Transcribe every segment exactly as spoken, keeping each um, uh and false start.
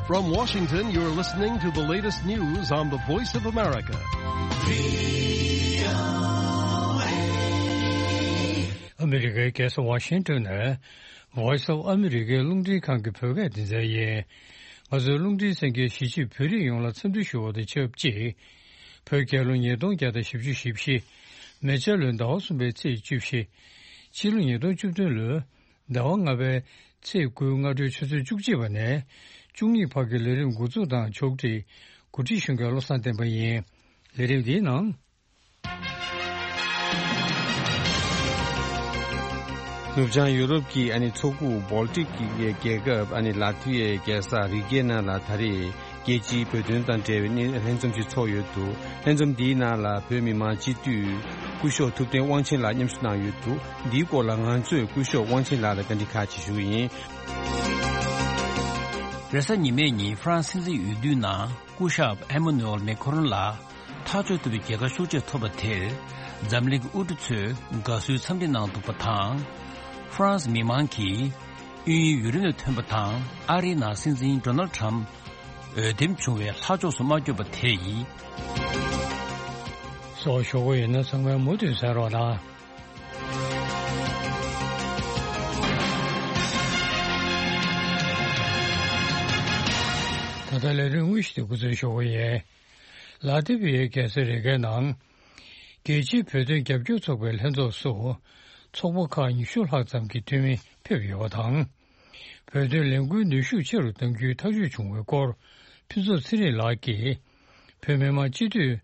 From Washington, you're listening to the latest news on the Voice of America. ཨ་མི་རི་ཀའི་རྒྱལ་ས་ཝ་ཤིང་ཏོན་ནས་Voice of America རླུང་འཕྲིན་ཁང་གི་བོད་སྐད་སྡེ་ཚན་ཡིན། ང་ཚོའི་རླུང་འཕྲིན་གསན་མཁན་གཞིས་བྱེས་བོད་རིགས་ཡོངས་ལ་འཚམས་འདྲི་ཞུ་བ་དང་ཆབས་ཅིག་བོད་རྒྱལ་ལོ་ཉིས་སྟོང་བརྒྱ་དང་བཞི་བཅུ་ཞེ་བཞི། མེ་བྱ་ལོའི་ཟླ་བ་གསུམ་པའི་ཚེས་བཅུ་བཞི། ཕྱི་ལོ་ཉིས་སྟོང་བཅུ་བདུན་ལོའི་ཟླ་བ་ལྔ་པའི་ཚེས་དགུའི་སྔ་དྲོའི་ཆུ་ཚོད་བཅུ་གཅིག་པ་ནས་བཅུ་གཉིས་བར་གྱི་ལས་རིམ་འགོ་འཛུགས་དང་ཕྱོགས་སྒྲིག་གོ་སྒྲིག་ཞུ་མཁན་བློ་བཟང་བསྟན་པ་ཡིན། ལས་རིམ་འདིའི་ནང་། ནུབ་བྱང་ཡུ་རོབ་ཀྱི་ཨ་ནི་མཚོ་ཁུག་བོལ་ཏིག་གི་རྒྱལ་ཁབ་ཨ་ནི་ལ་ཐི་ཝི་ཡའི་རྒྱལ་ས་རི་གའི་ནང་ལ་ད་རེས་རྒྱལ་སྤྱིའི་བོད་དོན་དང་འབྲེལ་བའི་གནས་ལྷན་འཛོམས་ཤིག་ཚོགས་ཡོད་འདུག་ལྷན་འཛོམས་འདིའི་ནང་ལ་བོད་མི་མང་སྤྱི་འཐུས་སྐུ་ཞབས་ཐུབ་བསྟན་དབང་ཆེན་ལགས་མཉམ་ཞུགས་གནང་ཡོད་འདུག་འདིའི་སྐོར་ལ་ང་ཚོས་སྐུ་ཞབས་དབང་ཆེན་ལགས་ལ་བཀའ་འདྲི་ཁག་ཅིག་ཞུ་གི་ཡིན། རེས་གཟའ་ཉི་མའི་ཉིན་ཧྥ་རན་སི་སྲིད་འཛིན་འོས་བསྡུའི་ནང་སྐུ་ཞབས་ཨེ་མ་ནུ་ཨེལ་མེ་ཁོ་རོན་ལགས་ཐག་གཅོད་ཐུབ་པའི་རྒྱལ་ཁ་ཤུགས་ཆེ་ཐོབ་པ་དེར་འཛམ་གླིང་གི་དབུ་ཁྲིད་ཚོས་དགའ་བསུའི་འཚམས་འདྲི་གནང་འདུག་པ་དང་། ཧྥ་རན་སི་མི་མང་གིས་དབྱིན་ཡུལ་ཡུ་རོབ་ནས་ཐོན་པ་དང་ཨ་རིའི་ནང་སྲིད་འཛིན་ཌོ་ནལ་ཊམ་འོས་འདེམས་བྱུང་བའི་ལྷག་ཕྱོགས་སུ་མ་བསྐྱོད་པ་དེ་ཡིན། སོགས་ཞུ་གི་ཡོད་ན་ཚང་མས་མུ་མཐུད་གསན་རོགས་གནང་། ད་ལྟ་ལས་རིམ་དངོས་གཞི་དེ་འགོ་འཛུགས་ཞུ་གི་ཡིན། ལ་ཏི་བི་ཡའི་རྒྱལ་ས་རི་གའི་ནང་། རྒྱལ་སྤྱིའི་བོད་དོན་རྒྱབ་སྐྱོར་ཚོགས་པའི་ལྷན་ཚོགས་སུ། ཚོགས་པ་ཁག་ཉི་ཤུ་ལྷག་ཙམ་གྱི་འཐུས་མི་ཕེབས་ཡོད་པ་དང་། བོད་དོན་ལས་འགུལ་ནུས་ཤུགས་ཆེ་རུ་གཏང་རྒྱུའི་ཐག་གཅོད་བྱུང་བའི་སྐོར། ཕུན་ཚོགས་ཚེ་རིང་ལགས་ཀྱིས། བོད་མི་མང་སྤྱི་འཐུས།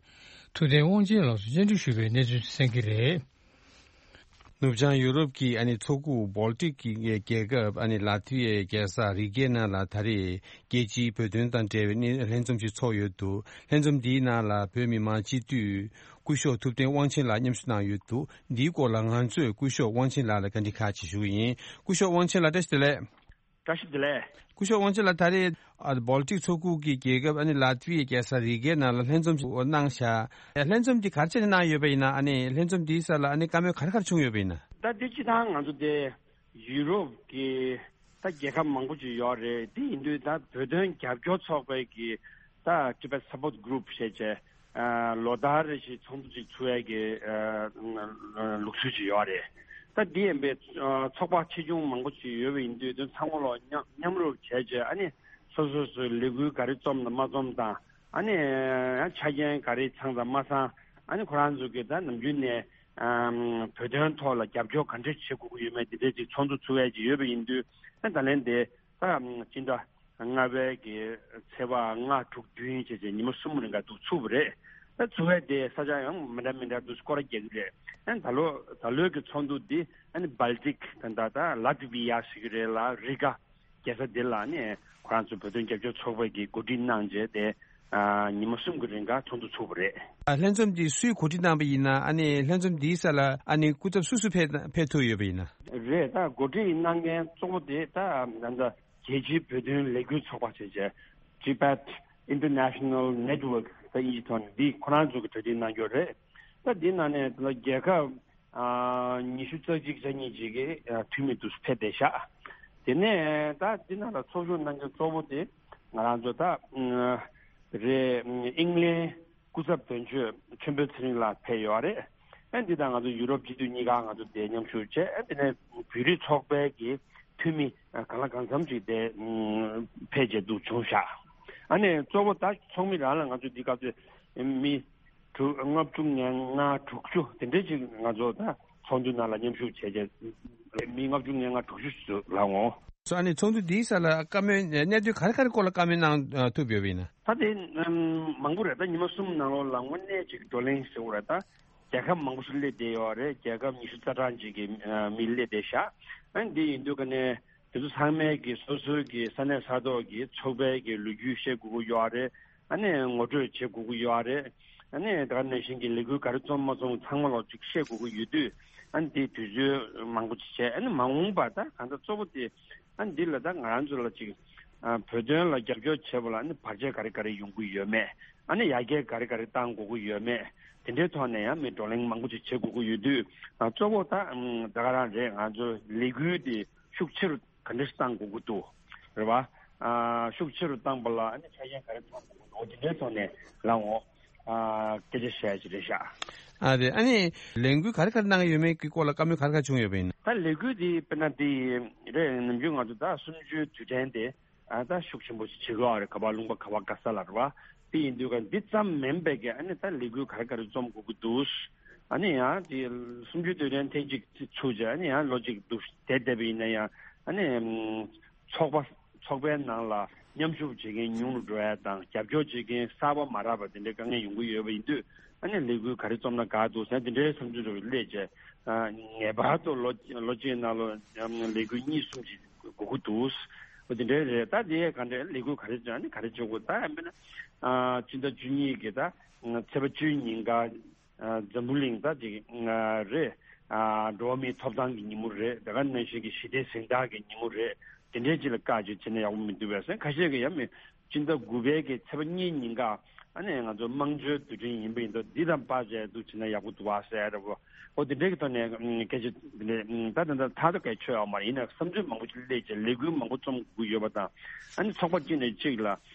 ཐུབ་བསྟན་དབང་ཆེན་ལགས་སུ་བཅར་འདྲི་ཞུས་པའི་གནས་ཚུལ་གསན་གྱི་རེད། ནུབ་བྱང་ཡུ་རོབ་ཀྱི་ཨ་ནི་མཚོ་ཁུག་བོལ་ཏིག་གི་རྒྱལ་ཁབ་ཨ་ནི་ལ་ཐི་ཝི་ཡའི་རྒྱལ་ས་རི་གའི་ནང་ལ་ད་རེས་རྒྱལ་སྤྱིའི་བོད་དོན་དང་འབྲེལ་བའི་གནས་ལྷན་འཛོམས་ཤིག་ཚོགས་ཡོད་འདུག་ལྷན་འཛོམས་འདིའི་ནང་ལ་བོད་མི་མང་སྤྱི་འཐུས་སྐུ་ཞབས་ཐུབ་བསྟན་དབང་ཆེན་ལགས་མཉམ་ཞུགས་གནང་ཡོད་འདུག་འདིའི་སྐོར་ལ་ང་ཚོས་སྐུ་ཞབས་དབང་ཆེན་ལགས་ལ་བཀའ་འདྲི་ཁག་ཅིག་ཞུ་གི་ཡིན། སྐུ་ཞབས་དབང་ཆེན་ལགས་བཀྲ་ཤིས་བདེ་ལེགས། བཀྲ་ཤིས་བདེ་ལེགས། སྐུ་ཞབས་དབང་ཆེན་ལགས་ད་རེས་ཨ་བོལ་ཏིག་མཚོ་ཁུག་གི་རྒྱལ་ཁབ་ཨ་ནི་ལ་ཐི་ཝི་ཡའི་རྒྱལ་ས་རི་གའི་ནང་ལ་ལྷན་འཛོམས་ཤིག་གནང་བཞག་ལྷན་འཛོམས་འདི་ག་རེ་བྱས་ནས་གནང་ཡོད་པ་ཡིན་ན། ཨ་ནི་ལྷན་འཛོམས་འདིའི་སར་ལ་ཨ་ནི་བཀའ་མོལ་ག་རེ་ག་རེ་བྱུང་ཡོད་པ་ཡིན་ན། ད་འདི་སྤྱི་བཏང་ང་ཚོ་དེ་ཡུ་རོབ་ཀྱི་ད་རྒྱལ་ཁབ་མང་པོ་ཅིག་ཡོད་རེད། དེ་ཡིན་དུས་ད་བོད་དོན་རྒྱབ་སྐྱོར་ཚོགས་པའི་གི་ད་Tibet Support Group ཞེས་བྱས། ཨ་ལོ་ལྟར་རེ་བཞིན་ཚོགས་འདུ་ཅིག་ཚུགས་ཡས་ཀྱི་ཨ་ལུགས་སྲོལ་ཅིག་ཡོད་རེད། ད་འདི་ཡིན་པའི་ཨ་ཚོགས་པ་ཆེ་ཆུང་མང་པོ་ཅིག་ཡོད་པ་ཡིན་དུས་དེ་ཚང་མ་ལོ་མཉམ་མཉམ་རུབ་བྱས་རྗེས་ཨ་ནི་སོ་སོ་སོའི་ལས་འགུལ་ག་རེ་རྩོམ་དང་མ་རྩོམ་དང་། ཨ་ནི་ཡང་ཆ་རྐྱེན་ག་རེ་ཚང་དང་མ་ཚང་། ཨ་ནི་ཁོ་རང་ཚོ་གི་ད་ནམ་རྒྱུན་ནས་ཨ་བོད་དོན་ཐོག་ལ་རྒྱབ་སྐྱོར་ག་འདྲས་བྱེད་དགོས་ཀྱི་ཡོད་མེད་དེ་འདྲས་ཅིག་ཚོགས་འདུ་ཚུགས་ཡས་ཅིག་ཡོད་པ་ཡིན་དུས། ཨ་ད་ལན་དེ་ད་སྤྱི་ཟླ་ལྔ་པའི་གི་ཚེས་པ་ལྔ་དྲུག་བདུན་བྱས་བྱས་ཉི་མ་གསུམ་རིང་ག་འདུག་ཚུགས་པ་རེད། ད་ཚུགས་ཡས་དེ་ས་ཆ་ཡང་མི་འདྲ་མི་འདྲ་འདུག་སྐོར་ར་རྒྱག་གི་རེད། ཨ་ད་ལོ་ད་ལོའི་གི་ཚོགས་འདུ་འདི་ཨ་ནི་Baltic ད་ད་ད་ལ་ཏི་བི་ཡ་ཟེར་གི་རེད་ལ། རི་ག་རྒྱལ་ས་འདི་ལ་ནི་ཁོ་རང་ཚོ་བོད་དོན་རྒྱབ་སྐྱོར་ཚོགས་པ་གིས་གོ་སྒྲིག་གནང་རྗེས་དེ་ཨ་ཉི་མ་གསུམ་གྱི་རིང་ག་ཚོགས་འདུ་ཚུགས་པ་རེད། ཨ་ལྷན་འཛོམས་འདི་སུས་གོ་སྒྲིག་གནང་པ་ཡིན་ན། ཨ་ནི་ལྷན་འཛོམས་འདིའི་སར་ལ་ཨ་ནི་སྐུ་ཚབ་སུ་སུ་ཕེབས་ཕེབས་ཐུབ་ཡོད་པ་ཡིན་ན། རེད། ད་གོ་སྒྲིག་གནང་མཁན་གཙོ་བོ་དེ་ད་ད་ལྟ་རྒྱལ་སྤྱིའི་བོད་དོན་ལས་འགུལ་ཚོགས་པ་ཞེས་བྱས། Tibet International Network ད་དབྱིན་ཇི་ཐོག་ནས་འདི་ཁོ་རང་ཚོ་གིས་གྲ་སྒྲིག་གནང་རྒྱུ་རེད། ད་འདི་ནང་ནས་ད་ལྟ་རྒྱལ་ཁབ་ཨ་ཉི་ཤུ་རྩ་གཅིག་རྩ་གཉིས་ཅིག་གི་ཨ་འཐུས་མི་དུ་ཕེབས་བསྡད་ཤག་དེ་ནས་ད་འདི་ནང་ལ་ཚོགས་ཞུགས་གནང་མཁན་གཙོ་བོ་དེ་ང་རང་ཚོ་ད་ཨ་རེད། ཨིང་ལན་སྐུ་ཚབ་དོན་གཅོད་ཆོས་འཕེལ་ཚེ་རིང་ལགས་ཕེབས་ཡོད་རེད། ཨ་འདི་དང་ང་ཚོ་ཡུ་རོབ་སྤྱི་འཐུས་གཉིས་ཀ་ང་ཚོ་དེ་མཉམ་ཞུགས་བྱས། ཨ་དེ་ནས་བོད་རིགས་ཚོགས་པའི་གི་འཐུས་མི་གང་ལ་གང་འཚམ་ཅིག་དེ་ཕེབས་བྱས་འདུག་བྱུང་ཤག་ཨ་ནས་གཙོ་བོ་ད་ཚོགས་མི་རང་ལ་ང་ཚོ་འདི་སྐབས་དུས་མི་དྲུག་ལྔ་བཅུ་ང་ལྔ་དྲུག་ཅུ་དེ་འདྲས་ཅིག་ང་ཚོ་ད་ཚོགས་འདུ་ནང་ལ་མཉམ་ཞུགས་བྱས་རྗེས་མི་ལྔ་བཅུ་ང་ལྔ་དྲུག་ཅུ་ཞིག་ལ་འོང་། སོ་ཨ་ནི་ཚོགས་འདུ་འདིའི་སར་ལ་བཀའ་མོལ་གནད་དོན་ག་རེ་ག་རེ་སྐོར་ལ་བཀའ་མོལ་གནང་ཐུབ་ཡོད་པ་ཡིན་ན། ད་དེ་མང་པོ་རེད། ད་ཉི་མ་གསུམ་ནང་ལོགས་ལ་དངོས་གནས་ཅིག་བགྲོ་གླེང་ཟེར་བ་རེད། ད་རྒྱལ་ཁབ་མང་པོ་ཞིག་སླེབས་བསྡད་ཡོད་རེད། རྒྱལ་ཁབ་ཉི་ཤུ་རྩ་གྲངས་ཅིག་གི་མི་སླེབས་བསྡད་ཤག་ཨ་ནི་འདི་ཡིན་དུས་ཀ་ནས་དེ་ཚོ་ཚང་མས་ཀྱི་སོ་སོའི་གི་ས་གནས་ས་ཐོག་གི་ཚོགས་པའི་གི་ལོ་རྒྱུས་བཤད་དགོས་ཀྱི་ཡོད་རེད། ཨ་ནི་ངོ་སྤྲོད་བྱེད་དགོས་ཀྱི་ཡོད་རེད། ཨ་ནི་ད་ག་ནང་བཞིན་གྱི་ལས་འགུལ་ག་རེ་རྩོམ་མ་རྩོམ་ཚང་མ་ལོག་ཅིག་བཤད་དགོས་ཀྱི་ཡོད་དུས། ཨ་ནི་དེ་དུས་ཚོད་མང་པོ་ཅིག་བྱས། ཨ་ནི་མ་འོངས་པར་ད་གང་ལྟར་གཙོ་བོ་དེ་ཨ་ནི་འདི་ལ་ད་ང་རང་ཚོ་ལ་ཅིག་ཨ་བོད་དོན་ལ་རྒྱབ་སྐྱོར་བྱེད་པ་ལ་ཨ་ནི་བར་ཆད་ག་རེ་ག་རེ་ཡོང་གི་ཡོད་མེད། ཨ་ནི་ཡར་རྒྱས་ག་རེ་ག་རེ་གཏང་དགོས་ཀྱི་ཡོད་མེད། དེ་འདྲའི་ཐོག་ནས་ཡང་མི་བགྲོ་གླེང་མང་པོ་ཅིག་བྱེད་དགོས་ཀྱི་ཡོད་དུས། ཨ་གཙོ་བོ་ད་ཨམ་ད་ག་རང་རེད། ང་ཚོ་ལས་འགུལ་དེ་ཤུགས་ཆེ་རུ་ག་འདྲས་གཏང་དགོས་ཀྱི་འདུག་རེད་བ། ཨ་ཤུགས་ཆེ་རུ་བཏང་པ་ལ་ཨ་ནི་ཆ་རྐྱེན་ག་རེ་ཚང་དགོས་འདུག་དེ་འདྲའི་ཐོག་ནས་ལ་འོ་ཨ་སྐད་ཆ་བཤད་ཀྱི་རེད་ཤག་ཨ་རེད། ཨ་ནི་ལས་འགུལ་ག་རེ་ག་རེ་གནང་གི་ཡོད་མེད་ཀྱི་སྐོར་ལ་བཀའ་མོལ་ག་རེ་ག་རེ་བྱུང་ཡོད་པ་ཡིན་ན། ད་ལས་འགུལ་འདི་དཔེར་ན་འདི་རེད། ནམ་རྒྱུན་ང་ཚོ་ད་གསུམ་བཅུའི་དུས་དྲན་དེ་ཨ་ད་ཤུགས་ཆེན་པོ་ཞིག་བྱེད་དགོས་རེད། ག་པར་ལུང་པ་ག་པར་ག་ས་ལ་རེད་བ། དེ་ཡིན་དུས་ཀ་འདི་ཙམ་མིན་པའི་གི་ཨ་ནི་ད་ལས་འགུལ་ག་རེ་ག་རེ་རྩོམ་དགོས་ཀྱི་འདུག་ཨ་ནི་ཡང་དེ་གསུམ་བཅུའི་དུས་དྲན་ཐེངས་གཅིག་ཚུགས་རྗེས་ཨ་ནི་ཡང་ལོ་གཅིག་འདུག་བསྡད་བསྡད་པ་ཡིན་ན་ཡང་ཨ་ནི་ཚོགས་པ་ཚོགས་པའི་ནང་ལ་མཉམ་ཞུགས་བྱེད་མཁན་ཉུང་རུ་འགྲོ་ཡ་དང་རྒྱབ་སྐྱོར་བྱེད་མཁན་གསར་པ་མ་རག་པ་དེ་འདྲའི་དཀའ་ངལ་ཡོང་གི་ཡོད་པ་ཡིན་དུས་ཨ་ནི་ལས་འགུལ་ག་རེ་རྩོམ་ན་དགའ་འདུག་ཟེར་དེ་འདྲའི་བསམ་ཚུལ་རེ་སླེབས་རྗེས་ངེས་པར་དུ་ལོ་ལོ་གཅིག་ནང་ལ་ལས་འགུལ་གཉིས་གསུམ་ཞིག་དགོས་ཀྱི་འདུག་འོ་དེ་འདྲའི་རེད། ད་དེ་ག་འདྲའི་ལས་འགུལ་ག་རེ་བྱུང་ཨ་ནི་ག་རེ་བྱུང་དགོས་ད་ཡང་མིན་ན་ཨ་སྤྱི་ཟླ་བཅུ་གཉིས་ཀྱི་ད་ཚེས་པ་བཅུའི་ཉིན་ཀ་ཨ་འཛམ་བུ་གླིང་ད་ཅིག་ཨ་རེད། ཨ་འགྲོ་བ་མིའི་ཐོབ་ཐང་གི་ཉིན་མོ་རེད། དེ་ག་ནང་བཞིན་གྱི་ཞི་བདེ་གཟེངས་རྟགས་ཀྱི་ཉིན་མོ་རེད། དེ་འདྲའི་ཅིག་ལ་བཀག་ཅིག་བྱས་ན་ཡག་པོ་མི་འདུག་པས་ཟེར་ཁ་ཤས་ཀྱིས་ཡང་མི་སྤྱི་ཟླ་དགུ་པའི་གི་ཚེས་པ་གཉིས་ཉིན་ཀ་ཨ་ནི་ང་ཚོ་དམངས་གཙོའི་དུས་དྲན་ཡིན་པ་ཡིན་དུས་འདི་དང་པ་བྱས་འདུག་བྱས་ན་ཡག་པོ་འདུག་བ་ཟེར་རེད་བོ། འོ་དེ་འདྲའི་གི་ཐོག་ནས་ཨ་སྐད་ཆ་འདི་འདྲ་ད་ད་ད་ཐག་ཏུ་གལ་ཆོད་ཡོད་མ་རེད། ཡིན་ན་བསམ་ཚུལ་མང་པོ་ཅིག་སླེབས་བྱས་ལས་འགུལ་མང་པོ་རྩོམ་དགོས་ཡོད་པ་དང་ཨ་ནི་ཚོགས་པ་གཅིག་ནས་གཅིག་ལ་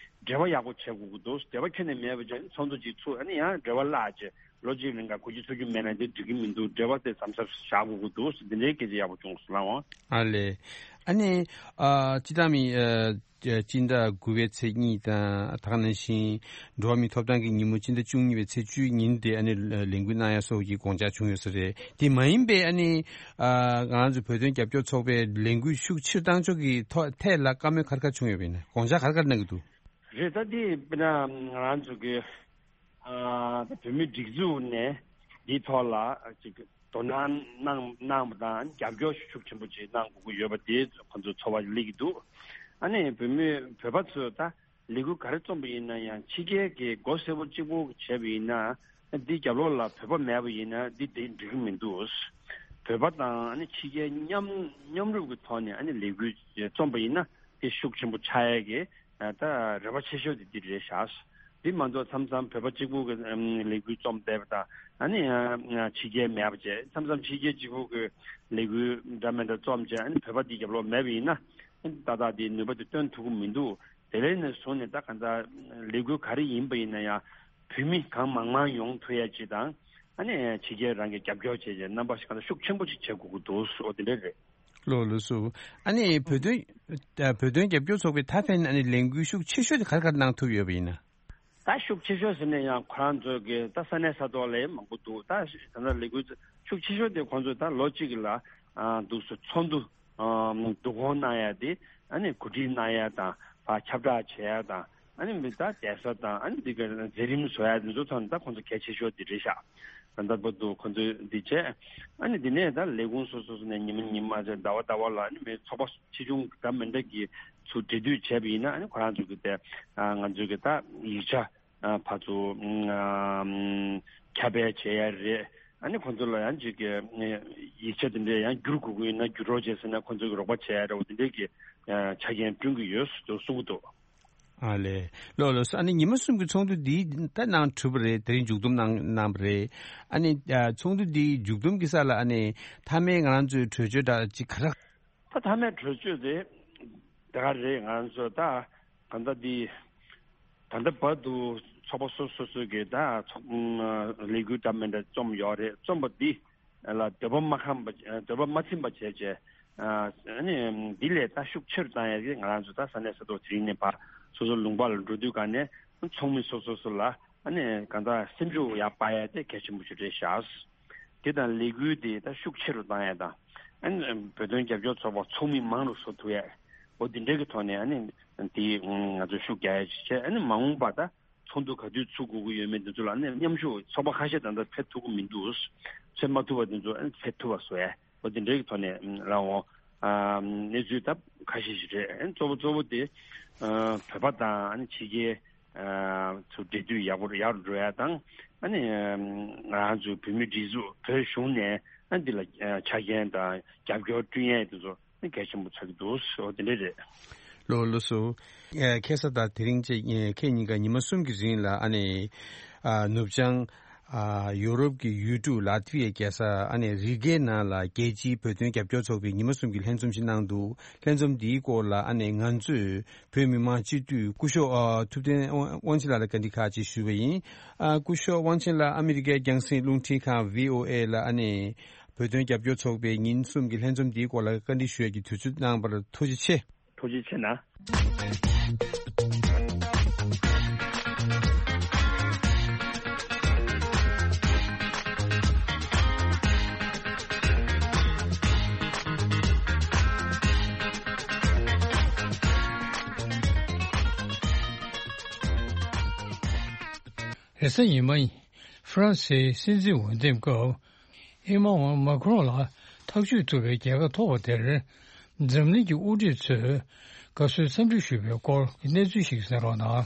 འབྲེལ་བ་ཡག་པོ་བྱེད་དགོས་ཀྱི་འདུག་འབྲེལ་བ་ཁྱོན་ནས་མེད་པ་བྱས་ཚོགས་འདུ་གཅིག་ཚུགས་ཨ་ནི་ཡང་འབྲེལ་བ་བརླག་བྱས་ལོ་གཅིག་རིང་ག་གོ་རྒྱུ་ཚོར་རྒྱུ་མེད་ན་འདི་འགྲིག་གི་མི་འདུག་འབྲེལ་བ་དེ་ཟམ་ཟམ་བཞག་དགོས་ཀྱི་འདུག་འདི་འདྲའི་སྐད་ཆ་ཡག་པོ་བྱུང་སོང་ལགས་འོང་། ཨ་ལས། ཨ་ནི་ཨ་སྤྱི་བཏང་མི་ཨ་སྤྱི་ཟླ་དགུ་པའི་ཚེས་གཉིས་དང་ད་ག་ནང་བཞིན་འགྲོ་བ་མིའི་ཐོབ་ཐང་གི་ཉིན་མོ་སྤྱི་ཟླ་བཅུ་གཉིས་པའི་ཚེས་བཅུའི་ཉིན་དེ་ཨ་ནི་ལས་འགུལ་གནང་ཡ་སོགས་ཀྱི་དགོངས་འཆར་བྱུང་ཡོད་ས་རེད། དེ་མ་ཡིན་པའི་ཨ་ནི་ཨ་ང་རང་ཚོ་བོད་དོན་རྒྱབ་སྐྱོར་ཚོགས་པའི་ལས་འགུལ་ཤུགས་ཆེར་བཏང་ཕྱོགས་ཀྱི་ཐོག་ཐད་ལ་བཀའ་མོལ་ག་རེ་ག་རེ་བྱུང་ཡོད་པ་ཡིན་ན། དགོངས་འཆར་ག་རེ་ག་རེ་གནང་གི་འདུག་རེད། ད་འདི་དཔེར་ན་ང་རང་ཚོ་གི་ཨ་ད་བོད་མིའི་སྒྲིག་འཛུགས་ནས་འདིའི་ཐོག་ལ་ཅིག་དོ་སྣང་གནང་གནང་བ་དང་རྒྱབ་སྐྱོར་ཤུགས་ཆེན་པོ་ཅིག་གནང་དགོས་ཀྱི་ཡོད་པ་དེ་ཁོང་ཚོ་ཚོར་བ་སླེབས་ཀྱི་འདུག་ཨ་ནི་བོད་མི་བོད་པ་ཚོས་ད་ལས་འགུལ་ག་རེ་རྩོམ་པ་ཡིན་ན་ཡང་ཕྱི་རྒྱལ་གྱི་མགོ་སེར་པོ་གཅིག་པོ་བྱས་པ་ཡིན་ན་འདི་རྒྱབ་ལོགས་ལ་བོད་པ་མེད་པ་ཡིན་ན་འདི་དེ་འགྲིག་གི་མི་འདུག་བོད་པ་དང་ཨ་ནི་ཕྱི་རྒྱལ་མཉམ་མཉམ་རུབ་ཀྱི་ཐོག་ནས་ཨ་ནི་ལས་འགུལ་རྩོམ་པ་ཡིན་ན་དེ་ཤུགས་ཆེན་པོ་ཆགས་ཡས་ཀྱི་ད་རེ་བ་ཆེ་ཤོས་དེ་འདི་རེད་ཤག་འདི་མ་གཏོགས་མཚམས་མཚམས་བོད་པ་གཅིག་པུ་གི་ལས་འགུལ་རྩོམ་བསྡད་པ་དང་ཨ་ནི་ཕྱི་རྒྱལ་མེད་པ་བྱས་མཚམས་མཚམས་ཕྱི་རྒྱལ་གཅིག་པུ་གི་ལས་འགུལ་འདྲ་མི་འདྲ་རྩོམ་བྱས་ཨ་ནི་བོད་པ་འདི་རྒྱབ་ལོགས་མེད་པ་ཡིན་ན་ཏག་ཏག་འདི་ནུས་པ་དེ་སྟོན་ཐུབ་ཀྱི་མི་འདུག་དེ་ལས་ནས་བཟུང་ནས་ད་གང་ལྟར་ལས་འགུལ་ག་རེ་ཡིན་པ་ཡིན་ན་ཡང་བོད་མི་གང་མང་མང་ཡོང་ཐུབ་ཡ་ཅིག་དང་ཨ་ནི་ཕྱི་རྒྱལ་རང་གི་རྒྱབ་སྐྱོར་བྱས་བྱས་རྣམ་པ་ཞིག་གང་ལྟར་ཤུགས་ཆེན་པོ་ཅིག་བྱེད་དགོས་ཀྱི་འདུག་འོ་དེ་འདྲ་རེད། ལགས་ལགས་སོ། ཨ་ནི་བོད་དོན་བོད་དོན་རྒྱབ་སྐྱོར་ཚོགས་པའི་ད་ཕན་ཨ་ནི་ལས་འགུལ་ཤུགས་ཆེ་ཤོས་དེ་ག་རེ་ག་རེ་གནང་ཐུབ་ཡོད་པ་ཡིན་ན། ད་ཤུགས་ཆེ་ཤོས་ཟེར་ན་ཡང་ཁོ་རང་ཚོ་གི་ད་ས་གནས་ས་ཐོག་ལ་མང་པོ་འདུག་ད་ད་ལྟ་ལས་འགུལ་ཤུགས་ཆེ་ཤོས་དེ་ཁོང་ཚོ་ད་ལོ་གཅིག་ལ་འདུག་སེ་ཚོགས་འདུ་བསྡུ་སྐོང་གནང་ཡ་དེ་ཨ་ནི་གོ་སྒྲིག་གནང་ཡ་དང་ཕར་ཁྱབ་བསྒྲགས་བྱེད་ཡ་དང་ཨ་ནི་མི་ད་བསྡད་ས་དང་ཨ་ནི་འདི་ག་མཛད་རིམ་བཟོ་ཡ་འདི་ཚོ་ཐོག་ནས་ད་ཁོང་ཚོ་གལ་ཆེ་ཤོས་དེ་རེད་ཤག་ད་ལྟ་བར་དུ་ཁོང་ཚོས་འདི་བྱས། ཨ་ནི་འདི་ནས་ད་ལས་ཁུངས་སོ་སོ་སོ་ནས་ཉི་མ་ཉི་མ་ཟེར་ཟླ་བ་ཟླ་བ་ལ་ཨ་ནི་མི་ཚོགས་པ་ཆེ་ཆུང་འདྲ་མི་འདྲ་གི་ཚུར་འབྲེལ་མཐུད་བྱས་པ་ཡིན་ན་ཨ་ནི་ཁོ་རང་ཚོ་གི་དེ་ང་ཚོ་གི་ད་ཡིག་ཆ་ཕར་ཚུར་ཁྱབ་སྤེལ་བྱེད་ཡ་རེད། ཨ་ནི་ཁོང་ཚོ་ལ་ཡང་ཅིག་གི་ཡིག་ཆ་དེ་འདྲས་ཡང་བསྒྱུར་དགོས་ཀྱི་ཡིན་ན་བསྒྱུར་རོགས་བྱས་ཟེར་ན་ཁོང་ཚོ་གི་རོགས་པ་བྱེད་ཡ་རེད། འོ་དེ་འདྲས་ཀྱི་ཆ་རྐྱེན་བསྐྲུན་གྱི་ཡོད་ཟེར་གསུང་གི་འདུག་ཨ་ལས། ལགས་ལགས་སོ། ཨ་ནི་ཉི་མ་གསུམ་གྱི་ཚོགས་འདུ་འདི་ད་གནང་གྲུབ་པ་རེད། དེ་རིང་མཇུག་བསྡོམས་གནང་གནང་བ་རེད། ཨ་ནི་ཨ་ཚོགས་འདུ་འདི་མཇུག་བསྡོམས་ཀྱི་ས་ལ་ཨ་ནི་མཐའ་མའི་ང་རང་ཚོའི་གྲོས་ཆོད་འདྲ་ཅིག་ག་རེ། ད་མཐའ་མའི་གྲོས་ཆོད་དེ་དེ་ག་རེད། ང་རང་ཚོ་ད་ད་ལྟ་འདི་ད་ལྟ་བར་དུ་ཚོགས་པ་སོ་སོ་སོ་གི་ད་ཚོགས་ལས་འགུལ་འདྲ་མི་འདྲ་རྩོམ་ཡོད་རེད། རྩོམ་པ་འདི་ལ་འདོད་པ་མ་ཁེངས་པ་འདོད་པ་མ་ཚིམ་པ་བྱས་བྱས། ཨ་ནི་འདི་ལས་ད་ཤུགས་ཆེ་རུ་བཏང་ཡ་གི་ང་རང་ཚོ་ད་ས་གནས་ས་ཐོག་དེ་རིང་ནས་ཕར་སོ་སོ་ལུང་པ་ལ་འགྲོ་དུས་ག་ནས་ཚོགས་མི་སོ་སོ་སོ་ལ་ཨ་ནི་གང་ལྟར་སེམས་ཤུགས་ཡར་སྤར་ཡ་དེ་གལ་ཆེན་པོ་ཞིག་རེད་ཤག་དེ་དང་ལས་འགུལ་དེ་ད་ཤུགས་ཆེ་རུ་བཏང་ཡ་དང་ཨ་ནི་བོད་དོན་རྒྱབ་སྐྱོར་ཚོགས་པ་ཚོགས་མི་མང་རུ་བཟོ་ཐུབ་ཡ་འོ་དེ་འདྲའི་གི་ཐོག་ནས་ཨ་ནི་དེ་ང་ཚོ་ཤུགས་རྒྱག་ཡ་ཅིག་བྱས། ཨ་ནི་མ་འོངས་པ་ད་ཚོགས་འདུ་ག་དུས་ཚུགས་དགོས་ཀྱི་ཡོད་མེད་འདི་ཚོ་ལ་ཨ་ནི་མཉམ་ཞུགས་ཚོགས་པ་ཁ་ཤས་ད་ལྟ་ཕེབས་ཐུབ་ཀྱི་མི་འདུག་ཕེབས་མ་ཐུབ་པ་འདི་ཚོ་ཨ་ནི་ཕེབས་ཐུབ་པ་བཟོ་ཡ། འོ་དེ་འདྲའི་གི་ཐོག་ནས་ལ་འོང་། ཨ་གནས་ཚུལ་ད་ཁ་ཤས་ཤིག་རེད། ཨ་གཙོ་བོ་གཙོ་བོ་དེ་ཨ་བོད་པ་དང་ཨ་ནི་ཕྱི་རྒྱལ་ཨ་ཚོ་འབྲེལ་མཐུད་ཡག་པོ་ཡག་རུ་འགྲོ་ཡ་དང་ཨ་ནི་ང་རང་ཚོའི་བོད་མིའི་སྒྲིག་འཛུགས་བོད་གཞུང་ནས་ཨ་འདི་ལ་ཨ་ཆ་རྐྱེན་དང་རྒྱབ་སྐྱོར་བསྐྲུན་ཡ་དེ་ཚོ་གལ་ཆེན་པོ་ཆགས་ཀྱི་འདུག་འོ་དེ་འདྲ་རེད། ལགས་ལགས་སོ། ཨ་ཁ་སང་དང་དེ་རིང་བཅས་ཨ་ཁ་གཉིས་ཀ་ཉི་མ་གསུམ་གྱི་རིང་ལ་ཨ་ནི་ཨ་ནུབ་བྱང་ ཨ། ཡོ་རོབ་ཀྱི་ཡུལ་གྲུ་ལ་ཏི་ཝི་ཡའི་རྒྱལ་ས་ཨ་ནི་རི་གའི་ནང་ལ་རྒྱལ་སྤྱིའི་བོད་དོན་རྒྱབ་སྐྱོར་ཚོགས་པས་ཉི་མ་གསུམ་གྱི་ལྷན་འཛོམས་ཤིག་གནང་འདུག་ལྷན་འཛོམས་འདིའི་སྐོར་ལ་ཨ་ནི་ང་ཚོས་བོད་མི་མང་སྤྱི་འཐུས་སྐུ་ཞབས་ཨ་ཐུབ་བསྟན་དབང་དབང་ཆེན་ལགས་ལ་བཀའ་འདྲི་ཁག་ཅིག་ཞུས་པ་ཡིན། ཨ། སྐུ་ཞབས་དབང་ཆེན་ལགས། ཨ་མི་རི་ཀའི་རྒྱང་སྲིང་རླུང་འཕྲིན་ཁང་བྷི་ཨོ་ཨེ་ལ་ཨ་ནི་བོད་དོན་རྒྱབ་སྐྱོར་ཚོགས་པས་ཉིན་གསུམ་གྱི་ལྷན་འཛོམས་འདིའི་སྐོར་ལ་བཀའ་འདྲི་ཞུ་ཡས་ཀྱི་དུས་ཚོད་གནང་བར་ཐུགས་རྗེ་ཆེ། ཐུགས་རྗེ་ཆེ་གནང་། རེས་གཟའ་ཉི་མ་ཡིན། ཧྥ་རན་སིའི་སྲིད་འཛིན་འོས་འདེམས་སྐབས། ཨེ་མ་ཝང་མཱ་ཁི་རོང་ལ་ཐག་གཅོད་ཐུབ་པའི་རྒྱལ་ཁ་ཐོབ་པ་དེར། འཛམ་གླིང་གི་དབུ་ཁྲིད་ཚོས་དགའ་བསུའི་འཚམས་འདྲི་ཞུས་པའི་སྐོར་གྱི་གནས་ཚུལ་ཞིག་གསན་རོགས་གནང་།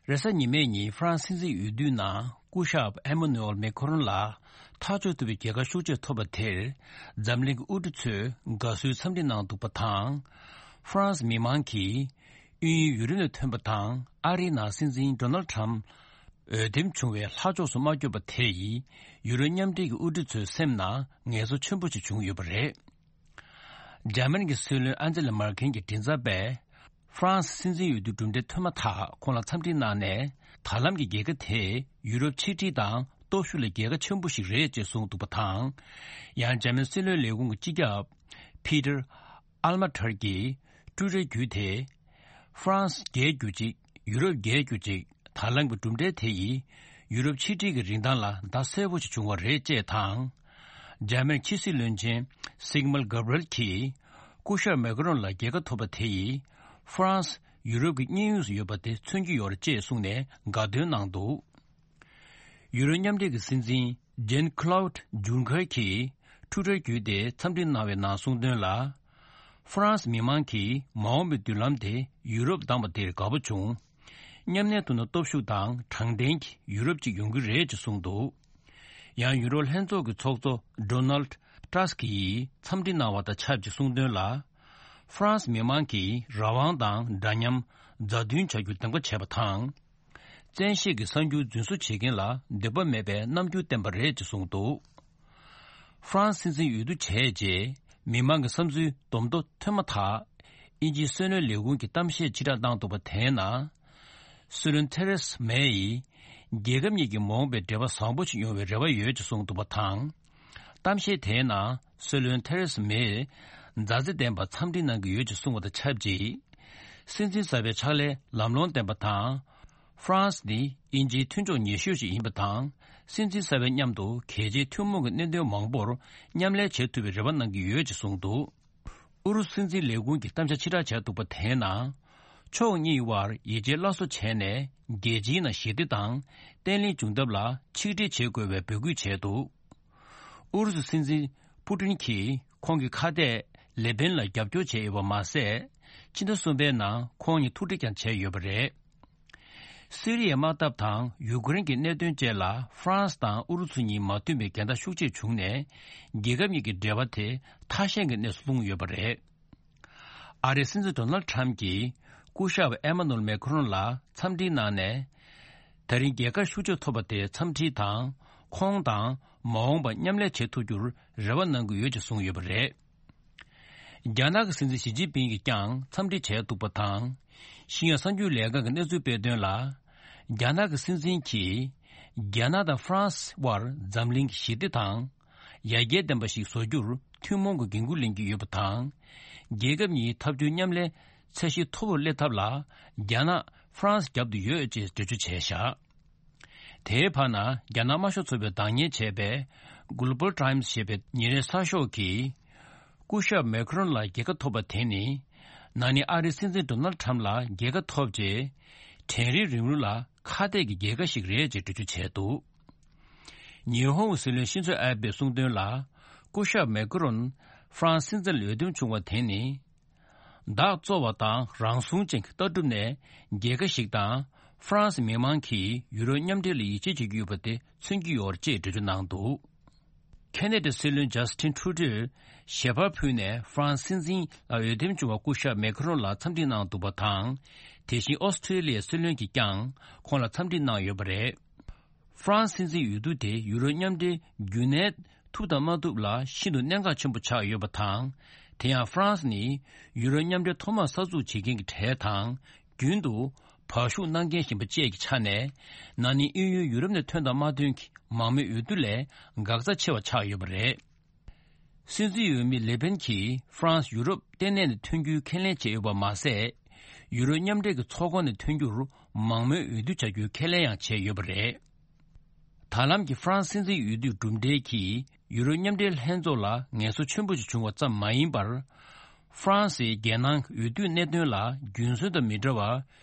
རེས་གཟའ་ཉི་མའི་ཉིན་ཧྥ་རན་སི་སྲིད་འཛིན་འོས་བསྡུའི་ནང་སྐུ་ཞབས་ཨེ་མ་ནུ་ཨེལ་མེ་ཁོ་རོན་ལ་ཐག་གཅོད་ཐུབ་པའི་རྒྱལ་ཁ་ཤུགས་ཆེ་ཐོབ་པ་དེར། འཛམ་གླིང་གི་དབུ་ཁྲིད་ཚོས་དགའ་བསུའི་འཚམས་འདྲི་གནང་འདུག་པ་དང་། ཧྥ་རན་སི་མི་མང་གིས་དབྱིན་ཡུལ་ཡུ་རོབ་ནས་ཐོན་པ་དང་ཨ་རིའི་ནང་སྲིད་འཛིན་ཌོ་ནལ་ཁྲམ་འོས་འདེམས་བྱུང་བའི་ལྷག་ཕྱོགས་སུ་མ་གྱུར་པ་དེ་ཡིས་ཡུ་རོབ་མཉམ་འབྲེལ་གྱི་དབུ་ཁྲིད་ཚོའི་སེམས་ནང་ངལ་གསོ་ཆེན་པོ་ཞིག་བྱུང་ཡོད་པ་རེད། འཇར་མན་གྱི་སྲིད་བློན་ཨན་ཇེ་ལ་མར་ཁེལ་གྱི་མགྲིན་ཚབ་པས། ཧྥ་རན་སི་སྲིད་འཛིན་འོས་བསྡུ་གྲུབ་འབྲས་ཐོན་མ་ཐག་ཁོང་ལ་འཚམས་འདྲི་གནང་ནས། ད་ལམ་གྱི་རྒྱལ་ཁ་དེས་ཡུ་རོབ་ཆིག་སྒྲིལ་དང་སྟོབས་ཤུགས་ལ་རྒྱལ་ཁ་ཆེན་པོ་ཞིག་རེད་ཅེས་གསུངས་འདུག་པ་དང་། ཡང་འཇར་མན་སྲིད་བློན་ལས་ཁུངས་ཀྱི་སྤྱི་ཁྱབ་པི་ཏར་ཨལ་མ་ཐར་གྱིས་ཊུ་ཊར་བརྒྱུད་དེ། ཧྥ་རན་སི་རྒྱལ་གྱུར་ཅིག་ཡུ་རོབ་རྒྱལ་གྱུར་ཅིག་ད་ལམ་གྱི་གྲུབ་འབྲས་དེ་ཡིས་ཡུ་རོབ་ཆིག་སྒྲིལ་གྱི་རིན་ཐང་ལ་ཟླ་གསལ་པོ་ཞིག་བྱུང་བ་རེད་ཅེས་དང་། འཇར་མན་ཕྱི་སྲིད་བློན་ཆེན་སིག་མལ་གྷབ་རེལ་གྱིས་སྐུ་ཞབས་མེ་ཁོ་རོན་ལ་རྒྱལ་ཁ་ཐོབ་པ་དེ་ཡིས་ཧྥ་རན་སི་ཡུ་རོབ་ཀྱི་གཉེན་ཡོངས་སུ་ཡོད་པ་དེ་མཚོན་གྱི་ཡོད་རེད་ཅེས་གསུངས་ནས་དགའ་སྟོན་གནང་འདུག་ཡུ་རོབ་མཉམ་འབྲེལ་གྱི་སྲིད་འཛིན་ཇན་ཁ་ལའུ་ཌི་ཇུན་ཁར་གྱིས་ཊུ་ཊར་བརྒྱུད་དེ་འཚམས་འདྲི་གནང་བའི་ནང་གསུངས་དོན་ལ། ཧྥ་རན་སི་མི་མང་གིས་མ་འོངས་པའི་མདུན་ལམ་དེ་ཡུ་རོབ་བདམས་པ་དེར་དགའ་པོ་བྱུང་། མཉམ་གནས་ཐུབ་ན་སྟོབས་ཤུགས་དང་དྲང་བདེན་གྱི་ཡུ་རོབ་ཅིག་ཡོང་གི་རེད་ཅེས་གསུངས་འདུག་ཡང་ཡུ་རོབ་ལྷན་ཚོགས་ཀྱི་ཚོགས་གཙོ་ཌོ་ནལ་ཌི་ཏྲ་སི་ཀི་ཡིས་འཚམས་འདྲི་གནང་བ་དང་ཆབས་ཅིག་གསུངས་དོན་ལ། ཧྥ་རན་སི་མི་མང་གིས་རང་དབང་དང་འདྲ་མཉམ། མཛའ་མཐུན་བྱ་རྒྱུར་འདེམས་ཀ་བྱས་པ་དང་། བཙན་ཤེད་ཀྱིས་གསར་འགྱུར་རྫུན་བཟོ་བྱེད་མཁན་ལ་འདོད་པ་མེད་པའི་རྣམ་འགྱུར་བསྟན་པ་རེད་ཅེས་གསུངས་འདུག་ཧྥ་རན་སི་སྲིད་འཛིན་འོས་བསྡུ་བྱས་རྗེས་མི་མང་གི་བསམ་ཚུལ་བསྡོམས་ཐོ་ཐོན་མ་ཐག་དབྱིན་ཇིའི་སྲིད་བློན་ལས་ཁུངས་ཀྱིས་གཏམ་བཤད་ཕྱིར་བསྒྲགས་གནང་འདུག་པ་དེའི་ནང་། སྲིད་བློན་ཐེ་རེ་སི་མེ་ཡིས་རྒྱལ་ཁབ་གཉིས་ཀྱི་མ་འོངས་པའི་འབྲེལ་བ་བཟང་པོ་ཞིག་ཡོང་བའི་རེ་བ་ཡོད་ཅེས་གསུངས་འདུག་པ་དང་། གཏམ་བཤད་དེའི་ནང་སྲིད་བློན་ཐེ་རེ་སི་མེས་མཛའ་བརྩེ་ལྡན་པར་འཚམས་འདྲི་གནང་གི་ཡོད་ཅེས་གསུངས་པ་དང་ཆབས་ཅིག་སྲིད་འཛིན་གསར་པའི་ཕྱག་ལས་ལམ་ལྷོང་ལྡན་པ་དང་། ཧྥ་རན་སི་ནི་དབྱིན་ཇིའི་མཐུན་ཕྱོགས་ཉེ་ཤོས་ཤིག་ཡིན་པ་དང་། སྲིད་འཛིན་གསར་པའི་མཉམ་དུ་གལ་ཆེའི་ཐུན་མོང་གི་གནད་དོན་མང་པོར་མཉམ་ལས་བྱེད་ཐུབ་པའི་རེ་བ་གནང་གི་ཡོད་ཅེས་གསུངས་འདུག་ཨུ་རུ་སུ་སྲིད་འཛིན་ལས་ཁུངས་ཀྱིས་གཏམ་བཤད་ཕྱིར་བསྒྲགས་བྱས་འདུག་པ་དེའི་ནང་། ཕྱོགས་གཉིས་དབར་ཡིད་ཆེས་སླར་གསོ་བྱས་ནས་རྒྱལ་སྤྱིའི་ནང་ཞི་བདེ་དང་བརྟན་ལྷིང་འབྱུང་ཐབས་ལ་ཆིག་སྒྲིལ་བྱེད་དགོས་པའི་འབོད་སྐུལ་བྱས་འདུག་ཨུ་རུ་སུ་སྲིད་འཛིན་པུ་ཏིན་གྱིས་ཁོང་གི་ཁ་གཏད་ལེ་པེན་ལ་རྒྱབ་སྐྱོར་བྱས་ཡོད་པ་མ་ཟད། ཕྱི་ཟླ་གསུམ་པའི་ནང་ཁོང་གཉིས་ཐུག་འཕྲད་ཀྱང་བྱས་ཡོད་པ་རེད། སི་རི་ཡའི་དམག་འཐབ་དང་ཡུ་ཀེ་རེན་གྱི་གནད་དོན་བཅས་ལ་ཧྥ་རན་སི་དང་ཨུ་རུ་སུ་གཉིས་མ་མཐུན་པའི་འགལ་ཟླ་ཤུགས་ཆེ་བྱུང་ནས། རྒྱལ་ཁབ་གཉིས་ཀྱི་འབྲེལ་བ་དེ་ཐ་ཞན་གྱི་གནས་སུ་ལྷུང་ཡོད་པ་རེད། ཨ་རིའི་སྲིད་འཛིན་ཌོ་ནལ་ཁྲམ་གྱིས་སྐུ་ཞབས་ཨེ་མ་ནུ་ཨེལ་མེ་ཁོ་རོན་ལ་འཚམས་འདྲི་གནང་ནས། ད་རིང་རྒྱལ་ཁ་ཤུགས་ཆེ་ཐོབ་པ་དེ་འཚམས་འདྲི་དང་། ཁོང་དང་མ་འོངས་པར་མཉམ་ལས་བྱེད་ཐུབ་རྒྱུར་རེ་བ་གནང་གི་ཡོད་ཅེས་གསུངས་ཡོད་པ་རེད། རྒྱ་ནག་གི་སྲིད་འཛིན་ཞི་ཅིན་ཕིང་གིས་ཀྱང་འཚམས་འདྲི་བྱས་འདུག་པ་དང་། ཤིན་ཡང་གསར་འགྱུར་ལས་ཁང་གིས་གནས་ཚུལ་སྤེལ་དོན་ལ། རྒྱ་ནག་གི་སྲིད་འཛིན་གྱིས། རྒྱ་ནག་དང་ཧྥ་རན་སི་དབར་འཛམ་གླིང་གི་ཞི་བདེ་དང་། ཡར་རྒྱས་ལྡན་པ་ཞིག་བཟོ་རྒྱུར་ཐུན་མོང་གི་འགན་འཁུར་ལེན་གྱི་ཡོད་པ་དང་། རྒྱལ་ཁབ་གཉིས་འཐབ་ཇུས་མཉམ་ལས་ཚད་གཞི་མཐོ་བོར་སླེབས་ཐབས་ལ། རྒྱ་ནག་ཧྥ་རན་སི་རྒྱབ་ཏུ་ཡོད་ཅེས་འགྲེལ་བརྗོད་བྱས་བཞག་དེའི་བར་ན། རྒྱ་ནག་དམར་ཤོག་ཚོགས་པས་བདག་གཉེར་བྱས་པའི་Global Times ཞེས་པའི་ཉིན་རེའི་གསར་ཤོག་གིས། སྐུ་ཞབས་མེ་ཁོ་རོན་ལ་རྒྱལ་ཁ་ཐོབ་པ་དེ་ནི། ན་ནིང་ཨ་རིའི་སྲིད་འཛིན་ཌོ་ནལ་ཁྲམ་ལ་རྒྱལ་ཁ་ཐོབ་རྗེས། དྲན་རིག་རིང་ལུགས་ལ་ཁ་གཏད་ཀྱི་རྒྱལ་ཁ་ཞིག་རེད་ཅེས་འགྲེལ་བརྗོད་བྱས་འདུག་ཉི་ཧོང་གི་སྲིད་བློན་ཤིན་ཛོ་ཨེ་བྷེས་གསུངས་དོན་ལ། སྐུ་ཞབས་མེ་ཁོ་རོན་ཧྥ་རན་སི་སྲིད་འཛིན་ལ་འོས་འདེམས་བྱུང་བ་དེ་ནི། བདག་གཙོ་བ་དང་རང་སྲུང་ཅན་གྱི་ལྟ་གྲུབ་ནས་རྒྱལ་ཁ་ཞིག་དང་། ཧྥ་རན་སི་མི་མང་གིས་ཡུ་རོབ་མཉམ་འབྲེལ་ལ་ཡིད་ཆེས་བྱེད་ཀྱི་ཡོད་པ་དེ་མཚོན་གྱི་ཡོད་རེད་ཅེས་འགྲེལ་བརྗོད་གནང་འདུག་ཁེ་ན་ཌའི་སྲིད་བློན་ཇ་སི་ཊིན་ཁྲུ་ཌོས་ཞལ་པར་ཕུལ་ནས་ཧྥ་རན་སི་སྲིད་འཛིན་ལ་འོས་འདེམས་བྱུང་བ་སྐུ་ཞབས་མེ་ཁ་རོན་ལ་འཚམས་འདྲི་གནང་འདུག་པ་དང་། དེ་བཞིན་ཨོ་སི་ཁྲེ་ལི་ཡའི་སྲིད་བློན་གྱིས་ཀྱང་ཁོང་ལ་འཚམས་འདྲི་གནང་ཡོད་པ་རེད། ཧྥ་རན་སི་སྲིད་འཛིན་འོས་བསྡུ་དེ་ཡུ་རོབ་མཉམ་འབྲེལ་རྒྱུན་གནས་ཐུབ་དང་མ་ཐུབ་ལ་ཤིན་ཏུ་གནད་འགག་ཆེན་པོ་ཆགས་ཡོད་པ་དང་། དེ་ཡང་ཧྥ་རན་སི་ནི་ཡུ་རོབ་མཉམ་འབྲེལ་ཐོག་མར་གསར་འཛུགས་བྱེད་མཁན་གྱི་གྲས་དང་། རྒྱུན་དུ་བར་ཞུགས་གནང་མཁན་ཡིན་པ་བཅས་ཀྱི་ཆ་ནས། ན་ནིང་དབྱིན་ཡུལ་ཡུ་རོབ་ནས་ཐོན་དང་མ་ཐོན་གྱི་མང་མོས་འོས་བསྡུ་ལས་འགག་རྩ་ཆེ་བ་ཆགས་ཡོད་པ་རེད། སྲིད་འཛིན་འོས་མི་ལེ་པེན་གྱིས་ཧྥ་རན་སི་ཡུ་རོབ་ལྟེ་གནས་ནས་ཐོན་རྒྱུའི་ཁས་ལེན་བྱས་ཡོད་པ་མ་ཟད། ཡུ་རོབ་མཉམ་འབྲེལ་གྱི་ཚོགས་ཁང་ནས་ཐོན་རྒྱུར་མང་མོས་འོས་བསྡུ་བྱ་རྒྱུའི་ཁས་ལེན་ཡང་བྱས་ཡོད་པ་རེད། ད་ལམ་གྱི་ཧྥ་རན་སི་སྲིད་འཛིན་འོས་བསྡུའི་གྲུབ་འབྲས་ཀྱིས་ཡུ་རོབ་མཉམ་འབྲེལ་ལྷན་ཚོགས་ལ་ངལ་གསོ་ཆེན་པོ་ཞིག་བྱུང་བ་ཙམ་མ་ཡིན་པར། ཧྥ་རན་སིའི་རྒྱལ་ནང་འོས་བསྡུའི་གནད་དོན་ལ་རྒྱུན་སྲོལ་དང་མི་འདྲ་བར་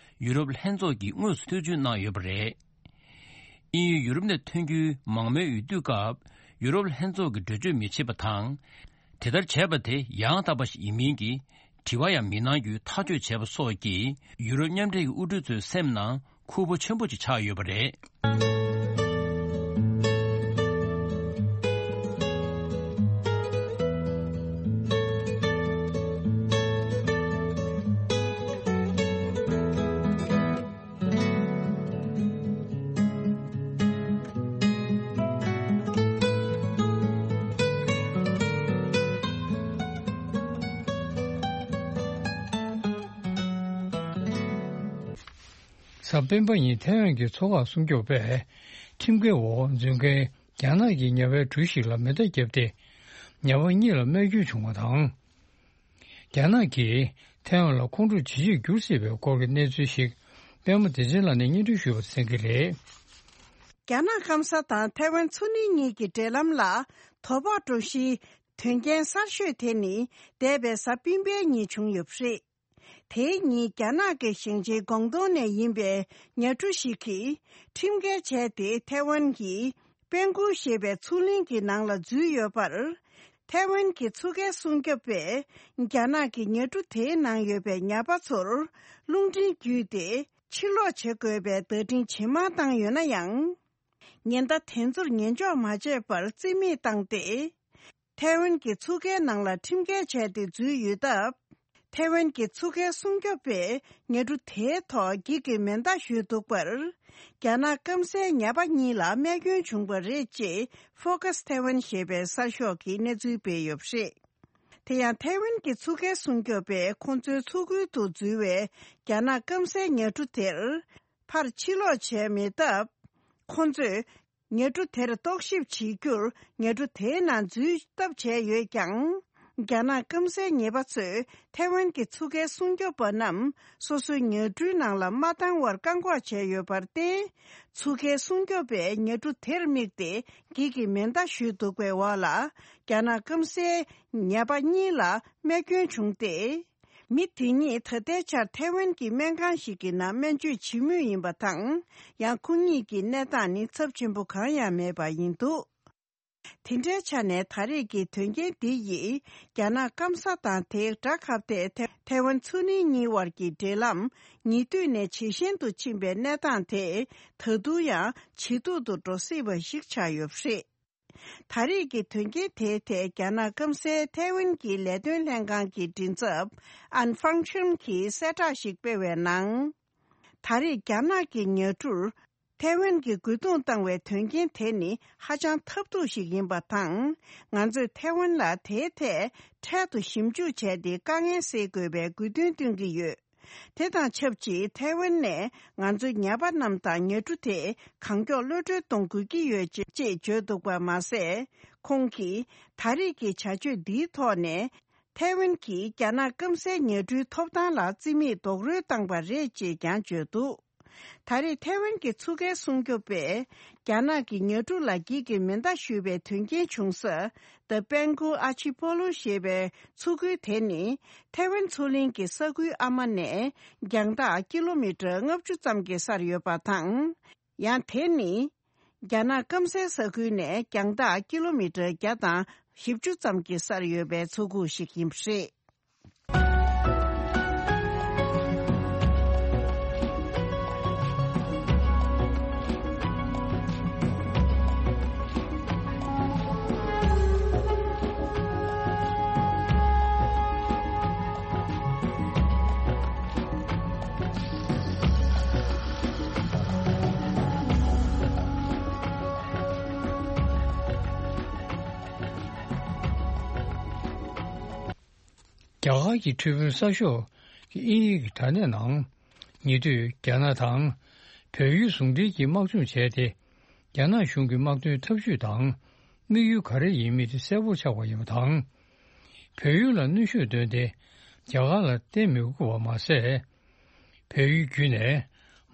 ཡུ་རོབ་ལྷན་ཚོགས་ཀྱིས་དངོས་སུ་ཐེ་བྱུས་གནང་ཡོད་པ་རེད། དབྱིན་ཡུལ་ཡུ་རོབ་ནས་ཐོན་རྒྱུའི་མང་མོས་འོས་བསྡུའི་སྐབས་ཡུ་རོབ་ལྷན་ཚོགས་ཀྱིས་འགྲེལ་བརྗོད་མི་བྱེད་པ་དང་། དེ་ལྟར་བྱས་པ་དེ་ཡང་དག་པ་ཞིག་ཡིན་མིན་གྱི་དྲི་བ་ཡང་མི་གནང་རྒྱུའི་ཐག་གཅོད་བྱས་པ་སོགས་ཀྱིས་ཡུ་རོབ་མཉམ་འབྲེལ་གྱི་དབུ་ཁྲིད་ཚོའི་སེམས་ནང་ཁུར་པོ་ཆེན་པོ་ཅིག་ཆགས་ཡོད་པ་རེད། གཟའ་སྤེན་པ་ཉིན་ཐའེ་ཝན་གྱི་མཚོ་འགག་སྲུང་སྐྱོབ་པས་ཁྲིམས་འགལ་འོག་འཛུལ་མཁན་རྒྱ་ནག་གི་ཉ་པའི་གྲུ་ཞིག་ལ་མེ་མདའ་བརྒྱབ་སྟེ། ཉ་པ་གཉིས་ལ་རྨས་སྐྱོན་བྱུང་བ་དང་། རྒྱ་ནག་གིས་ཐའེ་ཝན་ལ་ཁོང་ཁྲོ་ཇེ་ཆེར་གྱུར་སྲིད་པའི་སྐོར་གྱི་གནས་ཚུལ་ཞིག་པད་མ་བདེ་ཆེན་ལགས་ནས་སྙན་སྒྲོན་ཞུས་པ་གསན་གྱི་རེད། རྒྱ་ནག་སྐམ་ས་དང་ཐའེ་ཝན་མཚོ་གླིང་གཉིས་ཀྱི་འབྲེལ་ལམ་ལ་དོ་ཕོག་འགྲོ་གཞིའི་དོན་རྐྱེན་གསར་ཤོས་དེ་ནི་འདས་པའི་གཟའ་སྤེན་པའི་ཉིན་བྱུང་ཡོད་པ་རེད། དེའི་ཉིན་རྒྱ་ནག་གི་ཞིང་ཆེན་ཀོང་ཏུང་ནས་ཡིན་པའི་ཉ་གྲུ་ཞིག་གིས་ཁྲིམས་འགལ་བྱས་ཏེ་ཐའེ་ཝན་གྱི་པན་ཀུའུ་ཞེས་པའི་མཚོ་གླིང་གི་ནང་ལ་འཛུལ་ཡོད་པར། ཐའེ་ཝན་གྱི་མཚོ་ཁའི་སྲུང་སྐྱོབ་པས་རྒྱ་ནག་གི་ཉ་གྲུ་དེའི་ནང་ཡོད་པའི་ཉ་པ་ཚོར་རླུང་འཕྲིན་བརྒྱུད་དེ་ཕྱིར་ལོག་བྱེད་དགོས་པའི་བརྡ་འཕྲིན་ཇེ་མང་བཏང་ཡོད་ན་ཡང་། ཉེན་བརྡ་དེ་ཚོར་ཉན་འཇོག་མ་བྱས་པར་རྩིས་མེད་བཏང་སྟེ། ཐའེ་ཝན་གྱི་མཚོ་ཁའི་ནང་ལ་ཁྲིམས་འགལ་བྱས་ཏེ་འཛུལ་ཡོད་སྟབས། ཐའེ་ཝན་གྱི་མཚོ་ཁའི་སྲུང་སྐྱོབ་པས་ཉ་གྲུ་དེའི་ཐོག་འགྱིག་གི་མེ་མདའ་གཞུས་འདུག་པར། རྒྱ་ནག་སྐམ་སའི་ཉ་པ་གཉིས་ལ་རྨས་སྐྱོན་བྱུང་བ་རེད་ཅེས་ཧྥོ་ཀ་སི་ཐའེ་ཝན་ཞེས་པའི་གསར་ཤོག་གིས་གནས་ཚུལ་སྤེལ་ཡོད་པ་རེད། དེ་ཡང་ཐའེ་ཝན་གྱི་མཚོ་ཁའི་སྲུང་སྐྱོབ་པས་ཁོང་ཚོའི་མཚོ་ཁུལ་དུ་འཛུལ་བའི་རྒྱ་ནག་སྐམ་སའི་ཉ་གྲུ་དེར་ཕར་ཕྱིར་ལོག་བྱས་མེད་སྟབས། ཁོང་ཚོས་ཉ་གྲུ་དེར་རྟོག་ཞིབ་བྱེད་རྒྱུར་ཉ་གྲུ་དེའི་ནང་འཛུལ་ཐབས་བྱས་ཡོད་ཀྱང་། རྒྱ་ནག་སྐམ་སའི་ཉེས་པ་ཚོས་ཐའེ་ཝན་གྱི་མཚོ་ཁའི་སྲུང་སྐྱོབ་པ་རྣམས་སོ་སོའི་ཉ་གྲུའི་ནང་ལ་མ་བཏང་བར་བཀག་འགོག་བྱས་ཡོད་པར་བརྟེན། མཚོ་ཁའི་སྲུང་སྐྱོབ་པས་ཉ་གྲུ་དེར་དམིགས་ཏེ་འགྱིག་གི་མེ་མདའ་གཞུས་འདུག་པའི་འོག་ལ། རྒྱ་ནག་སྐམ་སའི་ཉ་པ་གཉིས་ལ་རྨས་སྐྱོན་བྱུང་སྟེ། མི་དེ་གཉིས་ད་ལྟའི་ཆར་ཐའེ་ཝན་གྱི་སྨན་ཁང་ཞིག་གི་ནང་སྨན་བཅོས་བྱེད་མུས་ཡིན་པ་དང་། ཡང་ཁོང་གཉིས་ཀྱི་གནས་སྟངས་ནི་ཚབས་ཆེན་པོ་གང་ཡང་མེད་པ་ཡིན་འདུག་དེ་འདྲའི་ཆ་ནས་ད་རེས་ཀྱི་དོན་རྐྱེན་འདི་ཡིས་རྒྱ་ནག་སྐམ་ས་དང་དེའི་དགྲ་ཁ་གཏད་ཐའེ་ཐའེ་ཝན་མཚོ་གླིང་གཉིས་དབར་གྱི་འབྲེལ་ལམ་ཉེ་དུས་ནས་ཇེ་ཞན་དུ་ཕྱིན་པའི་གནས་སྟངས་དེ་ད་དུང་ཡང་ཇེ་སྡུག་ཏུ་འགྲོ་སྲིད་པ་ཞིག་ཆགས་ཡོད་པ་རེད། ད་རེས་ཀྱི་དོན་རྐྱེན་དེའི་ཐད་རྒྱ་ནག་སྐམ་སའི་ཐའེ་ཝན་གྱི་ལས་དོན་ལྷན་ཁང་གི་མགྲིན་ཚབ་ཨན་ཧྥང་ཆུན་གྱིས་གསལ་བསྒྲགས་ཤིག་སྤེལ་བའི་ནང་། ད་རེས་རྒྱ་ནག་གི་ཉ་གྲུར་ཐའེ་ཝན་གྱིས་རྒོལ་རྡུང་བཏང་བའི་དོན་རྐྱེན་དེ་ནི་ཧ་ཅང་ཐབས་སྡུག་ཞིག་ཡིན་པ་དང་། ང་ཚོས་ཐའེ་ཝན་ལ་དེའི་ཐད་འཕྲལ་དུ་ཞིབ་འཇུག་བྱས་ཏེ་དཀའ་ངལ་སེལ་དགོས་པའི་དགོས་འདུན་བཏོན་གྱི་ཡོད། དེ་དང་ཆབས་ཅིག་ཐའེ་ཝན་ནས་ང་ཚོའི་ཉ་པ་རྣམས་དང་ཉ་གྲུ་དེ་གང་མགྱོགས་གློད་གྲོལ་གཏོང་དགོས་ཀྱི་ཡོད་ཅེས་བརྗོད་འདུག་པ་མ་ཟད། ཁོང་གིས་ད་རེས་ཀྱི་བྱ་སྤྱོད་འདིའི་ཐོག་ནས་ཐའེ་ཝན་གྱིས་རྒྱ་ནག་སྐམ་སའི་ཉ་གྲུའི་ཐོབ་ཐང་ལ་རྩིས་མེད་རྡོག་རོལ་བཏང་པ་རེད་ཅེས་ཀྱང་བརྗོད་འདུག་ད་རེས་ཐའེ་ཝན་གྱི་མཚོ་ཁའི་སྲུང་སྐྱོབ་པས་རྒྱ་ནག་གི་ཉ་གྲུ་ལ་འགྱིག་གི་མེ་མདའ་གཞུས་པའི་དོན་རྐྱེན་བྱུང་ས། The Penghu Archipelago ཞེས་པའི་མཚོ་ཁུལ་དེ་ནི་ཐའེ་ཝན་མཚོ་གླིང་གི་ས་ཁུལ་ཨ་མ་ནས་རྒྱང་ཐག་ཀི་ལོ་མི་ཊར་ལྔ་བཅུ་ཙམ་གྱི་སར་ཡོད་པ་དང་། ཡང་དེ་ནི་རྒྱ་ནག་སྐམ་སའི་ས་ཁུལ་ནས་རྒྱང་ཐག་ཀི་ལོ་མི་ཊར་བརྒྱ་དང་བཞི་བཅུ་ཙམ་གྱི་སར་ཡོད་པའི་མཚོ་ཁུག་ཞིག་ཡིན་པ་རེད། རྒྱ་གར་གྱི་ཁྲི་དཔོན་གསར་ཤོག་གི་དབྱིན་ཡིག་གི་དྲ་གནས་ནང་། ཉེ་དུས་རྒྱ་ནག་དང་བལ་ཡུལ་ཟུང་འབྲེལ་གྱི་དམག་སྦྱོང་བྱས་ཏེ། རྒྱ་ནག་གཞུང་གི་དམག་དོན་འཐབ་ཇུས་དང་དམིགས་ཡུལ་ག་རེ་ཡིན་མིན་དེ་གསལ་པོར་ཆགས་པ་ཡིན་པ་དང་། བལ་ཡུལ་ལ་གནོན་ཤུགས་བཏོན་ཏེ་རྒྱ་གར་ལ་བརྟེན་མི་དགོས་པ་མ་ཟད། བལ་ཡུལ་བརྒྱུད་ནས་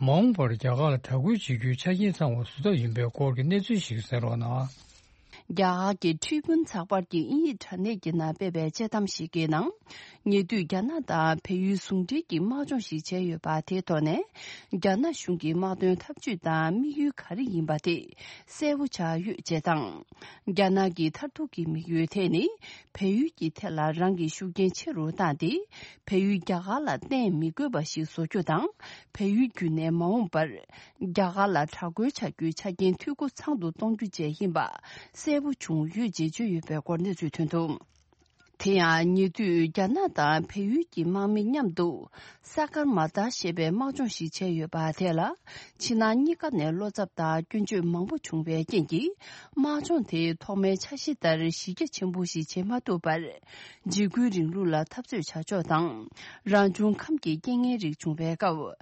མ་འོངས་པར་རྒྱ་གར་ལ་དྲག་རྒོལ་བྱེད་རྒྱུའི་ཆ་རྐྱེན་ཚང་བ་བཟོ་ཐབས་ཡིན་པའི་སྐོར་གྱི་གནས་ཚུལ་ཞིག་གསན་རོགས་གནང་། རྒྱ་གར་གྱི་ཁྲི་དཔོན་ཚགས་པར་གྱི་དབྱིན་ཡིག་དྲ་གནས་ཀྱི་ནང་སྤེལ་བའི་དཔྱད་གཏམ་ཞིག་གི་ནང་། ཉེ་དུས་རྒྱ་ནག་དང་བལ་ཡུལ་ཟུང་འབྲེལ་གྱི་དམག་སྦྱོང་ཞིག་བྱས་ཡོད་པ་དེའི་ཐོག་ནས། རྒྱ་ནག་གཞུང་གི་དམག་དོན་འཐབ་ཇུས་དང་དམིགས་ཡུལ་ག་རེ་ཡིན་པ་དེ་གསལ་པོ་ཆགས་ཡོད་ཅེས་དང་། རྒྱ་ནག་གི་མཐར་ཐུག་གི་དམིགས་ཡུལ་དེ་ནི། བལ་ཡུལ་གྱི་ཐད་ལ་རང་གི་ཤུགས་རྐྱེན་ཆེ་རུ་བཏང་སྟེ། བལ་ཡུལ་རྒྱ་གར་ལ་བརྟེན་མི་དགོས་པ་ཞིག་བཟོ་རྒྱུ་དང་། བལ་ཡུལ་བརྒྱུད་ནས་མ་འོངས་པར། རྒྱ་གར་ལ་དྲག་རྒོལ་བྱ་རྒྱུའི་ཆ་རྐྱེན་འཐུས་སྒོ་ཚང་དུ་གཏོང་རྒྱུ་བཅས་ཡིན་པ་གསལ་པོ་བྱུང་ཡོད་ཅེས་བརྗོད་ཡོད་པའི་སྐོར་གནས་ཚུལ་ཐོན་འདུག་དེ་ཡང་ཉེ་དུས་རྒྱ་ནག་དང་བལ་ཡུལ་གྱི་དམག་མི་མཉམ་དུ་ས་ཀར་མ་ཏཱ་ཞེས་པའི་དམག་སྦྱོང་ཞིག་བྱས་ཡོད་པ་དེ་ལ། ཕྱི་ནང་གཉིས་ཀ་ནས་བློ་འཚབ་དང་སྐྱོན་བརྗོད་མང་པོ་བྱུང་བའི་རྐྱེན་གྱིས། དམག་སྦྱོང་དེའི་ཐོག་མའི་འཆར་གཞི་ལྟར་གཞི་རྒྱ་ཆེན་པོ་ཞིག་བྱེད་མ་ཐུབ་པར། འཇིགས་སྐུལ་རིང་ལུགས་ལ་འཐབ་རྩོད་བྱ་ཕྱོགས་དང་། རང་བྱུང་ཁམས་ཀྱི་རྐྱེན་ངན་རིགས་བྱུང་བའི་སྐབས།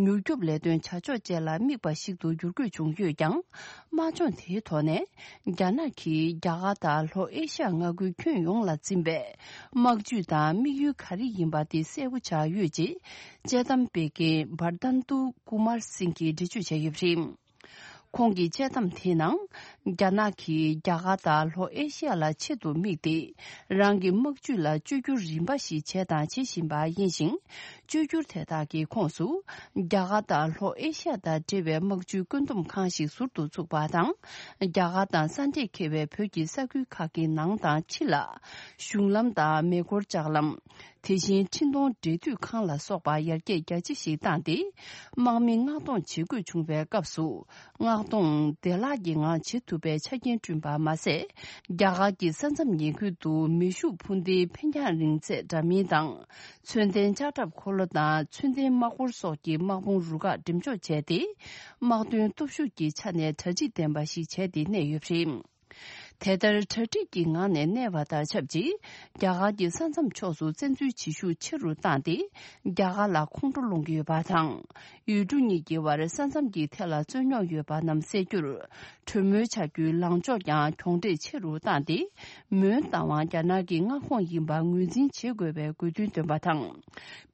མྱུར་སྐྱོབ་ལས་དོན་བྱ་ཕྱོགས་བཅས་ལ་དམིགས་པ་ཞིག་ཏུ་འགྱུར་དགོས་བྱུང་ཡོད་ཀྱང་། དམག་སྦྱོང་དེའི་ཐོག་ནས། རྒྱ་ནག་གིས་རྒྱ་གར་དང་ལྷོ་ཨེ་ཤ་ཡ་མངའ་ཁུལ་ཁྱོན་ཡོངས་ལ་འཛིན་པའི་དམག་ཇུས་དང་དམིགས་ཡུལ་ག་རེ་ཡིན་པ་དེ་གསལ་པོ་ཆགས་ཡོད་ཅེས། དཔྱད་གཏམ་སྤེལ་མཁན་བར་དན་ཏུ་ཀུ་མར་སིང་གིས་འགྲེལ་བརྗོད་བྱས་ཡོད་པ་རེད། ཁོང་གི་དཔྱད་གཏམ་དེའི་ནང་། རྒྱ་ནག་གིས་རྒྱ་གར་དང་ལྷོ་ཨེ་ཤི་ཡ་ལ་ཆེད་དུ་དམིགས་ཏེ། རང་གི་དམག་ཇུས་ལ་བཅོས་བསྒྱུར་རིམ་པ་ཞིག་བྱས་དང་བྱེད་བཞིན་པ་ཡིན་ཞིང་། བཅོས་བསྒྱུར་དེ་དག་གི་ཁོངས་སུ། རྒྱ་གར་དང་ལྷོ་ཨེ་ཤི་ཡ་དང་འབྲེལ་བའི་དམག་ཇུས་བཀོད་འདོམས་ཁང་ཞིག་ཟུར་དུ་བཙུགས་པ་དང་། རྒྱ་གར་དང་ས་འབྲེལ་འཁེལ་བའི་བོད་ཀྱི་ས་ཁུལ་ཁག་གི་ནང་དང་ཕྱི་ལ། གཞུང་ལམ་དང་མེ་འཁོར་ལྕགས་ལམ། དེ་བཞིན་འཕྲིན་གཏོང་འབྲེལ་མཐུད་ཁང་ལ་སོགས་པ་ཡར་རྒྱས་རྒྱ་ཆེ་ཞིག་བཏང་སྟེ། དམག་མི་མངགས་གཏོང་བྱེད་དགོས་བྱུང་བའི་སྐབས་སུ། མངགས་གཏོང་བདེ་བླག་གི་ངང་བྱེད་ཐུབ་པའི་ཆ་རྐྱེན་བསྐྲུན་པ་མ་ཟད། རྒྱ་གར་གྱི་ས་མཚམས་ཉེ་ཁུལ་དུ་མེ་ཤུགས་འཕུར་མདེལ་འཕེན་རྒྱང་རིང་ཚད་འདྲ་མིན་དང་། མཚོན་ལྡན་ལྕགས་ཁྲབ་འཁོར་ལོ་དང་མཚོན་ལྡན་དམག་འཁོར་སོགས་ཀྱི་དམག་དཔུང་རུ་ཁག་འགྲེམས་འཇོག་བྱས་ཏེ། དམག་དོན་སྟོབས་ཤུགས་ཀྱི་ཆ་ནས་གྲ་སྒྲིག་ལྡན་པ་ཞིག་བྱས་ཏེ་གནས་ཡོད་པ་རེད། དེ་ལྟར་གྲ་སྒྲིག་གི་ངང་ནས་གནས་པ་དང་ཆབས་ཅིག་རྒྱ་གར་གྱི་ས་མཚམས་ཕྱོགས་སུ་བཙན་འཛུལ་བྱེད་ཤུགས་ཆེ་རུ་བཏང་སྟེ། རྒྱ་གར་ལ་ཁོང་ཁྲོ་སློང་གི་ཡོད་པ་དང་། ཡུལ་གྲུ་གཉིས་ཀྱི་བར་ས་མཚམས་ཀྱི་ཐད་ལ་རྩོད་རྙོག་ཡོད་པ་རྣམས་སེལ་རྒྱུར། གྲོས་མོལ་བྱ་རྒྱུའི་ལངས་ཕྱོགས་ཀྱང་གྱོང་འབྲེལ་ཆེ་རུ་བཏང་སྟེ། མོན་རྟ་དབང་རྒྱ་ནག་གི་མངའ་ཁོངས་ཡིན་པ་ངོས་འཛིན་བྱེད་དགོས་པའི་དགོས་འདུན་བཏོན་པ་དང་།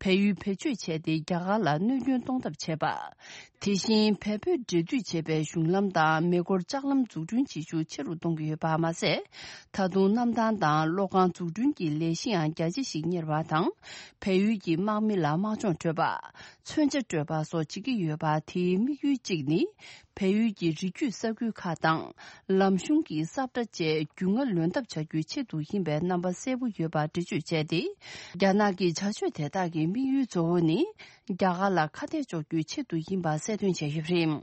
བལ་ཡུལ་བེད་སྤྱོད་བྱས་ཏེ་རྒྱ་གར་ལ་གནོད་སྐྱོན་གཏོང་ཐབས་བྱས་པ། དེ་བཞིན་བལ་བོད་འབྲེལ་མཐུད་བྱེད་པའི་གཞུང་ལམ་དང་མེ་འཁོར་ལྕགས་ལམ་འཛུགས་སྐྲུན་བྱེད་ཤུགས་ཆེ་རུ་གཏོང་གི་ཡོད་པ་མ་ཟད། ད་དུང་གནམ་ཐང་དང་གློག་ཁང་འཛུགས་སྐྲུན་གྱི་ལས་གཞི་ཡང་རྒྱ་ཆེ་ཞིག་གཉེར་བ་དང་། བལ་ཡུལ་གྱི་དམག་མི་ལ་དམག་སྦྱོང་སྤྲོད་པ། མཚོན་ཆ་སྤྲོད་པ་སོགས་བྱེད་ཀྱི་ཡོད་པ། དེའི་དམིགས་ཡུལ་གཅིག་ནི། བལ་ཡུལ་གྱི་རི་རྒྱུད་ས་ཁུལ་ཁག་དང་། ལམ་གཞུང་གི་ས་བཀྲ་བཅས་རྒྱུས་མངའ་ལོན་ཐབས་བྱ་རྒྱུའི་ཆེད་དུ་ཡིན་པའི་རྣམ་པ་གསལ་པོ་ཡོད་པ་འགྲེལ་བརྗོད་བྱས་ཏེ། རྒྱ་ནག་གི་བྱ་སྤྱོད་དེ་དག་གི་དམིགས་ཡུལ་གཙོ་བོ་ནི། རྒྱ་གར་ལ་ཁ་གཏད་གཅོག་རྒྱུའི་ཆེད་དུ་ཡིན་པ་གསལ་སྟོན་བྱས་ཡོད་པ་རེད།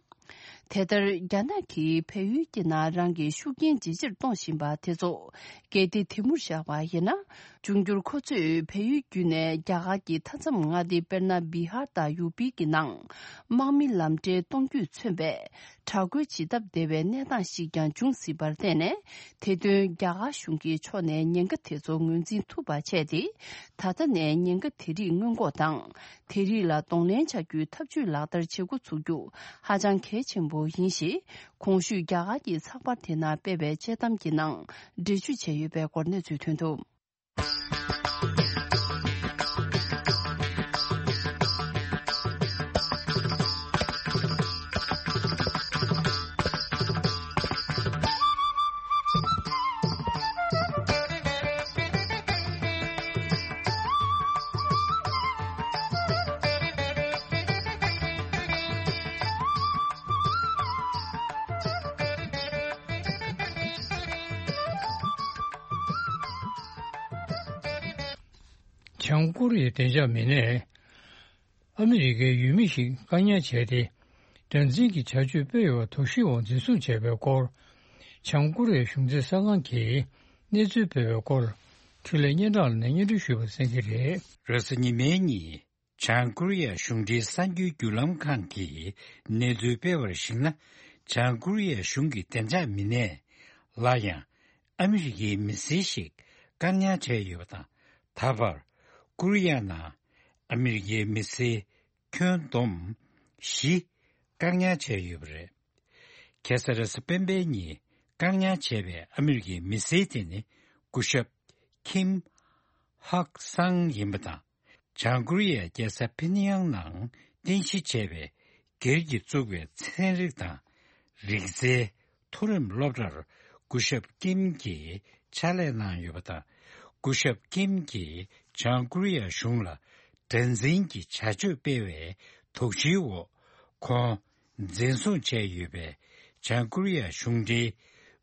དེ་ལྟར་རྒྱ་ནག་གིས་བལ་ཡུལ་གྱི་ནང་རང་གི་ཤུགས་རྐྱེན་ཇེ་ཆེར་གཏོང་བཞིན་པ་དེ་ཚོ་གལ་ཏེ་དེ་མུར་བཞག་པ་ཡིན་ན། འབྱུང་འགྱུར་ཁོ་ཚོས་བལ་ཡུལ་བརྒྱུད་ནས་རྒྱ་གར་གྱི་མཐའ་མཚམས་མངའ་སྡེ་དཔེར་ན་བི་ཧར་དང་ཡུ་པི་གི་ནང་དམག་མི་ལམ་འབྲས་གཏོང་རྒྱུས་མཚོན་པའི་དྲག་རྒོལ་ཇི་ལྟར་བདེ་བའི་གནས་སྟངས་ཤིག་ཀྱང་འབྱུང་སྲིད་པར་བརྟེན་ནས། དེ་དོན་རྒྱ་གར་གཞུང་གི་ཕྱོགས་ནས་ཉེན་ཁ་དེ་ཚོ་ངོས་འཛིན་ཐུབ་པ་བྱས་ཏེ། ད་ལྟ་ནས་ཉེན་ཁ་དེ་རིགས་སྔོན་འགོག་དང་། དེ་རིགས་ལ་གདོང་ལེན་བྱ་རྒྱུའི་ཐབས་ཇུས་ལག་བསྟར་བྱེད་འགོ་ཚུགས་རྒྱུ་ཧ་ཅང་གལ་ཆེན་པོ་ཡིན་ཞེས། གོང་ཞུས་རྒྱ་གར་གྱི་ཚགས་པར་དེ་ནང་སྤེལ་བའི་དཔྱད་གཏམ་གྱི་ནང་འགྲེལ་བརྗོད་བྱས་ཡོད་པའི་སྐོར་གནས་ཚུལ་ཐོན་འདུག་བྱང་ཀོ་རི་ཡའི་བདེ་འཇགས་མི་སྣས། ཨ་མི་རི་ཀའི་ཡུལ་མི་ཞིག་བཀག་ཉར་བྱས་ཏེ། དགྲར་འཛིན་གྱི་བྱ་སྤྱོད་སྤེལ་ཡོད་པ་དོགས་གཞིའི་འོག་འཛིན་བཟུང་བྱས་པའི་སྐོར། བྱང་ཀོ་རི་ཡའི་གཞུང་འཛིན་གསར་ཁང་གིས་གནས་ཚུལ་སྤེལ་བའི་སྐོར། འཕྲིན་ལས་སྙན་གྲགས་ལགས་ནས་སྙན་སྒྲོན་ཞུས་པ་གསན་གྱི་རེད། རེས་གཟའ་ཉི་མའི་ཉིན། བྱང་ཀོ་རི་ཡའི་གཞུང་འབྲེལ་གསར་འགྱུར་བརྒྱུད་ལམ་ཁང་གིས་གནས་ཚུལ་སྤེལ་བར་གཞིགས་ན། བྱང་ཀོ་རི་ཡའི་གཞུང་གི་བདེ་འཇགས་མི་སྣས། སླར་ཡང་། ཨ་མི་རི་ཀའི་མི་སེར་ཞིག་བཀག་ཉར་བྱས་ཡོད་པ་དང་། ད་བར་ ཀོ་རི་ཡ་ནང་ཨ་མི་རི་ཀའི་མི་སེར་ཁྱོན་བསྡོམས་བཞི་བཀག་ཉར་བྱས་ཡོད་པ་རེད། ཁ་སང་རེས་གཟའ་སྤེན་པའི་ཉིན་བཀག་ཉར་བྱས་པའི་ཨ་མི་རི་ཀའི་མི་སེར་དེ་ནི་སྐུ་ཞབས་ཁིམ་ཧག་སང་ཡིན་པ་དང་། བྱང་ཀོ་རི་ཡའི་རྒྱལ་ས་ཕི་ནི་ཡང་ནང་རྟེན་གཞི་བྱས་པའི་སྒེར་གྱིས་བཙུགས་པའི་ཚན་རིག་དང་རིག་རྩལ་མཐོ་རིམ་སློབ་གྲྭར་སྐུ་ཞབས་ཀིམ་གྱིས་ཕྱག་ལས་གནང་ཡོད་པ་དང་། སྐུ་ཞབས་ཀིམ་གྱིས་བྱང་ཀོ་རི་ཡ་གཞུང་ལ་དགྲར་འཛིན་གྱི་བྱ་སྤྱོད་སྤེལ་བའི་དོགས་གཞིའི་འོག་ཁོང་འཛིན་བཟུང་བྱས་ཡོད་པའི་བྱང་ཀོ་རི་ཡ་གཞུང་འབྲེལ་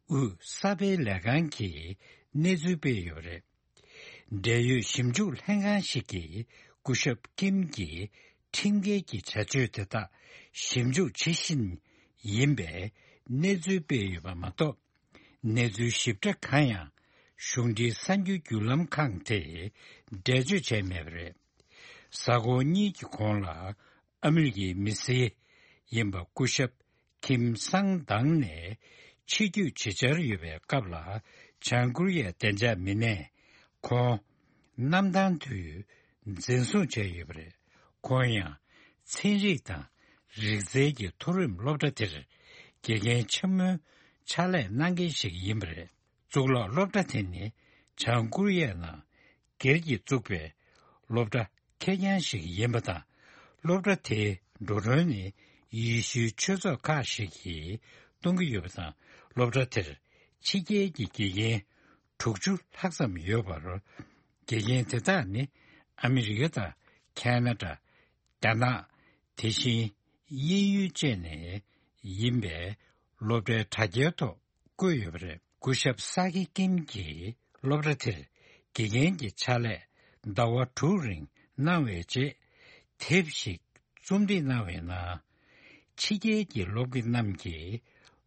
དབུས་གསར་སྤེལ་ལས་ཁང་གིས་གནས་ཚུལ་སྤེལ་ཡོད་པ་རེད། འབྲེལ་ཡོད་ཞིབ་འཇུག་ལྷན་ཁང་ཞིག་གིས་སྐུ་ཞབས་ཀིམ་གྱི་ཁྲིམས་འགལ་གྱི་བྱ་སྤྱོད་དེ་དག་ཞིབ་འཇུག་བྱེད་བཞིན་ཡིན་པའི་གནས་ཚུལ་སྤེལ་ཡོད་པ་མ་གཏོགས། གནས་ཚུལ་ཞིབ་ཕྲ་གང་ཡང་གཞུང་འབྲེལ་གསར་འགྱུར་བརྒྱུད་ལམ་ཁག་དེས་འགྲེལ་བརྗོད་བྱས་མེད་པ་རེད། གཟའ་འཁོར་གཉིས་ཀྱི་གོང་ལ་ཨ་མི་རི་ཀའི་མི་སེར་ཡིན་པ་སྐུ་ཞབས་ཁིམ་སང་མདང་ནས་ཕྱིར་སྐྱོད་བྱེད་འཆར་ཡོད་པའི་སྐབས་ལ། བྱང་ཀོ་རི་ཡའི་བདེ་འཇགས་མི་སྣས་ཁོང་གནམ་ཐང་དུ་འཛིན་བཟུང་བྱས་ཡོད་པ་རེད། ཁོང་ཡང་ཚན་རིག་དང་རིག་རྩལ་གྱི་མཐོ་རིམ་སློབ་གྲྭ་དེར་དགེ་རྒན་ཆེན་མོའི་ཕྱག་ལས་གནང་མཁན་ཞིག་ཡིན་པ་རེད། གཙུག་ལག་སློབ་གྲྭ་དེ་ནི་བྱང་ཀོ་རི་ཡའི་ནང་སྒེར་གྱིས་བཙུགས་པའི་སློབ་གྲྭ་ཁེར་རྐྱང་ཞིག་ཡིན་པ་དང་། སློབ་གྲྭ་དེའི་འགྲོ་གྲོན་ནི་ཡེ་ཤུའི་ཆོས་ཚོགས་ཁག་ཞིག་གིས་གཏོང་གི་ཡོད་པ་དང་། སློབ་གྲྭ་དེར་ཕྱི་རྒྱལ་གྱི་དགེ་རྒན་དྲུག་ཅུ་ལྷག་ཙམ་ཡོད་པར། དགེ་རྒན་དེ་དག་ནི་ཨ་མི་རི་ཀ་དང་ཁ་ན་ཌ། རྒྱ་ནག། དེ་བཞིན་དབྱིན་ཡུལ་བཅས་ནས་ཡིན་པའི་སློབ་གྲྭའི་དྲ་རྒྱའི་ཐོག་བཀོད་ཡོད་པ་རེད། སྐུ་ཞབས་ས་ཀི་ཀིམ་གྱིས་སློབ་གྲྭ་དེར་དགེ་རྒན་གྱི་ཕྱག་ལས་ཟླ་བ་དྲུག་རིང་གནང་བའི་རྗེས། དེབ་ཞིག་རྩོམ་སྒྲིག་གནང་བའི་ནང་། ཕྱི་རྒྱལ་གྱི་སློབ་དགེ་རྣམས་ཀྱིས་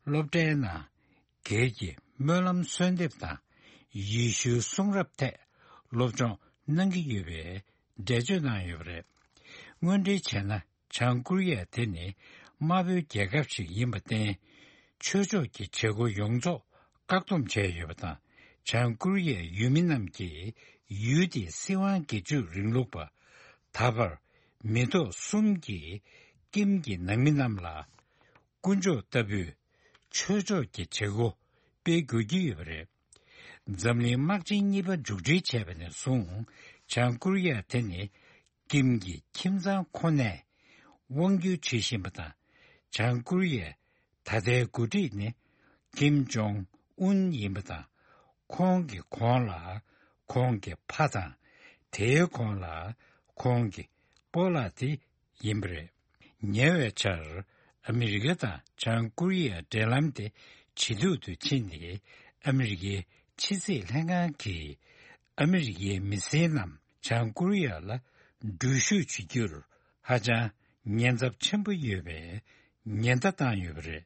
སློབ་གྲྭའི་ནང་སྒེར་གྱི་སྨོན་ལམ་གསོལ་འདེབས་དང་ཡེ་ཤུའི་གསུང་རབ་ཐད་སློབ་སྦྱོང་གནང་གི་ཡོད་པའི་འགྲེལ་བརྗོད་གནང་ཡོད་པ་རེད། དངོས་འབྲེལ་བྱས་ན། བྱང་ཀོ་རི་ཡ་དེ་ནི་དམར་པོའི་རྒྱལ་ཁབ་ཞིག་ཡིན་པར་བརྟེན། ཆོས་ཕྱོགས་ཀྱི་བྱེད་སྒོ་ཡོངས་རྫོགས་བཀག་སྡོམ་བྱས་ཡོད་པ་དང་། བྱང་ཀོ་རི་ཡའི་ཡུལ་མི་རྣམས་ཀྱིས་ཡུལ་དེའི་སྲིད་དབང་སྒེར་གཅོད་རིང་ལུགས་པ། ད་བར་མི་ཐོག་གསུམ་གྱིས་ཀིམ་གྱི་ནང་མི་རྣམས་ལ་དཀོན་མཆོག་ལྟ་བུའི་ཆོས་ཕྱོགས་ཀྱི་བྱེད་སྒོ་སྤེལ་དགོས་ཀྱི་ཡོད་པ་རེད། འཛམ་གླིང་དམག་ཆེན་གཉིས་པ་མཇུག་སྒྲིལ་བྱས་པ་ནས་བཟུང་། བྱང་ཀོ་རི་ཡ་དེ་ནི་ཀིམ་གྱི་ཁྱིམ་ཚང་ཁོ་ནས་དབང་སྒྱུར་བྱེད་བཞིན་པ་དང་། བྱང་ཀོ་རི་ཡའི་ད་ལྟའི་འགོ་ཁྲིད་ནི་ཀིམ་ཇོང་ཨུན་ཡིན་པ་དང་། ཁོང་གི་གོང་ལ་ཁོང་གི་ཕ་དང་། དེའི་གོང་ལ་ཁོང་གི་སྤོ་ལགས་དེ་ཡིན་པ་རེད། ཉེ་བའི་ཆར་ཨ་མི་རི་ཀ་དང་བྱང་ཀོ་རི་ཡའི་འབྲེལ་ལམ་དེ་ཇེ་སྡུག་ཏུ་ཕྱིན་ཏེ། ཨ་མི་རི་ཀའི་ཕྱི་སྲིད་ལྷན་ཁང་གིས་ཨ་མི་རི་ཀའི་མི་སེར་རྣམས་བྱང་ཀོ་རི་ཡ་ལ་འགྲུལ་བཞུད་བྱེད་རྒྱུར་ཧ་ཅང་ཉེན་ཚབས་ཆེན་པོ་ཡོད་པའི་ཉེན་བརྡ་བཏང་ཡོད་པ་རེད།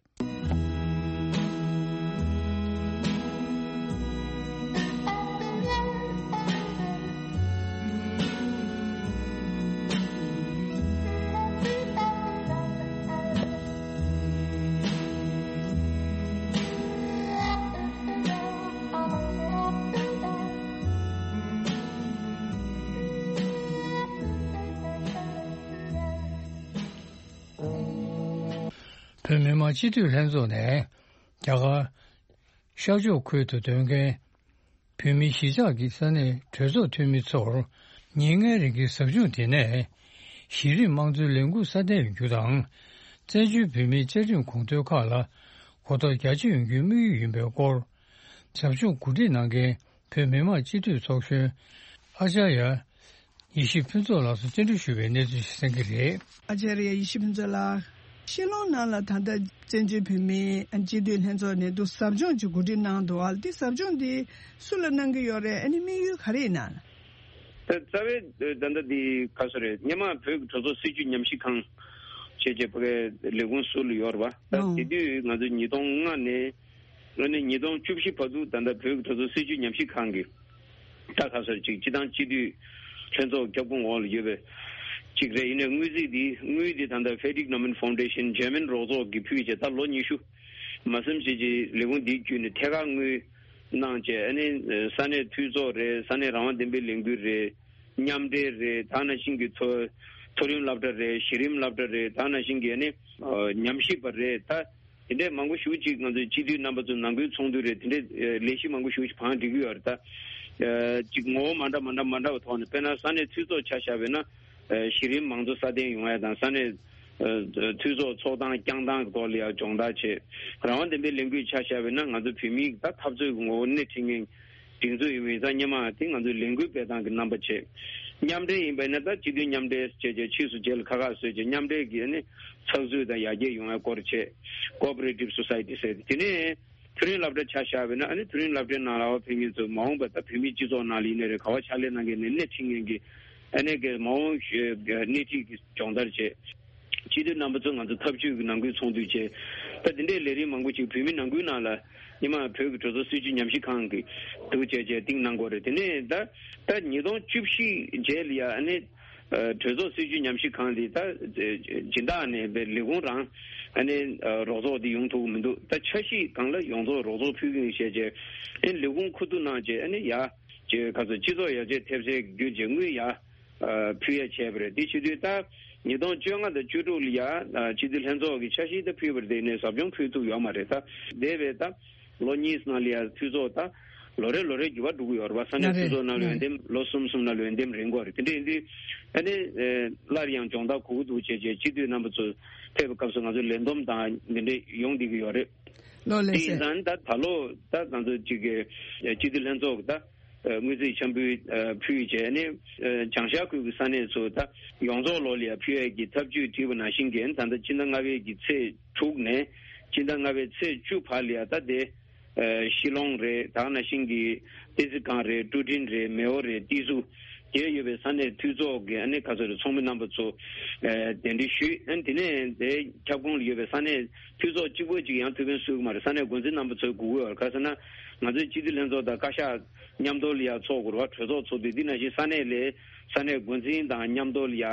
བོད་མི་མང་སྤྱི་འཐུས་ལྷན་ཚོགས་ནས་རྒྱ་གར་ཤར་ཕྱོགས་ཁུལ་དུ་སྡོད་མཁན་བོད་མི་གཞིས་ཆགས་ཀྱི་ས་གནས་གྲོས་ཚོགས་འཐུས་མི་ཚོར་ཉིན་ལྔའི་རིང་གི་ཟབ་སྦྱོང་དེ་ནས་གཞི་རིམ་དམངས་གཙོའི་ལས་འགུལ་སྲ་བརྟན་ཡོང་རྒྱུ་དང་། བཙན་བྱོལ་བོད་མིའི་བཅའ་ཁྲིམས་དགོངས་དོན་ཁག་ལ་གོ་རྟོགས་རྒྱ་ཆེ་ཡོང་རྒྱུའི་དམིགས་ཡུལ་ཡིན་པའི་སྐོར། ཟབ་སྦྱོང་གོ་སྒྲིག་གནང་མཁན་བོད་མི་མང་སྤྱི་འཐུས་ཚོགས་གཞོན་ཨ་ཅཱརྱ་ཡེ་ཤེས་ཕུན་ཚོགས་ལགས་སུ་བཅར་འདྲི་ཞུས་པའི་གནས་ཚུལ་ཞིག་གསན་གྱི་རེད། ཨ་ཅཱརྱ་ཡེ་ཤེས་ཕུན་ཚོགས་ལགས། ཤི་ལོང་ནང་ལ་ད་ལྟ་བཙན་བྱོལ་བོད་མིའི་སྤྱི་འཐུས་ལྷན་ཚོགས་ནས་འདུག་ཟབ་སྦྱོང་ཅིག་གོ་སྒྲིག་གནང་འདུག་ཨ་འདི་ཟབ་སྦྱོང་འདི་སུ་ལ་གནང་གི་ཡོད་རེད། ཨ་ནི་དམིགས་ཡུལ་ག་རེ་ཡིན་ན། ད་རྩ་བའི་ད་ལྟ་འདི་ག་སོ་རེད། སྔོན་མ་བོད་ཀྱི་གྲོས་ཚོགས་སྲིད་བྱུས་ཉམས་ཞིབ་ཁང་བྱས་རྗེས་ཕ་གའི་ལས་ཁུངས་ཟུར་ལ་ཡོད་རེད་པ། ད་ཨོ་དེ་དུས་ང་ཚོ་ཉིས་སྟོང་ལྔ་ནས་ཨ་ནི་ཉིས་སྟོང་བཅུ་བཞི་བར་དུ་ད་ལྟ་བོད་ཀྱི་གྲོས་ཚོགས་སྲིད་བྱུས་ཉམས་ཞིབ་ཁང་གི་ད་ག་སོ་ཅིག་སྤྱི་བཏང་སྤྱི་འཐུས་ལྷན་ཚོགས་ཁྱབ་ཁོངས་འོག་ལ་ཡོད་པའི་ཅིག་རེད། ཡིན་ནའི་དངུལ་རྩིས་འདི་དངུལ་འདི་ད་ལྟ་Frederick Naumann Foundation German་རོགས་ཚོགས་ཀྱིས་ཕུལ་བྱས་ད་ལོ་ཉི་ཤུ་མ་ཟིན་བྱས་ཀྱི་ལས་ཁུངས་འདིའི་བརྒྱུད་ནས་ཐད་ཀར་དངུལ་གནང་བྱས། ཨ་ནི་ས་གནས་འཐུས་ཚོགས་རེད། ས་གནས་རང་དབང་ལྡན་པའི་ལས་འགུལ་རེད། མཉམ་འབྲེལ་རེད། ད་ནང་བཞིན་གྱི་མཐོ་མཐོ་རིམ་སློབ་གྲྭ་རེད། གཞི་རིམ་སློབ་གྲྭ་རེད། ད་ནང་བཞིན་གྱི་ཨ་ནི་ཨ་ཉམས་ཞིབ་པ་རེད། ད་དེ་འདྲའི་མང་པོ་ཞེ་པོ་ཅིག་ང་ཚོའི་སྤྱི་འཐུས་རྣམ་པ་ཚོ་ནང་ཁུལ་ཚོགས་འདུ་རེད། དེ་འདྲའི་ཨ་ལས་གཞི་མང་པོ་ཞེ་པོ་ཅིག་བང་སྒྲིག་གི་ཡོད་རེད། ད་ཨ་ཅིག་ངོ་བོ་མ་འདྲ་མ་འདྲ་མ་འདྲ་བ་ཐོག་ནས། དཔེར་ན་ས་གནས་འཐུས་ཚོགས་ཆ་བཞག་པ་ཡིན་ན། ཨ་གཞི་རིམ་མང་གཙོ་སྲ་བརྟན་ཡོང་ཡ་དང་། ས་གནས་ཨ་འཐུས་ཚོགས་ཚོགས་སྟངས་བསྐྱངས་སྟངས་ཀྱི་ཐོག་ལ་ཡང་སྦྱོང་བརྡར་བྱེད། རང་དབང་བདེན་པའི་ལས་འགུལ་ཆ་བཞག་པ་ཡིན་ན། ང་ཚོ་བོད་མིའི་ད་འཐབ་རྩོད་ཀྱི་ངོ་བོ་སྣེ་ཁྲིད་མཁན་སྒྲིག་འཛུགས་ཡིན་པ་ཡིན་ཙང་། སྔོན་མ་དེ་ང་ཚོའི་ལས་འགུལ་སྤེལ་སྟངས་ཀྱི་རྣམ་པ་བྱེད། མཉམ་འབྲེལ་ཡིན་པ་ཡིན་ན། ད་སྤྱི་འཐུས་མཉམ་འབྲེལ་བྱས་བྱས། ཕྱིས་སུ་རྗེས་ལ་ཁག་ཁག་བཟོས་བྱས། མཉམ་འབྲེལ་གྱི་ཨ་ནི་ཚགས་ཚུད་དང་ཡར་རྒྱས་ཡོང་བའི་སྐོར་བྱེད། ཀོ་ཨོ་པ་རེ་ཊིབ་སོ་སའི་ཊི་ཟེར་ཏེ། དེ་ནས་མཐོ་རིམ་སློབ་གྲྭ་ཆ་བཞག་པ་ཡིན་ན། ཨ་ནི་མཐོ་རིམ་སློབ་གྲྭའི་ནང་ལ་ཕེབས་མཁན་ཚོ་མ་འོངས་པ་ད་བོད་མིའི་སྤྱི་ཚོགས་ནང་ལ་ཡིན་ནའི་རེད། ག་པར་ཕྱག་ལས་གནང་མཁན་ནས་སྣེ་ཁྲིད་མཁན་གྱི་ཨ་ནི་གི་མ་འོངས་ཤོས་སྣེ་ཁྲིད་ཀྱི་སྦྱོང་བརྡར་བྱེད། སྤྱི་འཐུས་རྣམ་པ་ཚོ་ང་ཚོ་ཐབས་ཇུས་ཀྱི་ནང་ཁུལ་ཚོགས་འདུ་བྱས། ད་དེ་འདྲའི་ལས་རིམ་མང་པོ་ཅིག་བོད་མི་ནང་ཁུལ་ནང་ལ། སྔོན་མ་བོད་ཀྱི་གྲོས་ཚོགས་སྲིད་བྱུས་ཉམས་ཞིབ་ཁང་གི་འདུག་བྱས་བྱས་སྟེང་གནང་དགོས་རེད། དེ་ནས་ད་ད་ཉིས་སྟོང་བཅུ་བཞི་རྗེས་ལ་ཡ་ཨ་ནི་ཨ་གྲོས་ཚོགས་སྲིད་བྱུས་ཉམས་ཞིབ་ཁང་འདི་ད་སྦྱིན་བདག་ནས་པའི་ལས་ཁུངས་རང་ཨ་ནི་ཨ་རོགས་ཚོགས་འདི་ཡོང་ཐུབ་ཀྱི་མི་འདུག་ད་འཆར་གཞི་སྒང་ལ་ཡོངས་རྫོགས་རོགས་ཚོགས་ཕུལ་གྱི་ཡིན་བྱས་བྱས། ཨ་ནི་ལས་ཁུངས་ཁུ་བསྡུ་གནང་བྱས། ཨ་ནི་ཡ་ཅེ་ག་ཚོད་སྤྱི་ཚོགས་ཡར་རྒྱས་ཐེབས་རྩའི་བརྒྱུད་བྱས་དངུལ་ཡ། ཨ་ཕུལ་ཡ་བྱས་པ་རེད། དེ་བྱེད་དུས་ད་ཉིས་སྟོང་བཅོ་ལྔ་དང་བཅུ་དྲུག་ལ་ཡ་ཨ་སྤྱི་འཐུས་ལྷན་ཚོགས་ཀྱི་འཆར་གཞི་ད་ཕུལ་བ་རེད། དེ་ནས་ཟབ་སྦྱོང་ཕུལ་ཐུབ་ཡོད་མ་རེད། ད་འདས་པའི་ད་ལོ་གཉིས་ནང་ལ་ཡ་འཐུས་ཚོགས་ད་ལོ་རེ་ལོ་རེ་འགྱུར་བ་འགྲོ་གི་ཡོད་རེད་པ། ས་གནས་ལགས་འཐུས་རེད། ཚོགས་ནང་ལ་ཡོད་དེ་ལོ་གསུམ་གསུམ་ནང་ལ་ཡོད་དེ་རིམ་འགོ་རེད། དེ་འདྲ་ཡིན་དུས་ཨ་ནི་ཨ་སླར་ཡང་སྦྱོང་བརྡར་གོ་གི་འདུག་བྱས་བྱས། སྤྱི་འཐུས་རྣམ་པ་ཚོ་ཕེབས་པའི་སྐབས་སུ་ང་ཚོ་ལས་བསྡོམས་དང་འདི་འདྲ་ཡོང་བསྡད་ཀྱི་ཡོད་རེད། ལགས་ལགས་དེ་ཡིན་སེ། ཙང་ད་ད་ལོ་ད་ང་ཚོ་གཅིག་གི་སྤྱི་འཐུས་ལྷན་ཚོགས་ཀྱི་ད། ཨ་དངུལ་རྩིས་འཆར་འབུལ་ཨ་ཕུལ་བྱས་ནས། ཨ་བྱང་ཤར་ཁུལ་གྱི་ས་གནས་ཚོ་ད་ཡོངས་རྫོགས་ལོ་ལ་ཡ་ཕུལ་ཡས་ཀྱི་ཐབས་ཇུས་བྲིས་པ་ནང་བཞིན་གྱི། ད་ལྟ་སྤྱི་ཟླ་ལྔ་པའི་གི་ཚེས་དྲུག་ནས་སྤྱི་ཟླ་ལྔ་པའི་ཚེས་བཅུ་བར་ལ་ཡ་ད་དེ་ཨ་ཤི་ལོང་རེད། ད་ནང་བཞིན་གྱི་ཏེན་ཙི་ཀང་རེད། ཀྲུ་ཀྲིན་རེད། མེའོ་རེད། ཏི་སུ་དེ་ཡོད་པའི་ས་གནས་འཐུས་ཚོགས་ཀྱི་ཨ་ནི་ག་ཚོད་རེད། ཚོགས་མི་རྣམ་པ་ཚོ་ཨ་གདན་འདྲེན་ཞུས། ཨ་ནི་དེ་ནས་དེ་ཁྱབ་ཁོངས་ལ་ཡོད་པའི་ས་གནས་འཐུས་ཚོགས་གཅིག་པོ་གཅིག་ཡང་ཐུགས་ཕན་གསོས་ཀྱི་མ་རེད། ས་གནས་འགོ་འཛིན་རྣམ་པ་ཚོའི་དགོས་ཀྱི་ཡོད་རེད། ག་ཟེར་ན་ང་ཚོའི་སྤྱི་འཐུས་ལྷན་ཚོགས་དང་བཀའ་ཤག་མཉམ་དུ་ལ་ཡ་ཚོགས་དགོས་རེད་པ། གྲོས་ཚོགས་ཚོགས་དུས་འདི་ནང་བཞིན་ས་གནས་ལས་ས་གནས་འགོ་འཛིན་དང་མཉམ་དུ་ལ་ཡ་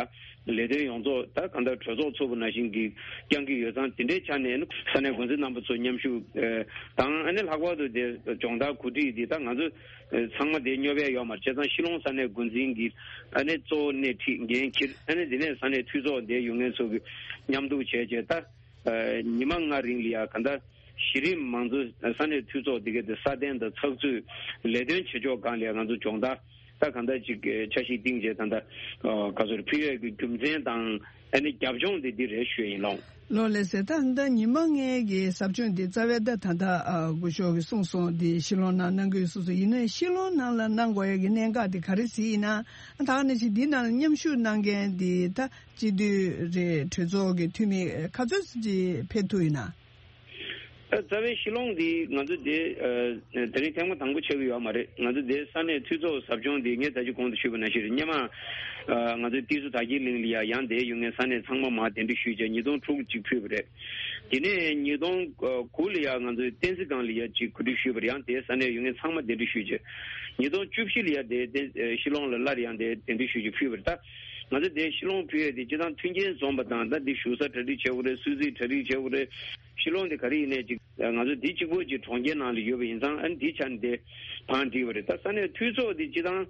ལས་དོན་ཡོངས་རྫོགས་ད་གང་ལྟར་གྲོས་ཚོགས་ཚོགས་པ་ནང་བཞིན་གྱི་བསྐྱང་གི་ཡོད་ཙང་། དེ་འདྲའི་ཆ་ནས་ས་གནས་འགོ་འཛིན་རྣམ་པ་ཚོ་མཉམ་ཞུགས་ཨ་དང་། ཨ་ནི་ལྷག་པར་དུ་དེ་སྦྱོང་བརྡར་གོ་སྒྲིག་འདི་ད་ང་ཚོ་ཨ་ཚང་མ་དེ་སྙོབ་ཡ་ཡོད་མ་རེད། བྱས་ཙང་ཤི་ལོང་ས་གནས་འགོ་འཛིན་གྱི་ཨ་ནི་གཙོ་བོ་སྣེ་ཁྲིད་འགན་འཁྱེར། ཨ་ནི་དེ་ནས་ས་གནས་འཐུས་ཚོགས་དེ་ཡོང་མཁན་ཚོ་གི་མཉམ་འདུག་བྱས་བྱས། ད་ཨ་ཉི་མ་ལྔ་རིང་ལ་ཡ་གང་ལྟར་གཞི་རིམ་མང་གཙོ་ས་གནས་འཐུས་ཚོགས་དེ་གའི་དེ་སྲ་བརྟན་དང་ཚགས་ཚུད་ལས་དོན་བྱེད་ཕྱོགས་སྒང་ལ་ཡ་ང་ཚོ་སྦྱོང་བརྡར་ད་གང་ལྟར་ཅིག་འཆར་གཞི་བཏིང་བྱས། ད་ལྟ་ཨ་ག་ཚོད་ཕུལ་ཡས་ཀྱི་རྒྱུ་མཚན་དང་ཨ་ནི་རྒྱབ་ལྗོངས་དེ་འདི་རེད་ཞུ་ཡས་ཡིན་ལགས། ལགས་ལགས་སེ། ད་ད་ཉི་མ་ལྔའི་གི་ཟབ་སྦྱོང་འདི་རྩ་བའི་ད་ད་ལྟ་ཨ་སྐུ་ཞབས་ཀྱིས་གསུངས་སོང་། འདི་ཤི་ལོང་ནང་གནང་གི་ཡོད་གསུངས་སོང་། ཡིན་ནའི་ཤི་ལོང་ནང་ལ་གནང་དགོས་ཡས་ཀྱི་གནད་འགག་དེ་ག་རེ་ཟེར་ཡིན་ན། ད་ག་ནང་བཞིན་འདི་ནང་ལ་མཉམ་ཞུགས་གནང་མཁན་འདི་ད་སྤྱི་འཐུས་རེད། གྲོས་ཚོགས་ཀྱི་འཐུས་མི་ག་ཚོད་ཅིག་ཕེབས་ཐུབ་ཡིན་ན། ད་རྩ་བའི་ཤི་ལོང་འདི་ང་ཚོ་དེ་ཨ་དེ་རིང་ཐེངས་མ་དང་པོ་ཆགས་ཀྱི་ཡོད་མ་རེད། ང་ཚོ་དེ་ས་གནས་འཐུས་ཚོགས་ཟབ་སྦྱོང་འདི་ངས་ད་ཅི་གོང་དུ་ཞུས་པ་ནང་བཞིན་རེད། སྔོན་མ་ཨ་ང་ཚོའི་ཏི་སུ་དར་རྒྱས་གླིང་ལ་ཡ་ཡང་དེ་ཡོང་མཁན་ས་གནས་ཚང་མ་མར་གདན་འདྲེན་ཞུས་བྱས། ཉིས་སྟོང་དྲུག་ཅིག་ཕུལ་བ་རེད། དེ་ནས་ཉིས་སྟོང་དགུ་ལ་ཡ་ང་ཚོའི་ཏེན་ཙི་ཀང་ལ་ཡ་ཅིག་གོ་སྒྲིག་ཞུས་པ་རེད། ཡང་དེ་ས་གནས་ཡོང་མཁན་ཚང་མ་གདན་འདྲེན་ཞུས་བྱས། ཉིས་སྟོང་བཅུ་བཞི་ལ་ཡ་དེ་དེ་ཨ་ཤི་ལོང་ལ་སླར་ཡང་དེ་གདན་འདྲེན་ཞུས་བྱས་ཕུལ་བ་རེད། ད་ང་ཚོ་དེ་ཤི་ལོང་ཕུལ་ཡས་དེ་སྤྱིར་བཏང་མཐུན་རྐྱེན་འཛོམས་པ་དང་། ད་འདི་བཞུགས་ས་གྲ་སྒྲིག་བྱེད་དགོས་རེད། གསོལ་ཚིགས་གྲ་སྒྲིག་བྱེད་དགོས་རེད། ཤི་ལོང་དེ་ག་རེ་ཡིན་ནའི་ཅིག་ང་ཚོ་འདི་གཅིག་པོ་ཅིག་གྲོང་ཁྱེར་ནང་ལ་ཡོད་པ་ཡིན་ཙང་། ཨ་ནི་འདི་ཆ་ནས་དེ་བང་སྒྲིག་པ་རེད། ད་ས་གནས་འཐུས་ཚོགས་དེ་སྤྱིར་བཏང་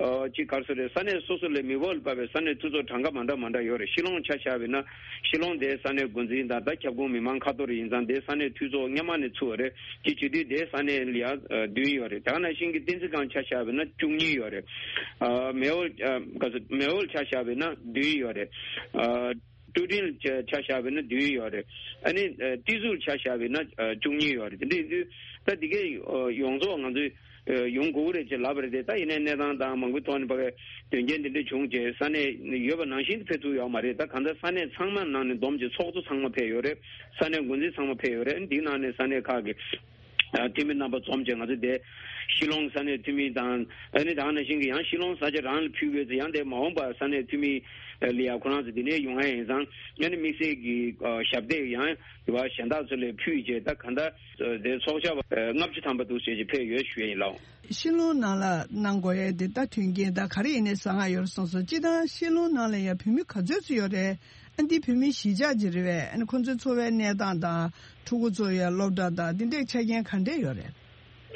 ཨ་ཅིག་ག་རེ་ཟེར་དགོས་རེད། ས་གནས་སོ་སོ་ལ་མི་འབོར་ལ་དཔག་པའི་ས་གནས་འཐུས་ཚོགས་གྲངས་ཀ་མ་འདྲ་མ་འདྲ་ཡོད་རེད། ཤི་ལོང་ཆ་བཞག་པ་ཡིན་ན་ཤི་ལོང་དེ་ས་གནས་འགོ་འཛིན་དང་ད་ཁྱབ་ཁོངས་མི་མང་ཁ་ཐོར་ཡིན་ཙང་། དེ་ས་གནས་འཐུས་ཚོགས་སྔོན་མ་ནས་ཚུགས་པ་རེད། དེ་བྱེད་དུས་དེ་ས་གནས་ལ་ཡ་ཨ་བདུན་ཡོད་རེད། དེ་ག་ནང་བཞིན་གྱི་ཏེན་ཙི་ཀང་ཆ་བཞག་པ་ཡིན་ན་བཅུ་གཉིས་ཡོད་རེད། ཨ་མེའོ་ཨ་ག་ཚོད་མེའོ་ཆ་བཞག་པ་ཡིན་ན་བདུན་ཡོད་རེད། ཨ་ཀྲུའུ་ཀྲིན་ཆ་ཆ་བཞག་པ་ཡིན་ན་བདུན་ཡོད་རེད། ཨ་ནི་ཨ་ཏི་སུ་ཆ་བཞག་པ་ཡིན་ན་ཨ་བཅུ་གཉིས་ཡོད་རེད། དེ་འདྲ་ཡིན་དུས་ད་དེ་གའི་ཨ་ཡོངས་རྫོགས་ང་ཚོས་ཨ་ཡོང་དགོས་རེད་ཅེས་ལབ་པ་རེད་དེ། ད་ཡིན་ནའི་གནས་སྟངས་དང་མང་པོའི་ཐོག་ནས་ཕ་གི་དོན་རྐྱེན་འདི་འདྲ་བྱུང་རྗེས་ས་གནས་ཡོད་པ་ནང་བཞིན་དུ་ཕེབས་ཐུབ་ཡོད་མ་རེད། ད་གང་ལྟར་ས་གནས་ཚང་མ་ནང་ནས་བསྡོམས་བྱས་ཚོགས་གཙོ་ཚང་མ་ཕེབས་ཡོད་རེད། ས་གནས་འགོ་འཛིན་ཚང་མ་ཕེབས་ཡོད་རེད། འདིའི་ནང་ནས་ས་གནས་ཁག་གི་ཨ་འཐུས་མི་རྣམ་པ་འཛོམས་བྱས་ང་ཚོ་དེ་ཤི་ལོང་ས་གནས་འཐུས་མི་དང་། ཨ་ནི་ད་ག་ནང་བཞིན་གྱི་ཡང་ཤི་ལོང་ས་ཆ་རང་ལ་ཕུལ་དགོས་ཚེ་ཡང་དེ་མ་འོངས་པར་ས་གནས་འཐུས་མི་ལ་ཡ་ཁོ་རང་ཚོ་དེ་ནས་ཡོང་ཡ་ཡིན་ཙང་། ཨ་ནི་དམིགས་བསལ་གྱི་ཨ་ཞབས་སྟེགས་ཡང་དེ་བ་གཞན་དག་ཚོ་ལ་ཕུལ་བྱས། ད་གང་ལྟར་དེ་ཚོགས་ཞབས་ཨ་ལྔ་བཅུ་ཐམ་པ་འདུག་ཟེར་གྱི་ཕེབས་ཡོད་ཞུ་ཡ་ཡིན་ལགས། ཤི་ལོང་ནང་ལ་གནང་དགོས་ཡ་དེ་ད་མཐུན་རྐྱེན་ད་ག་རེ་ཡིན་ནའི་བཟང་ང་ཡོད་རེད་གསུངས་སོང་། སྤྱིར་བཏང་ཤི་ལོང་ནང་ལ་ཡ་བོད་མི་ག་ཚོད་ཙམ་ཡོད་རེད། ཨ་འདི་བོད་མིའི་གཞིས་ཆགས་ཅིག་རེད་པས། ཨ་ནི་ཁོང་ཚོའི་འཚོ་བའི་གནས་སྟངས་དང་ཕྲུ་གུ་ཚོ་ཡ་སློབ་གྲྭ་དང་འདི་འདྲའི་ཆ་རྐྱེན་ག་འདྲས་ཡོད་རེད།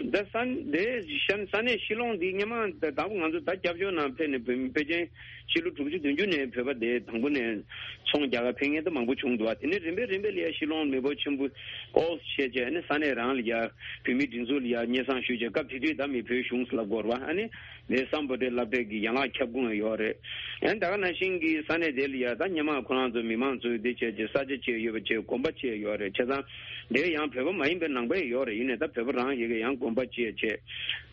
ད་ས་དེ་ཤན་ས་གནས་ཤི་ལོང་འདི་སྔོན་མ་ད་དང་པོ་ང་ཚོ་ད་སྐྱབས་བཅོལ་ནང་ཕེབས་ནས་བོད་མི་ཕལ་ཆེར་ཕྱི་ལོ་དྲུག་ཅུ་བདུན་ཅུ་ནས་བོད་པ་དེ་དང་པོ་ནས་ཚོང་རྒྱག་ག་ཕེབས་མཁན་ད་མང་པོ་བྱུང་འདུག་བ། དེ་ནས་རིམ་པས་རིམ་པས་ལ་ཡ་ཤི་ལོང་མི་འབོར་ཆེན་པོ་ཨོ་བྱས་བྱས་ཨ་ནི་ས་གནས་རང་ལ་ཡ་བོད་མིའི་སྒྲིག་འཛུགས་ལ་ཡ་སྙན་སེང་ཞུས་བྱས། སྐབས་དེ་དུས་ད་མི་བོད་གཞུང་ཟེར་ལབ་དགོས་རེད་བ། ཨ་ནི་དེ་སམ་བྷོ་ཊའི་སློབ་གྲྭའི་གི་ཡན་ལག་ཁྱབ་ཁོངས་ཡོད་རེད། ཡང་ད་ག་ནང་བཞིན་གྱི་ས་གནས་དེ་ལ་ཡ་ད་སྔོན་མ་ཁོ་རང་ཚོ་མི་མང་ཚོས་འདི་བྱས་བྱས་ས་ཆ་བཅས་ཡོད་པ་བྱས་དགོན་པ་བཅས་ཡོད་རེད། བྱས་ཙང་དེ་ཡང་བོད་པ་མ་ཡིན་པའི་ནང་པ་ཡང་ཡོད་རེད། ཡིན་ནའི་ད་བོད་པ་རང་ཡི་གི་ཡང་དགོན་པ་བཅས་བྱས།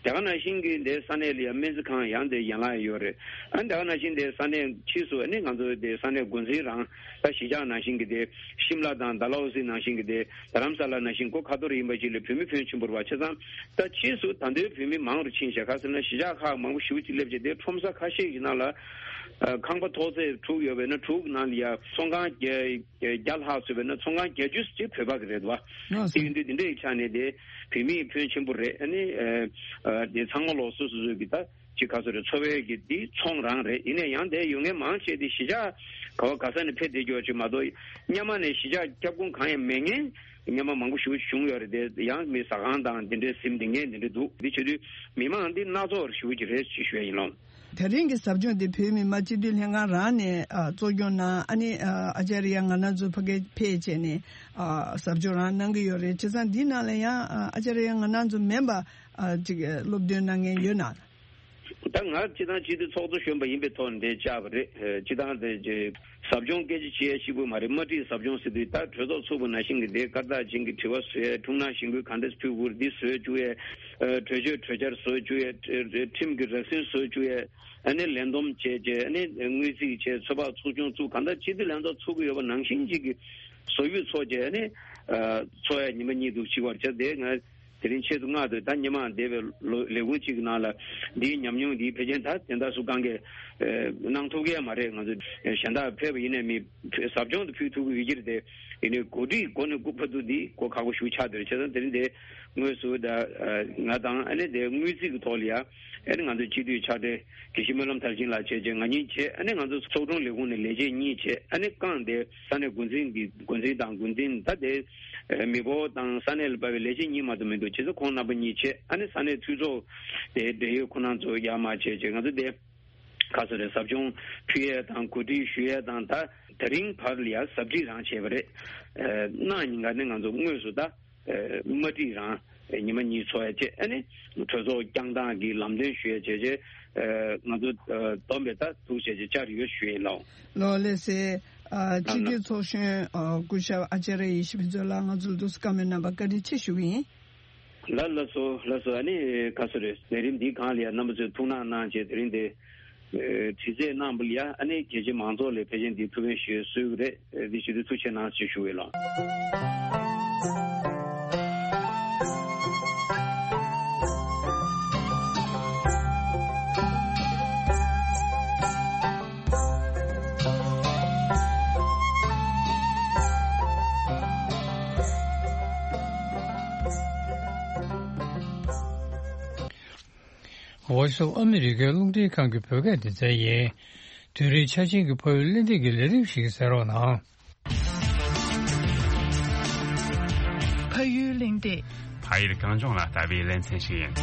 དེ་ག་ནང་བཞིན་གྱི་དེ་ས་གནས་ལ་ཡ་སྨན་རྩིས་ཁང་ཡང་དེ་ཡན་ལག་ཡོད་རེད། ཨ་ནི་དེ་ག་ནང་བཞིན་དེ་ས་གནས་ཕྱིས་སུ་ཨ་ནི་ང་ཚོ་དེ་ས་གནས་འགོ་འཛིན་རང་ད་གཞིས་ཆགས་ནང་བཞིན་གྱི་དེ་ཤིམ་ལ་དང་ཌལ་ཧོ་སི་ནང་བཞིན་གྱི་དེ་རྡ་རམ་ས་ལ་ནང་བཞིན་སྒོ་ཁ་ཐོར་ཡིན་པ་ཞིག་ལ་བོད་མི་ཕོན་ཆེན་པོ་རེད་བ། བྱས་ཙང་ད་ཕྱིས་སུ་ད་ལྟའི་བོད་མི་མང་རུ་ཕྱིན་བྱས། ག་ཟེར་ན་གཞིས་ཆགས་ཁག་མང་པོ་ཞེ་པོ་ཅིག་སླེབས་བྱས། དེ་ཁྲོམ་ས་ཁ་ཤས་ཀྱི་ནང་ལ་ཨ་ཁང་པ་ཐོག་ཚད་དྲུག་ཡོད་པས་ན་དྲུག་ནང་ལ་ཡ་ཚོང་ཁང་བརྒྱ་བརྒྱ་ལྷག་བཟོས་པས་ན་ཚོང་ཁང་བརྒྱད་ཅུ་ཅིག་བོད་པ་གི་རེད་བ། ལགས་སོ། དེ་ཡིན་དུས་དེ་འདྲའི་ཆ་ནས་དེ་བོད་མིའི་ཕོན་ཆེན་པོ་རེད། ཨ་ནི་ཨ་ཨ་དེ་ཚང་མ་ལོགས་སོ་སོ་སོ་གི་ད་ཅིག་ག་ཚོད་རེད། འཚོ་བའི་གི་དེ་ཚོང་རང་རེད། ཡིན་ནའི་ཡང་དེ་ཡོད་མཁན་མང་ཆེ་དེ་གཞིས་ཆགས་ག་བ་ག་ས་ནས་ཕེབས་བསྡད་རྒྱུ་ཅིག་མ་གཏོགས། སྔོན་མ་ནས་གཞིས་ཆགས་ཁྱབ་ཁོངས་གང་ཡང་མེད་མཁན་སྔོན་མ་མང་པོ་ཞེ་པོ་བྱུང་ཡོད་རེད། དེ་ཡང་མི་ཟ་ཁང་དང་དེ་འདྲའི་ཟིན་བསྡད་མཁན་དེ་འདྲ་འདུག། དེ་བྱེད་དུས་མི་མང་འདི་སྣ་ཚོགས་ཞེ་པོ་ཅིག་རེད་ཅེས་ཞུ་ཡ་ཡིན་ལོ། དེ་རིང་གི་ཟབ་སྦྱོང་དེ་བོད་མི་མང་སྤྱི་འཐུས་ལྷན་ཁང་རང་ནས་ཨ་གཙོ་སྐྱོང་གནང་། ཨ་ནི་ཨ་ཨ་ཅཱརྱ་ང་ན་ཛུ་ཕ་གིར་ཕེབས་བྱས་ནས་ཨ་ཟབ་སྦྱོང་རང་གནང་གི་ཡོད་རེད། བྱས་ཙང་འདིའི་ནང་ལ་ཡང་ཨ་ཨ་ཅཱརྱ་ང་ན་ཛུ་མིན་པ་ཨ་ཅིག་སློབ་སྟོན་གནང་མཁན་ཡོད་ན། ད་ང་སྤྱི་བཏང་སྤྱི་འཐུས་ཚོགས་གཙོ་གཞོན་པ་ཡིན་པའི་ཐོག་ནས་འདིར་བཅར་བ་རེད། ཨ་སྤྱི་བཏང་དེ་ཟབ་སྦྱོང་སྐད་ཆ་བྱེད་ཡ་ཞིག་པོ་མ་རེད། དམར་ཁྲིད་ཟབ་སྦྱོང་ཟེར་དུས་ད་གྲོས་ཚོགས་ཚུགས་པ་ནང་བཞིན་གྱི་དེ་སྐར་རྟགས་ཅན་གྱི་དྲི་བ་བཟོ་ཡས། ཁྲུང་ནག་གཞེན་སྐུལ་ག་འདྲས་ཕུལ་དགོས་འདི་བཟོ་བཅུག་ཡས། ཨ་གྲོས་ཆོད་གྲོས་འཆར་བཟོ་བཅུག་ཡས། ཨ་ཁྲིམས་ཀྱི་རགས་ཟིན་བཟོ་བཅུག་ཡས། ཨ་ནི་ལས་བསྡོམས་བྱས་བྱས། ཨ་ནི་དངུལ་རྩིས་བྱས། ཚོད་དཔག་ཚོགས་ཆུང་བཙུགས། གང་ལྟར་སྤྱི་འཐུས་ལྷན་ཚོགས་ཚུགས་ཀྱི་ཡོད་པ་ནང་བཞིན་ཅིག་གི་བཟོ་བཅོས་ཚོགས་བྱས། ཨ་ནི་ཨ་ཚོགས་ཡས་ཉི་མ་གཉིས་འདུག་ཅིག་བར་བྱས། དེ་ང་དེ་རིང་ཆེད་དུ་མངགས་ཏེ་ད་སྔོན་མ་འདས་པའི་ལོ་ལས་ཁུངས་གཅིག་གི་ནང་ལ་འདིའི་ཉམས་མྱོང་འདི་ཕལ་ཆེར་ད་དེ་འདྲ་སུ་གང་གིས་ཨ་གནང་ཐུབ་ཀྱི་ཡང་མ་རེད། ང་ཚོ་གཞན་དག་ཕེབས་པ་ཡིན་ནའི་མི་ཟབ་སྦྱོང་དུ་ཕུལ་ཐུབ་ཀྱི་ཡོད་ཀྱི་རེད་དེ། ཡིན་ནའི་གོ་སྒྲིག་སྒོ་ནས་སྒུག་པ་འདུག་འདི་གོ་ཁག་པོ་ཞེ་པོ་ཆགས་བསྡད་རེད། བྱས་ཙང་དེ་རིང་དེ་དངོས་སུ་ད་ཨ་ང་དང་ཨ་ནི་དེ་དངུལ་རྩིས་ཀྱི་ཐོག་ལ་ཡ་ཨ་ནི་ང་ཚོའི་སྤྱི་འཐུས་ཕྱག་སྦྲེལ་དགེ་བཤེས་སྨོན་ལམ་མཐར་ཕྱིན་ལགས་བྱས་བྱས་ང་གཉིས་བྱས། ཨ་ནི་ང་ཚོ་ཚོགས་དྲུང་ལས་ཁུངས་ནས་ལས་བྱེད་གཉིས་བྱས། ཨ་ནི་རྐང་དེ་ས་གནས་འགོ་འཛིན་གྱི་འགོ་འཛིན་དང་འགོ་འཛིན་ད་དེ་ཨ་མི་འབོར་དང་ས་གནས་ལ་དཔག་པའི་ལས་བྱེད་གཉིས་མ་གཏོགས་མི་འདུག། བྱས་ཙང་ཁོང་རྣམ་པ་གཉིས་བྱས། ཨ་ནི་ས་གནས་འཐུས་ཚོགས་དེ་འབྲེལ་ཡོད་ཁོང་རྣམ་ཚོ་ཡར་མར་བྱས་བྱས་ང་ཚོ་དེ་ག་ཚོད་རེད། ཟབ་སྦྱོང་ཕུལ་ཡས་དང་གོ་སྒྲིག་ཞུ་ཡས་དང་། ད་དེ་རིང་བར་ལ་ཡ་ཟབ་ཁྲིད་རང་བྱས་པ་རེད། ཨ་གནངས་ཉིན་ཀ་ནི་ང་ཚོ་དངོས་སུ་ད་ཨ་དམར་ཁྲིད་རང་ཉི་མ་གཉིས་ཚོགས་ཡས་བྱས། ཨ་ནི་གྲོས་ཚོགས་བསྐྱངས་སྟངས་ཀྱི་ལམ་སྟོན་ཞུ་ཡས་བྱས་བྱས། ཨ་ང་ཚོ་ཨ་བསྡོམས་པས་ད་ཐུགས་རྗེ་ཆེ་བཅར་ཡོད་ཞུ་ཡིན་ལགས། ལགས་ལགས་སེ། ཨ་སྤྱི་འཐུས་ཚོགས་གཞོན་ཨ་སྐུ་ཞབས་ཨ་ཅཱརྱ་ཡེ་ཤེས་ཕུན་ཚོགས་ལགས་ང་ཚོ་ལ་འདུག་སེ་བཀའ་མོལ་གནང་བར་བཀའ་དྲིན་ཆེ་ཞུ་གི་ཡིན། ལགས་ལགས་སོ་ལགས་སོ། ཨ་ནི་ག་ཚོད་རེད། ལས་རིམ་འདི་སྒང་ལ་ཡ་རྣམ་པ་ཚོས་ཐུགས་སྣང་གནང་བྱས་དེ་རིང་འདི་ཨ་དྲི་རྩད་གནང་བ་ལ་ཡ་ཨ་ནི་རྒྱལ་སྤྱིའི་མང་ཚོགས་ལ་ཕལ་ཆེར་འདི་ཐུགས་ཕན་ཞུ་ཡས་གསོལ་གྱི་རེད། འདི་ཞུ་དུས་ཐུགས་རྗེ་གནང་ཞེས་ཞུ་གི་ལགས། Voice of America རླུང་འཕྲིན་ཁང་གི་བོད་སྐད་སྡེ་ཚན་ཡིན། དུས་རིང་ཆ་ཆེན་གྱི་ཕ་ཡུལ་གླེང་སྟེགས་ཀྱི་ལས་རིམ་ཞིག་གསན་རོགས་གནང་། ཕ་ཡུལ་གླེང་སྟེགས། ཕ་ཡུལ་གངས་ལྗོངས་ལ་ལྟ་བའི་ལེ་ཚན་ཞིག་ཡིན།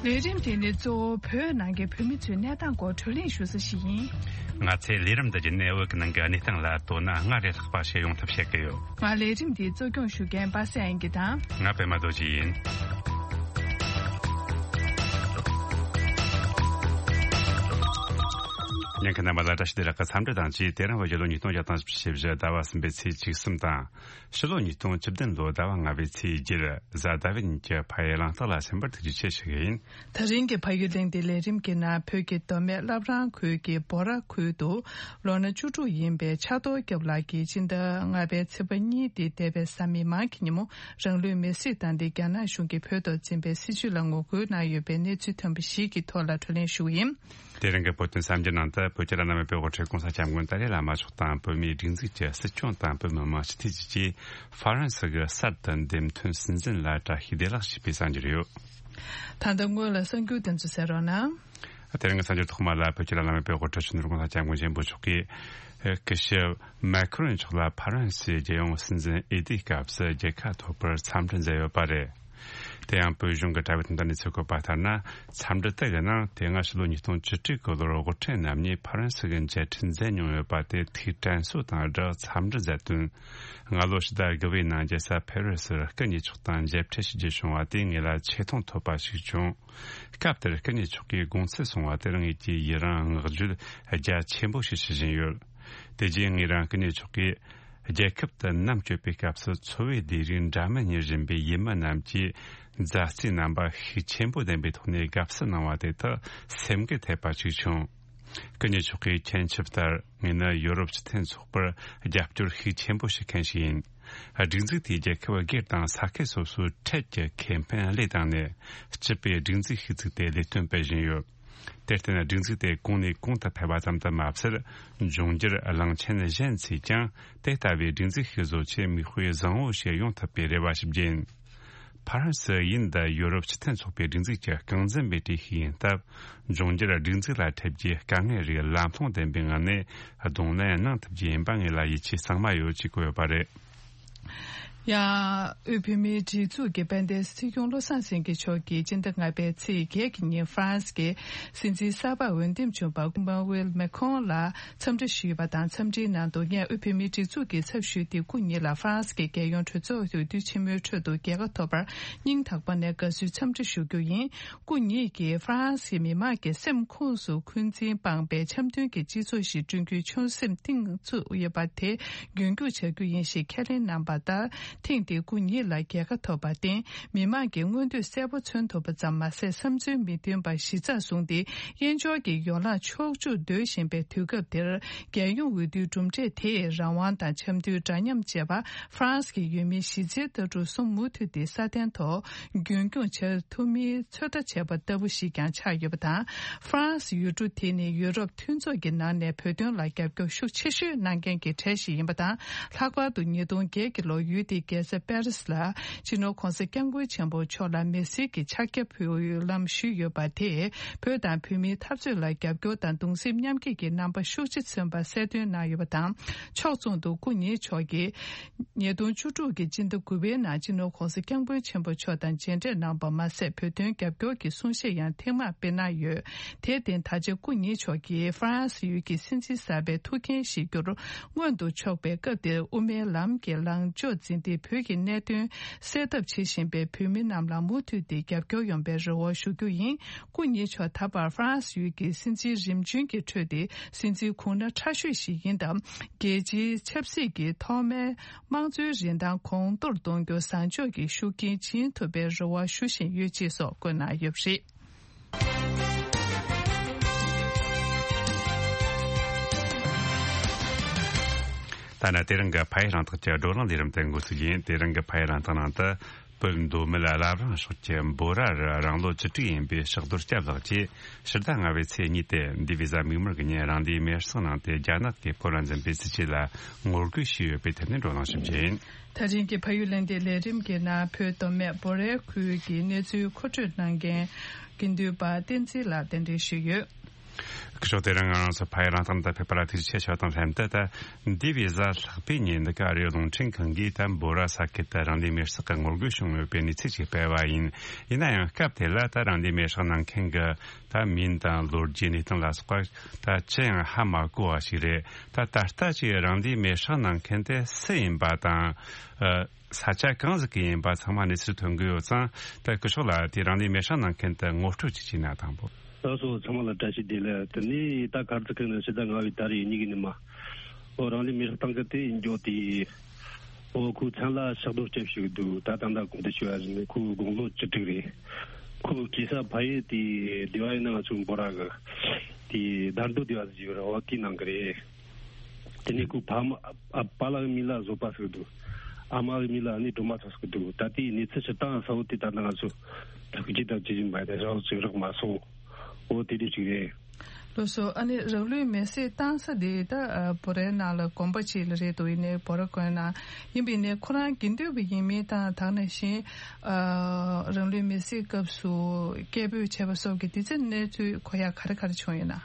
ལས་རིམ་དེ་ནི་གཙོ་བོ་བོད་ནང་གི་བོད་མི་ཚོའི་གནས་སྟངས་སྐོར་བགྲོ་གླེང་ཞུ་ས་ཞིག་ཡིན། ང་ཚོས་ལས་རིམ་འདི་བརྒྱུད་ནས་བོད་ཀྱི་ནང་གི་གནས་སྟངས་ལ་དོ་སྣང་སྔར་ལས་ལྷག་པ་བྱེད་ཡོང་ཐབས་བྱེད་ཀྱི་ཡོད། ང་ལས་རིམ་འདིའི་གཙོ་སྐྱོང་ཞུ་མཁན་པ་སངས་དབྱངས་སྐྱིད་དང་། ང་པད་མ་རྡོ་རྗེ་ཡིན། ཉན་མཁན་རྣམ་པ་ལ་བཀྲ་ཤིས་བདེ་ལེགས་ཀྱི་འཚམས་འདྲི་དང་བཅས། དེ་རིང་བོད་རྒྱལ་ལོ་ཉིས་སྟོང་བརྒྱ་དང་བཞི་བཅུ་ཞེ་བཞི་ཟླ་བ་གསུམ་པའི་ཚེས་བཅུ་གསུམ་དང་། ཕྱི་ལོ་ཉིས་སྟོང་བཅུ་བདུན་ལོའི་ཟླ་བ་ལྔ་པའི་ཚེས་བརྒྱད་གཟའ་ཟླ་བའི་ཉིན་གྱི་ཕ་ཡུལ་གླེང་སྟེགས་ལ་ཕྱིན་པར་ཐུགས་རྗེ་ཆེ་ཞུ་གི་ཡིན། དེ་རིང་གི་ཕ་ཡུལ་གླེང་སྟེགས་ལས་རིམ་གྱི་ནང་བོད་ཀྱི་མདོ་སྨད་བླ་བྲང་ཁུལ་གྱི་སྦོ་ར་ཁུལ་དུ་ལོ་ན་བཅུ་དྲུག་ཡིན་པའི་ཕྱག་རྡོར་སྐྱབས་ལགས་ཀྱིས་སྤྱི་ཟླ་ལྔ་པའི་ཚེས་པ་གཉིས་ཏེ་འདས་པའི་གཟའ་མིག་དམར་གྱི་ཉིན་མོ་རང་ལུས་མེར་སྲེག་བཏང་སྟེ་རྒྱ་ནག་གཞུང་གིས་བོད་ཐོག་འཛིན་པའི་སྲིད་བྱུས་ལ་ངོ་རྒོལ་གནང་ཡོད་པའི་གནས་ཚུལ་ཐོན་པ་ཞིག་གི་ཐོག་ལ་བགྲོ་གླེང་ཞུ་གི་ཡིན། དེ་རིང་གི་བོད་དོན་གསར་འགྱུར་ནང་དུ་བོད་ཀྱི་བླ་ན་མེད་པའི་དབུ་ཁྲིད་༸གོང་ས་༸སྐྱབས་མགོན་ཏཱ་ལའི་བླ་མ་མཆོག་དང་བོད་མིའི་སྒྲིག་འཛུགས་ཀྱི་སྲིད་སྐྱོང་དང་བོད་མི་མང་སྤྱི་འཐུས་བཅས་ཀྱིས་ཧྥ་རན་སི་གི་གསར་དུ་འདེམས་ཐོན་སྲིད་འཛིན་ལ་བཀྲ་ཤིས་བདེ་ལེགས་ཞེས་པའི་གསར་འགྱུར་ཡོད། ད་ལྟ་སྔོན་ལ་གསར་འགྱུར་དེ་ཚོ་གསན་རོགས་གནང་། དེ་རིང་གི་གསར་འགྱུར་ཐོག་མ་ལ་བོད་ཀྱི་བླ་ན་མེད་པའི་དབུ་ཁྲིད་ཆེན་པོ་༸གོང་ས་༸སྐྱབས་མགོན་ཆེན་པོ་མཆོག་གིས་སྐུ་ཞབས་མེ་ཁི་རོན་མཆོག་ལ་ཧྥ་རན་སིའི་རྒྱལ་ཡོངས་སྲིད་འཛིན་འོས་བསྡུའི་སྐབས་སུ་རྒྱལ་ཁ་ཐོབ་པར་འཚམས་འདྲི་མཛད་ཡོད་པ་རེད། དེ་ཡང་བོད་གཞུང་གི་དྲ་བའི་སྟེང་དུ་གནས་ཚུལ་བཀོད་པ་ལྟར་ན། འཚམས་འདྲི་དེ་གི་ནང་དེ་སྔ་ཕྱི་ལོ་ཉིས་སྟོང་བཅུ་དྲུག་གི་ལོར་དབུ་ཁྲིད་རྣམ་གཉིས་ཕ་རན་སི་གི་མཇལ་འཕྲད་མཛད་མྱོང་ཡོད་པ་དེ་ཐུགས་དྲན་གསོ་དང་སྦྲགས་འཚམས་འདྲི་མཛད་དོན། སྔ་ལོ་ཕྱི་ཟླ་དགུ་པའི་ནང་རྒྱལ་ས་ཕེ་རི་སིར་སྐུ་ཉེ་ཆོག་དང་མཇལ་འཕྲད་བྱེད་རྒྱུ་བྱུང་བ་དེ་ངེད་ལ་ཆེ་མཐོང་ཐོབ་པ་ཞིག་བྱུང་། སྐབས་དེར་སྐུ་ཉེ་མཆོག་གིས་དགོངས་ཚུལ་གསུངས་པ་དེར་ངེད་ཀྱིས་ཡི་རང་བསྔགས་བརྗོད་རྒྱ་ཆེན་པོ་ཞིག་ཞུ་བཞིན་ཡོད། དེ་རྗེས་ངེད་རང་སྐུ་ཉེ་མཆོག་གིས་རྒྱལ་ཁབ་ཏུ་ནམ་བསྐྱོད་པའི་སྐབས་སུ་འཚོ་བའི་ལས་རིགས་འདྲ་མིན་གཉེར་བཞིན་པའི་ཡུལ་མི་རྣམས་ཀྱིས་མཛའ་བརྩེའི་རྣམ་པ་ཤུགས་ཆེན་པོ་ལྡན་པའི་ཐོག་ནས་དགའ་བསུ་གནང་བ་དེ་དག་སེམས་འགུལ་ཐེབས་པ་ཞིག་བྱུང་། སྐུ་ཉེ་མཆོག་གིས་མཁྱེན་ཆུབ་ལྟར་ངས་ནི་ཡོ་རོབ་སྤྱི་མཐུན་ཚོགས་པར་རྒྱབ་སྐྱོར་ཤུགས་ཆེན་པོ་ཞིག་མཁན་ཞིག་ཡིན། སྒྲིག་འཛུགས་དེའི་རྒྱལ་ཁབ་སྒེར་དང་ས་ཁུལ་སོ་སོའི་ཁྲལ་གྱི་ཁེ་ཕན་བློས་བཏང་ནས་སྤྱི་པའི་སྒྲིག་འཛུགས་ཤིག་བཙུགས་ཏེ་ལས་དོན་སྤེལ་བཞིན་ཡོད། དེར་བརྟེན་སྒྲིག་འཛུགས་དེ་གོང་ནས་གོང་དུ་འཕེལ་བ་ཙམ་དུ་མ་ཟད། འབྱུང་འགྱུར་གླིང་ཆེན་གཞན་ཚོས་ཀྱང་དེ་ལྟ་བུའི་སྒྲིག་འཛུགས་ཤིག་བཟོ་ཆེད་མིག་དཔེ་བཟང་བོ་ཞིག་ཡོང་ཐུབ་པའི་རེ་བ་ཞིག་བརྒྱབ་ཡིན། ཕ་རན་སི་ཡིན་ད་ཡོ་རོབ་སྤྱི་མཐུན་ཚོགས་པའི་སྒྲིག་འཛུགས་ཀྱི་རྐང་འཛིན་པའི་གྲས་ཤིག་ཡིན་སྟབས། འབྱུང་འགྱུར་སྒྲིག་འཛུགས་ལ་འཕྲད་རྒྱུའི་དཀའ་ངལ་རིགས་ལམ་ལྷོང་ལྡན་པའི་ངང་ནས་གདོང་ལེན་གནང་ཐུབ་རྒྱུ་ཡིན་པ་ངེད་ལ་ཡིད་ཆེས་གཙང་མ་ཡོད་ཅེས་བཀོད་ཡོད་པ་རེད། ཡང་དབུས་བོད་མིའི་སྒྲིག་འཛུགས་ཀྱི་དཔལ་ལྡན་སྲིད་སྐྱོང་བློ་བཟང་སེང་གེ་མཆོག་གིས་སྤྱི་ཟླ་ལྔ་པའི་ཚེས་བརྒྱད་ཀྱི་ཉིན་ཧྥ་རན་སི་གི་སྲིད་འཛིན་གསར་པ་འོས་འདེམས་བྱུང་བ་ཨི་མ་ནུ་ཨེལ་མེ་ཁོང་ལ་འཚམས་འདྲི་ཞུས་པ་དང་། འཚམས་འདྲིའི་ནང་དུ་ངས་དབུས་བོད་མིའི་སྒྲིག་འཛུགས་ཀྱི་ཚབ་ཞུས་ཏེ་སྐུ་ཉིད་ལ་ཧྥ་རན་སི་གི་རྒྱལ་ཡོངས་གྲོས་ཚོགས་འོས་བསྡུ་ཆེན་མོའི་ཁྲོད་དུ་རྒྱལ་ཁ་ཐོབ་པར་སྙིང་ཐག་པ་ནས་དགའ་བསུའི་འཚམས་འདྲི་ཞུ་རྒྱུ་ཡིན། སྐུ་ཉིད་ཀྱིས་ཧྥ་རན་སིའི་མི་དམངས་ཀྱི་སེམས་ཁོངས་སུ་འཁོན་འཛིན་སྤངས་པའི་འཆམ་མཐུན་གྱི་སྤྱི་ཚོགས་ཤིག་བསྐྲུན་རྒྱུའི་ཆོད་སེམས་གཏིང་ཚུད་ཡོད་པ་དེ་རྒྱུན་སྐྱོང་བྱ་རྒྱུ་ཡིན་ཞེས་ཁས་ལེན་གནང་བ་ལྟར། ཐེངས་འདིའི་སྐུ་ཉིད་ལ་རྒྱལ་ཁ་ཐོབ་པར་བརྟེན། མི་དམངས་ཀྱི་མངོན་འདོད་གསལ་པོ་མཚོན་ཐུབ་པ་ཙམ་མ་ཟད། བསམ་ཚུལ་མི་མཐུན་པ་གཞི་རྩར་བཟུང་སྟེ། དབྱེན་སྦྱོར་གྱི་ཡོ་ལང་ཕྱོགས་བཅུར་སྡོད་བཞིན་པའི་དུས་སྐབས་འདིར། རྒྱལ་ཡོངས་འོས་བསྡུའི་གྲུབ་འབྲས་དེས་རང་དབང་དང་འཆམ་མཐུན། འདྲ་མཉམ་བཅས་པ་ཧྥ་རན་སི་གི་ཡུལ་མི་གཞི་རྩའི་ལྟ་གྲུབ་གསུམ་མུ་མཐུད་དེ་སྲ་བརྟན་ཐོག་རྒྱུན་སྐྱོང་བྱ་ཐུབ་མིན་ཚོད་ལྟ་བྱས་པ་ལྟ་བུ་ཞིག་ཀྱང་ཆགས་ཡོད་པ་དང་། ཧྥ་རན་སི་ཡུལ་གྲུ་དེ་ནི་ཡུ་རོབ་མཐུན་ཚོགས་ཀྱི་ནང་ནས་བོད་དོན་ལ་རྒྱབ་སྐྱོར་ཤུགས་ཆེ་ཤོས་གནང་མཁན་གྱི་གྲས་ཤིག་ཡིན་པ་དང་། ལྷག་པར་དུ་ཉིས་སྟོང་བརྒྱད་ཀྱི་ལོར་ཡུལ་དེའི་རྒྱལ་ས་པེ་རི་སི་ལ་སྤྱི་ནོར་༸གོང་ས་༸སྐྱབས་མགོན་ཆེན་པོ་མཆོག་ལ་མི་སེར་གྱི་ཕྱག་རྒྱ་ཕུལ་ལམ་ཞུས་ཡོད་པ་དེས། བོད་དང་བོད་མིའི་འཐབ་རྩོད་ལ་རྒྱབ་སྐྱོར་དང་གདུང་སེམས་མཉམ་སྐྱེད་ཀྱི་རྣམ་པ་ཤུགས་ཆེ་མཚོན་པ་གསལ་སྟོན་གནང་ཡོད་པ་དང་། ཕྱོགས་མཚུངས་སུ་སྐུ་ཉིད་མཆོག་གིས་ཉིས་སྟོང་བཅུ་དྲུག་གི་སྤྱི་ཟླ་དགུ་པའི་ནང་སྤྱི་ནོར་༸གོང་ས་༸སྐྱབས་མགོན་ཆེན་པོ་མཆོག་དང་མཇལ་འཕྲད་གནང་བ་མ་ཟད། བོད་དོན་རྒྱབ་སྐྱོར་གྱི་གསུང་བཤད་ཡང་ཐེངས་མང་སྤེལ་གནང་ཡོད། དེར་བརྟེན། ད་ཆ་སྐུ་ཉིད་མཆོག་གིས་ཧྥ་རན་སི་ཡུལ་གྱི་སྲིད་འཛིན་གསར་པའི་ཐུགས་འགན་བཞེས་རྒྱུར་མངོན་དུ་ཕྱོགས་པའི་སྐབས་འདིར། དབུ་མའི་ལམ་གྱི་ལངས་ཕྱོགས་འཛིན་ཏེ། བོད་ཀྱི་གནད་དོན་སེལ་ཐབས་བྱེད་བཞིན་པའི་བོད་མི་རྣམས་ལ་མུ་མཐུད་དེ་རྒྱབ་སྐྱོར་ཡོང་བའི་རེ་བ་ཞུ་རྒྱུ་ཡིན། སྐུ་ཉིད་མཆོག་ད་བར་ཧྥ་རན་སི་ཡུལ་གྱི་སྲིད་འཛིན་རིམ་བྱོན་གྱི་ཁྲོད་དེ་སྲིད་འཛིན་གོང་ན་ཁྲ་ཤོས་ཤིག་ཡིན་སྟབས། རྒྱལ་སྤྱིའི་ཆབ་སྲིད་ཀྱི་ཐོག་མའི་དམངས་གཙོའི་རིན་ཐང་གོང་མཐོར་གཏོང་རྒྱུར་བཟང་ཕྱོགས་ཀྱི་ཤུགས་རྐྱེན་བྱིན་ཐུབ་པའི་རེ་བ་ཞུ་བཞིན་ཡོད་ཅེས་སོགས་བཀོད་གནང་ཡོད་པ་རེད། ད་ནི་དེ་རིང་གི་ཕ་ཡུལ་རང་རྟགས་ཀྱི་བགྲོ་གླེང་ལས་རིམ་དེ་འགོ་ཚུགས་ཡིན། དེ་རིང་གི་ཕ་ཡུལ་རང་རྟགས་ནང་དུ། བོད་མདོ་སྨད་བླ་བྲང་ཕྱོགས་ཀྱི་འབོ་ར་རུ་རང་ལོ་བཅུ་དྲུག་ཡིན་པའི་ཕྱག་རྡོར་སྐྱབས་ལགས་ཀྱིས་ཕྱི་ཟླ་ལྔ་པའི་ཚེས་གཉིས་ཏེ་འདི་བི་ཟ་མིག་དམར་གྱི་ཉིན་རང་ལུས་མེར་སྲེག་གནང་སྟེ། རྒྱ་ནག་གིས་བོད་ལ་འཛིན་པའི་སྲིད་བྱུས་ལ་ངོ་རྒོལ་བྱས་ཡོད་པའི་ཐད་ནས་བགྲོ་གླེང་ཞིབ་རྒྱས་ཡིན། ད་རིང་གི་ཕ་ཡུལ་གླེང་སྟེགས་ལས་རིམ་གྱི་ནང་བོད་མདོ་སྨད་འབོ་རའི་ཁུལ་གྱི་གནས་ཚུལ་མཁོ་སྤྲོད་གནང་མཁན་དགེ་འདུན་པ་བསྟན་འཛིན་ལགས་གདན་འདྲེན་ཞུས་ཡོད། སྐུ་ཞབས། དེ་རིང་ང་རང་ཚོ་ཕ་ཡུལ་རང་རྟགས་འདི་ཕེབས་པ་ལ་ཐུགས་རྗེ་ཆེ་ཞུ་དང་ལྷན་དུ། ད་འདི་བི་ཟ་ལྷག་པའི་ཉིན་འདི་ག་རེ་རླུང་འཕྲིན་ཁང་གིས་ད་འབོ་ར་ས་ཁུལ་དུ་རང་ལུས་མེར་སྲེག་གི་ངོ་རྒོལ་བྱུང་ཡོད་པའི་གནས་ཚུལ་ཅིག་སྤེལ་བ་ཡིན། ཡིན་ན་ཡང་སྐབས་དེ་ལ་ད་རང་ལུས་མེར་སྲེག་གནང་མཁན་གྱི་ད་མིང་དང་ལོ་རྒྱུས་གནས་སྟངས་ལ་སོགས་པ་ད་ཅི་ཡང་ཧ་མ་གོ་བ་ཞིག་རེད། ད་ད་ལྟ་ཅིག་རང་ལུས་མེར་སྲེག་གནང་མཁན་དེ་སུ་ཡིན་པ་དང་། ས་ཆ་གང་ཟིག་གི་ཡིན་པ་ཚང་མ་གནས་ཚུལ་ཐོན་གི་ཡོད་ཙང་། ད་སྐུ་ཞབས་ལགས་དེ་རང་ལུས་མེར་སྲེག་གནང་མཁན་དེ་ངོ་སྤྲོད་ཅིག་བྱས་ན་དང་པོ། ད་སོ་ཚང་མ་ལ་བཀྲ་ཤིས་བདེ་ལེགས། དེ་ནས་ད་གར་ཚི་ཁན་ནི་ཕྱི་ཟླ་ལྔ་པའི་ད་རེས་གཉིས་ཀྱི་ནི་མ། ཨོ་རང་ལུས་མེར་སྲེག་བཏང་གི་དེ་ཡིན་རྒྱུ་དེ། ཨོ་ཁོའི་མཚན་ལ་ཕྱག་རྡོར་སྐྱབས་ཞུ་གི་འདུག་ད་ད་ལྟ་གོང་དུ་ཞུ་བ་བཞིན་ཁོའི་དགུང་ལོ་བཅུ་དྲུག་རེད། ཁོའི་སྐྱེས་ས་ཕ་ཡུལ་དེ་སྡེ་བ་ཡིན་ན་ང་ཚོའི་འབོ་ར་གི་དེ་དར་མདོ་སྡེ་བ་ཟེར་གྱི་ཡོད་རེད། འོ་དེའི་ནང་གི་རེད། དེ་ནས་ཁོའི་ཕ་མ་ཨ་པཱ་ལགས་མིང་ལ་བཟོད་པ་ཟེར་གི་འདུག་ཨ་མ་གི་མིང་ལ་ཨ་ནེ་སྒྲོལ་མ་ཟེར་གི་འདུག་ད་ལྟའི་གནས་ཚུལ་སྤྱིར་བཏང་གསལ་བོ་དེ་ད་ལྟ་ང་ཚོ་ཐུགས་རྗེ་དང་ཇི་བཞིན་པ་དེ་རག་ཅིག་རག་མ་སོང་། འོ་དེ་འདྲ་ཅིག་རེད། ལགས་སོ། ཨ་ནི་རང་ལུས་མེར་སྲེག་བཏང་ས་དེ་ད་ཨ་བོད་རའི་ནང་ལ་དགོན་པ་ཅིག་ལ་རེད་འདུག་ཡིན་ནའི་བོད་ར་དགོན་ནང་ཡིན་པ་ཡིན་ནའི་ཁོ་རང་དགེ་འདུན་པ་ཡིན་མིན་དང་། དེ་ནང་བཞིན་ཨ་རང་ལུས་མེར་སྲེག་སྐབས་སུ་སྐད་འབོད་བྱས་པ་སོགས་ཀྱི་དེ་ཚོའི་གནས་ཚུལ་གོ་ཡག་ག་རེ་ག་རེ་བྱུང་ཡོད་ན།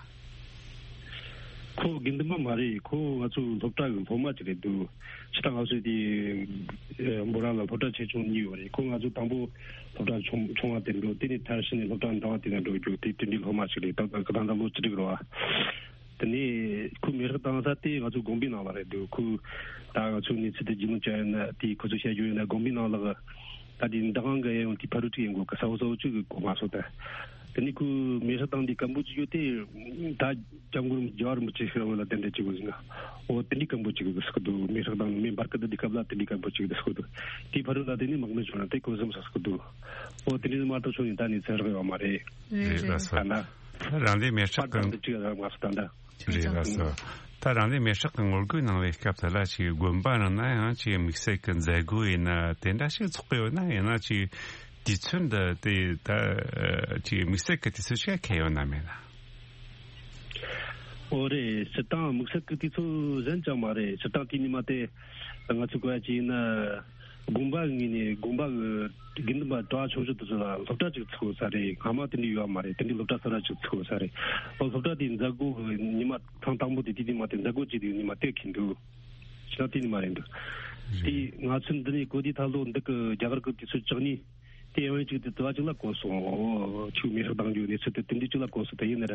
ཁོ་དགེ་འདུན་པ་མ་རེད། ཁོ་ང་ཚོ་སློབ་གྲྭ་གི་སློབ་མ་ཅིག་རེད་འདུག་ཕྱི་ད་ང་ཚོ་དེ་འབོ་ར་ལ་སློབ་གྲྭ་ཆེ་ཆུང་གཉིས་ཡོད་རེད། ཁོ་ང་ཚོ་དང་པོ་སློབ་གྲྭ་ཆུང་ཆུང་བ་དེར་འགྲོ། དེ་ནས་མཐར་ཕྱིན་ནས་སློབ་གྲྭ་འདྲ་བ་དེ་ལ་འགྲོ་རྒྱུ་དེ་དེ་འདྲའི་སློབ་མ་ཞིག་རེད། ད་ད་ད་ལོ་བཅུ་དྲུག་རེད་བ། དེ་ནས་ཁོ་མེ་སྲེག་བཏང་ས་དེ་ང་ཚོ་དགོན་པའི་ནང་ལ་རེད་འདུག་ཁོ་ད་ང་ཚོ་གནས་ཚུལ་དེ་རྒྱུས་ལོན་བྱ་ཡོད་ན། དེ་ཁོ་ཚོས་བཤད་རྒྱུ་ཡོད་ན་དགོན་པའི་ནང་ལ་ད་དེ་འདི་གང་གི་ཡང་དེ་ཕ་རུ་ཅིག་ཡིན་དགོས་གི་ས་འོ་ས་འོ་ཅིག་གི་གོ་མ་སོང་ད། དེ་ནས་ཁོ་མེ་སྲེག་བཏང་དེ་སྐམ་པོ་ཅིག་ཡོད་དེ་ད། སྐྱབས་མགོན་རྒྱལ་བ་རིན་པོ་ཆེ་ཤི་ར་བོ་ལ་གདན་འདྲེན་བྱེད་དགོས་ཟིན་ན། འོ་དེ་འདྲའི་སྐམ་པོ་ཅིག་གི་སྐུ་འདུག་མེ་སྲེག་དང་མེ་འབར་གི་འདི་སྐབས་ལ་དེ་འདྲའི་སྐམ་པོ་ཅིག་གི་སྐུ་འདུག་དེའི་ཕ་རོལ་ལ་དེ་ནི་དམག་མི་བྱུང་ན་དེ་ཁོ་བཟུང་ས་སྐུ་འདུག་འོ་དེ་འདྲའི་མ་གཏོགས་ཤོག་ཡིན་ད་ནི་ཚེ་རག་ཡོད་མ་རེད། རེད་རེད། ལགས་སོ། ད་ན། ད་རང་ལས་མེ་སྲེག་པར་གི་དང་དུ་ཅིག་ཡོད་མ་སོང་ད་འདྲ། རེད་ལགས་སོ། ད་རང་ལས་མེ་སྲེག་གི་ངོ་རྒོལ་གནང་བའི་སྐབས་དེ་ལ་ཅིག་དགོན་པ་ནང་ན་ཡང་ཅིག་དམིགས་བསལ་གི་མཛད་སྒོ་ཡིན་ན་དེ་འདྲ་ཞིག་ཚོགས་གི་ཡོད་ན། ཡང་ན་ཅིག་དུས་ཚོད་འདི་དེ་ད་ཅིག་དམིགས་བསལ་གི་དུས་ཚོད་ཞིག་འཁེལ་ཡོད་ན་མེད་ན། ཨོ་རེད། སྤྱིར་བཏང་དམིགས་བསལ་གི་དུས་ཚོད་གཞན་ཅང་མ་རེད། སྤྱིར་བཏང་དེའི་ཉི་མ་དེ་ང་ཚོ་གོ་ཡ་ཅིག་ཡིན་ན་དགོན་པ་ངོས་ནས་དགོན་པ་གི་དགེ་འདུན་པ་གྲྭ་བ་ཆུང་ཆུང་དེ་ཚོ་ལ་སློབ་གྲྭ་ཅིག་ཚུགས་ས་རེད། སྔ་མ་དེ་འདྲ་ཡོད་མ་རེད། དེ་འདྲའི་སློབ་གྲྭ་གསར་པ་ཅིག་ཚུགས་ས་རེད། ཨོ་སློབ་གྲྭ་དེའི་མཛད་སྒོ་གི་ཉི་མ་ཐེངས་དང་པོ་དེ་དེ་དེ་མ་དེ་མཛད་སྒོ་ཅིག་དེའི་ཉི་མ་དེ་འཁེལ་འདུག་ཕྱི་ལ་དེ་ནི་མ་རེད་འདུག་དེ་ང་ཚོ་འདི་ནས་གོ་དེ་ཐ་ལོ་འདི་གི་རྒྱ་གར་གི་དུས་ཚོད་བཅུ་གཉིས་དེ་ཡང་ཅིག་དེ་དུ་བ་ཅིག་ལ་གོ་སོང་། ཆུ་མེ་ཤག་བཏང་རྒྱུ་གནས་ཚུལ་དེ་དེ་འདྲ་ཅིག་ལ་གོ་སོང་། དེ་ཡིན་ན་ར་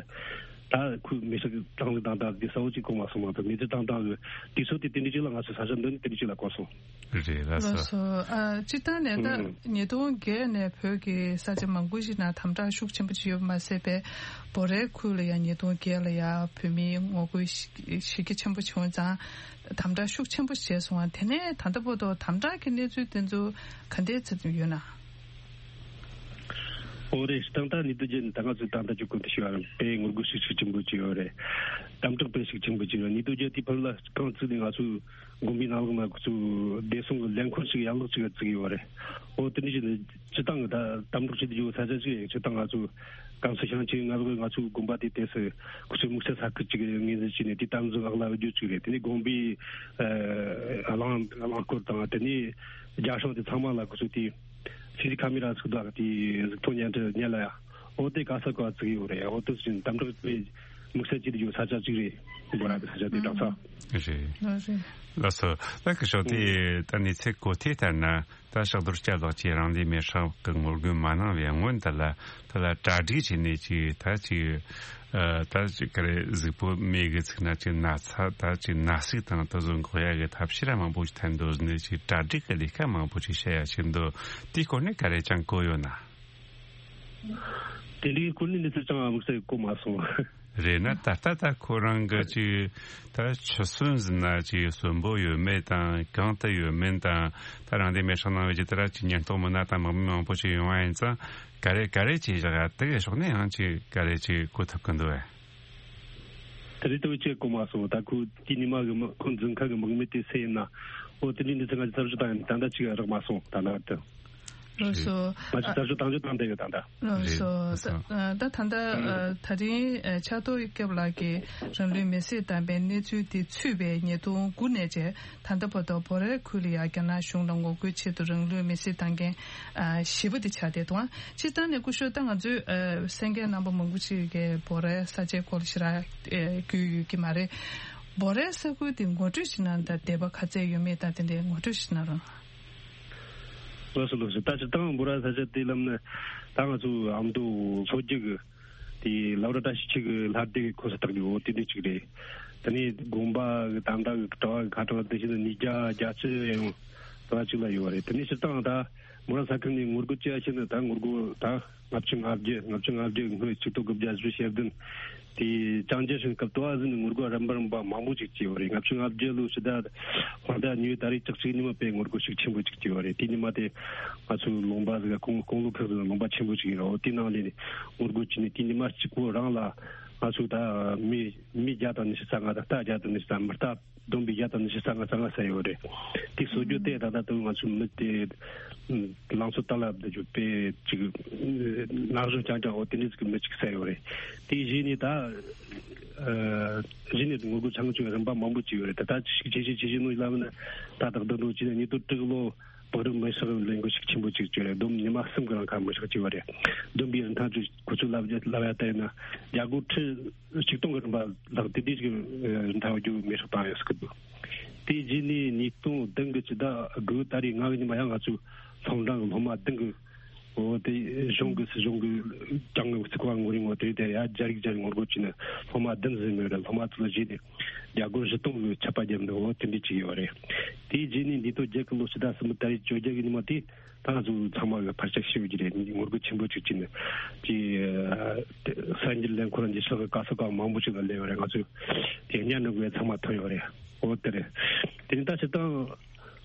ད་ཁོས་མེ་ཤག་བཏང་ལུགས་དང་ད་དེ་ས་བོ་ཅིག་གོ་མ་སོང་། མ་གཏོགས་མེ་ཤག་བཏང་བཏང་གི་དུས་ཚོད་དེ་དེ་འདྲ་ཅིག་ལ་ང་ཚོ་ས་ཆ་འདི་ནི་དེ་འདྲ་ཅིག་ལ་གོ་སོང་། རེད་ལགས་ལགས་སོ། སོ། ཨ། སྤྱིར་བཏང་ནས་ད་ཨུམ། ཉིས་སྟོང་བརྒྱད་ནས་བོད་ཀྱི་ས་ཆ་མང་པོ་ཞིག་ནང་དམ་དྲག་ཤུགས་ཆེན་པོ་ཅིག་ཡོད་པ་མ་ཟད་པའི་བོད་རའི་ཁུལ་ལ་ཡང་ཉིས་སྟོང་བརྒྱད་ལ་ཡང་བོད་མིའི་ངོ་རྒོལ་ཞི་གཞི་རྒྱ་ཆེན་པོ་བྱུང་ཙང་དམ་དྲག་ཤུགས་ཆེན་པོ་བྱས་སོང་བ། དེ་ནས་ད་ལྟ་བར་དུ་དམ་དྲག་གི་གནས་ཚུལ་དེ་ཚོ་ག་འདྲས་ཚོད་ཡོད་ན། ཨོ་རེད། ད་ལྟ་ཉིས་སྟོང་བརྒྱད་ནས་ད་ང་ཚོས་ད་ལྟ་ཅིག་གོ་དུ་ཞུ་བ་རེད། དཔེ་ངོ་རྒོལ་ཤུགས་ཆེན་པོ་ཅིག་ཡོད་རེད། དམ་དྲག་དཔེ་ཤུགས་ཆེན་པོ་ཅིག་ཡོད། ཉིས་སྟོང་བརྒྱད་དེའི་བར་ལ་རྐང་བཙུགས་ནས་ང་ཚོས་དགོན་པའི་ནང་ལོགས་ན་ཁོ་ཚོས་བདེ་སྲུང་གི་ལས་འཁོར་ཞིག་ཡན་ལག་ཅིག་བཙུགས་ཡོད་རེད། ཨོ་དེ་འདྲ་ཞིག་ནི་སྤྱི་བཏང་གི་ད་དམ་དྲག་བྱེད་དུ་ཡོད་ས་ཆ་ཞིག་ཡིན། སྤྱི་བཏང་ང་ཚོ་ཀན་སུའུ་ཤང་ཆེན་ང་ཚོ་ང་ཚོའི་དགོན་པ་དེ་དེ་སུ་ཁོ་ཚོའི་དམིགས་བསལ་ས་ཁུལ་ཅིག་ངོས་འཛིན་བྱས་ནས་དེ་དམ་འཛིན་འོག་ལ་བསྡུ་རྒྱུ་ཅིག་རེད། དེ་ནས་དགོན་པའི་ཨ་རླངས་རླངས་འཁོར་དང་དེ་ནས་རྒྱ་སྲང་དེ་ཚང་མ་ལ་ཁོ་ཚོས་དེ་སི་སི་ཁ་མེ་ར་ཚུགས་དག་དེ་གཟུགས་མཐོང་བརྙན་འཕྲིན་བརྙན་ལ་ཡ། ཨོ་དེ་ག་ས་ག་བཙུགས་ཡོད་རེད། ཨོ་དེ་བཞིན་དམ་དྲག་པའི་དམིགས་བསལ་བྱེད་དུ་ཡོད་ས་ཆ་གཅིག་རེད། འབོ་ར་གི་ས་ཆ་དེ་དྲག་ས། རེད། ལགས་རེད། ལགས་སོ། ད་ཁི་ཤོག་དེ་ད་གནས་ཚུལ་གོ་ཐོས་ལྟར་ན་ད་ཕྱག་རྡོར་སྐྱབས་ལགས་ཀྱིས་རང་ལུས་མེར་སྲེག་གི་ངོ་རྒོལ་མ་གནང་བའི་སྔོན་དུ་ལ་ད་ལ་གྲ་སྒྲིག་བྱས་ནས་ཅིག་ད་ཅིག་ཨ་ད་ཅིག་ག་རེ་གཟུགས་པོ་མེ་གི་ཚིག་ན་ཅིག་ན་ཚ་ད་ཅིག་ན་ཟུག་དང་ད་བཟོ་འགོག་ཡ་གི་ཐབས་ཤེས་ར་མང་པོ་ཞིག་འཐེན་འདུག་ཟེར་ནས་ཅིག་གྲ་སྒྲིག་གི་ལས་ཀ་མང་པོ་ཞིག་བྱེད་ཡ་ཞིག་འདུག་དེའི་སྐོར་ནས་ག་རེ་ཅང་གོ་ཡོད་ན། དེ་འདྲའི་སྐོར་ནས་གནས་ཚུལ་ཅང་དམིགས་བསལ་གོ་མ་སོང་། རེད་ན་ད་ལྟ་ད་ཁོ་རང་གི་ཅིག་ད་ཆུ་སྲིན་ཟིན་ན་ཅིག་གསོན་པོ་ཡོད་མེད་དང་གང་དུ་ཡོད་མེད་དང་ད་རང་དེ་མེ་སྲེག་གནང་བའི་ཅིག་ད་ར་ཅིག་ཉེན་རྟོག་མི་སྣ་དང་དམག་མི་མང་པོ་ཞིག་ཡོང་བ་ཡིན་ཙང་ག་རེ་ག་རེ་ཅིག་བཞག་ཡ་དེ་གི་ཕྱོགས་ནས་ཡང་ཅིག་ག་རེ་ཅིག་གོ་ཐུབ་ཀྱི་འདུག་བས། དེ་རིང་དུ་ཅིག་གོ་མ་སོང་། ད་ཁོ་དེ་ཉི་མ་གི་མི་ཁོ་འཛིན་མཁན་གི་དམག་མི་དེ་སུ་ཡིན་ན་ཨོ་དེ་འདྲའི་འདི་ཚོ་ང་ཚོ་ཚར་གཅོད་བཏང་ཡིན་ད་ལྟ་ཅིག་རག་མ་སོང་ད་ལྟ་དུ། ལགས་སོ། ང་ཚོ་ཚར་གཅོད་བཏང་རྒྱུ་བཏང་བསྡད་ཡོད་ད་ལྟ། ལགས་སོ། རེད། ད་ད་ལྟ་ཨ་ད་རིང་ཨ་ཕྱག་རྡོར་སྐྱབས་ལགས་ཀྱིས་རང་ལུས་མེར་སྲེག་བཏང་པའི་གནས་ཚུལ་དེ་ཚུད་པའི་ཉིས་སྟོང་དགུ་ནས་བྱས་ད་ལྟ་བར་དུ་བོད་རའི་ཁུལ་ལ་ཡང་རྒྱ་ནག་གཞུང་ལ་ངོ་རྒོལ་ཆེད་དུ་རང་ལུས་མེར་སྲེག་བཏང་མཁན་ཨ་བཞི་པ་དེ་ཆགས་བསྡད་འདུག་སྤྱིར་བཏང་ནས་སྐུ་ཞབས་ད་ང་ཚོས་ཨ་གསན་མཁན་རྣམ་པ་མང་པོ་ཅིག་གིས་བོད་རའི་ས་ཆའི་སྐོར་ཞེ་དྲག་ཨ་རྒྱུས་ཡོད་ཀྱི་མ་རེད། བོད་རའི་ས་ཁུལ་དེ་ངོ་སྤྲོད་ཞིག་གནང་དང་དད་པ་ག་ཚད་ཡོད་མེད་དང་དེ་འདྲའི་ངོ་སྤྲོད་ཞིག་གནང་རོགས། ལགས་སོ་ལགས་སོ། ད་སྤྱིར་བཏང་འབུ་ར་ས་ཆ་དེ་ལམ་ནས་ད་ང་ཚོ་ཨ་མདོ་ལྷོ་རྒྱུད་ཀྱི་དེ་ལ་བ་ར་བཀྲ་ཤིས་འཁྱིལ་གྱི་ལྷ་སྡེ་གི་ཁོངས་སུ་གཏོགས་ཀྱི་འོ་དེ་འདྲ་ཅིག་རེད། དེ་ནས་དགོན་པ་གི་ད་ལྟ་གི་གྲྭ་བ་གི་ཁ་གྲངས་དེ་བཞིན་དུ་ཉིས་བརྒྱ་བརྒྱད་ཅུ་ཡང་ཡང་དེ་བ་ཅིག་ལ་ཡོད་རེད། དེ་ནས་སྤྱིར་བཏང་ད་འབུ་ར་ས་ཁུལ་ནས་ངོ་རྒོལ་བྱེད་ཡ་ཕྱིན་ན་ད་ངོ་རྒོལ་ད་ལྔ་བཅུ་ང་བརྒྱད་ལྔ་བཅུ་ང་བརྒྱད་སྔོན་ཆིག་སྟོང་དགུ་བརྒྱ་བཞི་བཅུ་ཞེ་བདུན་དེ་ཅང་ཅེ་ཧྲིན་སྐབས་དུ་བ་ཟིན་ནས་ངོ་རྒོལ་རིམ་པ་རིམ་པ་མང་པོ་ཅིག་བྱས་ཡོད་རེད། ལྔ་བཅུ་ང་བརྒྱད་ལོ་ཕྱི་ཟླ་ཧོར་ཟླ་གཉིས་པའི་ཏ་རིག་བཅུ་གཅིག་ཉིན་མ་དཔེ་ངོ་རྒོལ་ཤུགས་ཆེན་པོ་ཅིག་བྱས་ཡོད་རེད། དེ་ཉིན་མ་དེ་ང་ཚོའི་ལུང་པ་ཟིག་ག་ཁོང་ཁོང་ལོ་ཁག་ཟིག་ལུང་པ་ཆེན་པོ་ཅིག་ཡིན་རོགས། དེ་ནང་ལས་ནས་ངོ་རྒོལ་བྱས་ནས་དེ་ཉིན་མ་གཅིག་པོ་རང་ལ་ང་ཚོ་ད་མི་མི་བརྒྱ་དང་ཉི་ཤུ་རྩ་ལྔ་དང་རྟ་བརྒྱ་དང་ཉི་ཤུ་རྩ་མི་རྟ་བསྡོམས་པས་བརྒྱ་དང་ཉི་ཤུ་རྩ་ལྔ་རྩ་ལྔ་ཟ་ཡོད་རེད། དེ་གསོད་རྒྱུ་དེ་ད་ལྟ་དུང་ང་ཚོའི་མི་དེ་ལང་ཚོ་ཏཱ་ལ་བསྡད་རྒྱུ་དཔེ་ཅིག་ན་གཞོན་རྐྱང་རྐྱང་འོ་དེ་འདྲ་ཅིག་གི་མི་ཅིག་ཟ་ཡོད་རེད། དེ་གཞི་ནས་ད་གཞི་ནས་ངོ་རྒོལ་ཚང་ཅིག་རིམ་པ་མང་པོ་ཅིག་ཡོད་རེད། ད་ད་ཅིག་ཇེ་ཆེ་ཇེ་ཆེ་ནོ་ལ་མིན་ད་ད་བདག་འགྲོ་ཅིག་ནས་ཉིས་སྟོང་དྲུག་ལོ་ བག་རིམ་མི་ཧྲག་ལས་འགུལ་ཞིག་ཆེན་པོ་ཅིག་བྱས་རེད། བསྡོམས་ཉི་མ་གསུམ་གི་རིང་ཁ་མི་ཧྲག་ཅིག་ཡོད་རེད། བསྡོམས་པའི་རིན་ཐང་ཅིག་ཁོ་ཚོས་ལབ་རྒྱུ་ལབ་ཡ་ལྟར་ཡིན་ན་རྒྱ་སྒོར་ཁྲི་ཆིག་སྟོང་གི་རིན་པ་ལྷག་དེ་དུས་ཀྱི་རིན་ཐང་ཡོད་རྒྱུ་མི་ཧྲག་བཏང་ཡོད་ཟེར་གི་འདུག་དེ་རྗེས་ནས་ཉིས་སྟོང་བདུན་གི་ཕྱི་ཟླ་དགུ་ཟླ་རེའི་ལྔ་གི་ཉི་མ་ཡང་ང་ཚོའི་སློབ་འབྲིང་གི་སློབ་མ་བདུན་གི་འོ་དེ་གཞུང་གི་སྲིད་གཞུང་གི་གྱང་ངམ་རྩིག་པ་ངོ་རིང་ངོ་དེ་དེ་ཡ་རྒྱ་རིགས་རྒྱ་རིགས་ངོ་རྒོལ་བྱས་ནས་སློབ་མ་བདུན་ཟིན་མེད་རེད། སློབ་མ་ཚོ་ལ་བཞེས་ནས་རྒྱ་སྒོར་བཞི་སྟོང་གི་ཆད་པ་བརྒྱབ་འདུག་འོ་དེ་འདྲ་ཅིག་ཡོད་རེད། དེའི་རྗེས་ནས་འདས་དོ་རྒྱལ་ཁབ་ལོ་ཕྱི་ཟླ་གསུམ་པའི་ད་རེས་བཅོ་བརྒྱད་ཀྱི་ཉི་མ་དེ་ད་ང་ཚོ་ཚང་མ་གི་ཕར་ཆག་ཤེས་ཡོད་ཀྱི་རེད། ངོ་རྒོལ་ཆེན་པོ་ཅིག་བྱས་ནས་དེ་གསར་འགྱུར་ལས་འཁོར་འདི་ཕྱོགས་གི་ག་ས་ག་མང་པོ་ཅིག་ལ་སླེབས་ཡོད་རེད། ང་ཚོས་དེ་བརྙན་འདྲ་གི་ཚང་མ་ཐོན་ཡོད་རེད། འོ་དེ་རེད། དེ་ནས་ད་སྤྱིར་བཏང་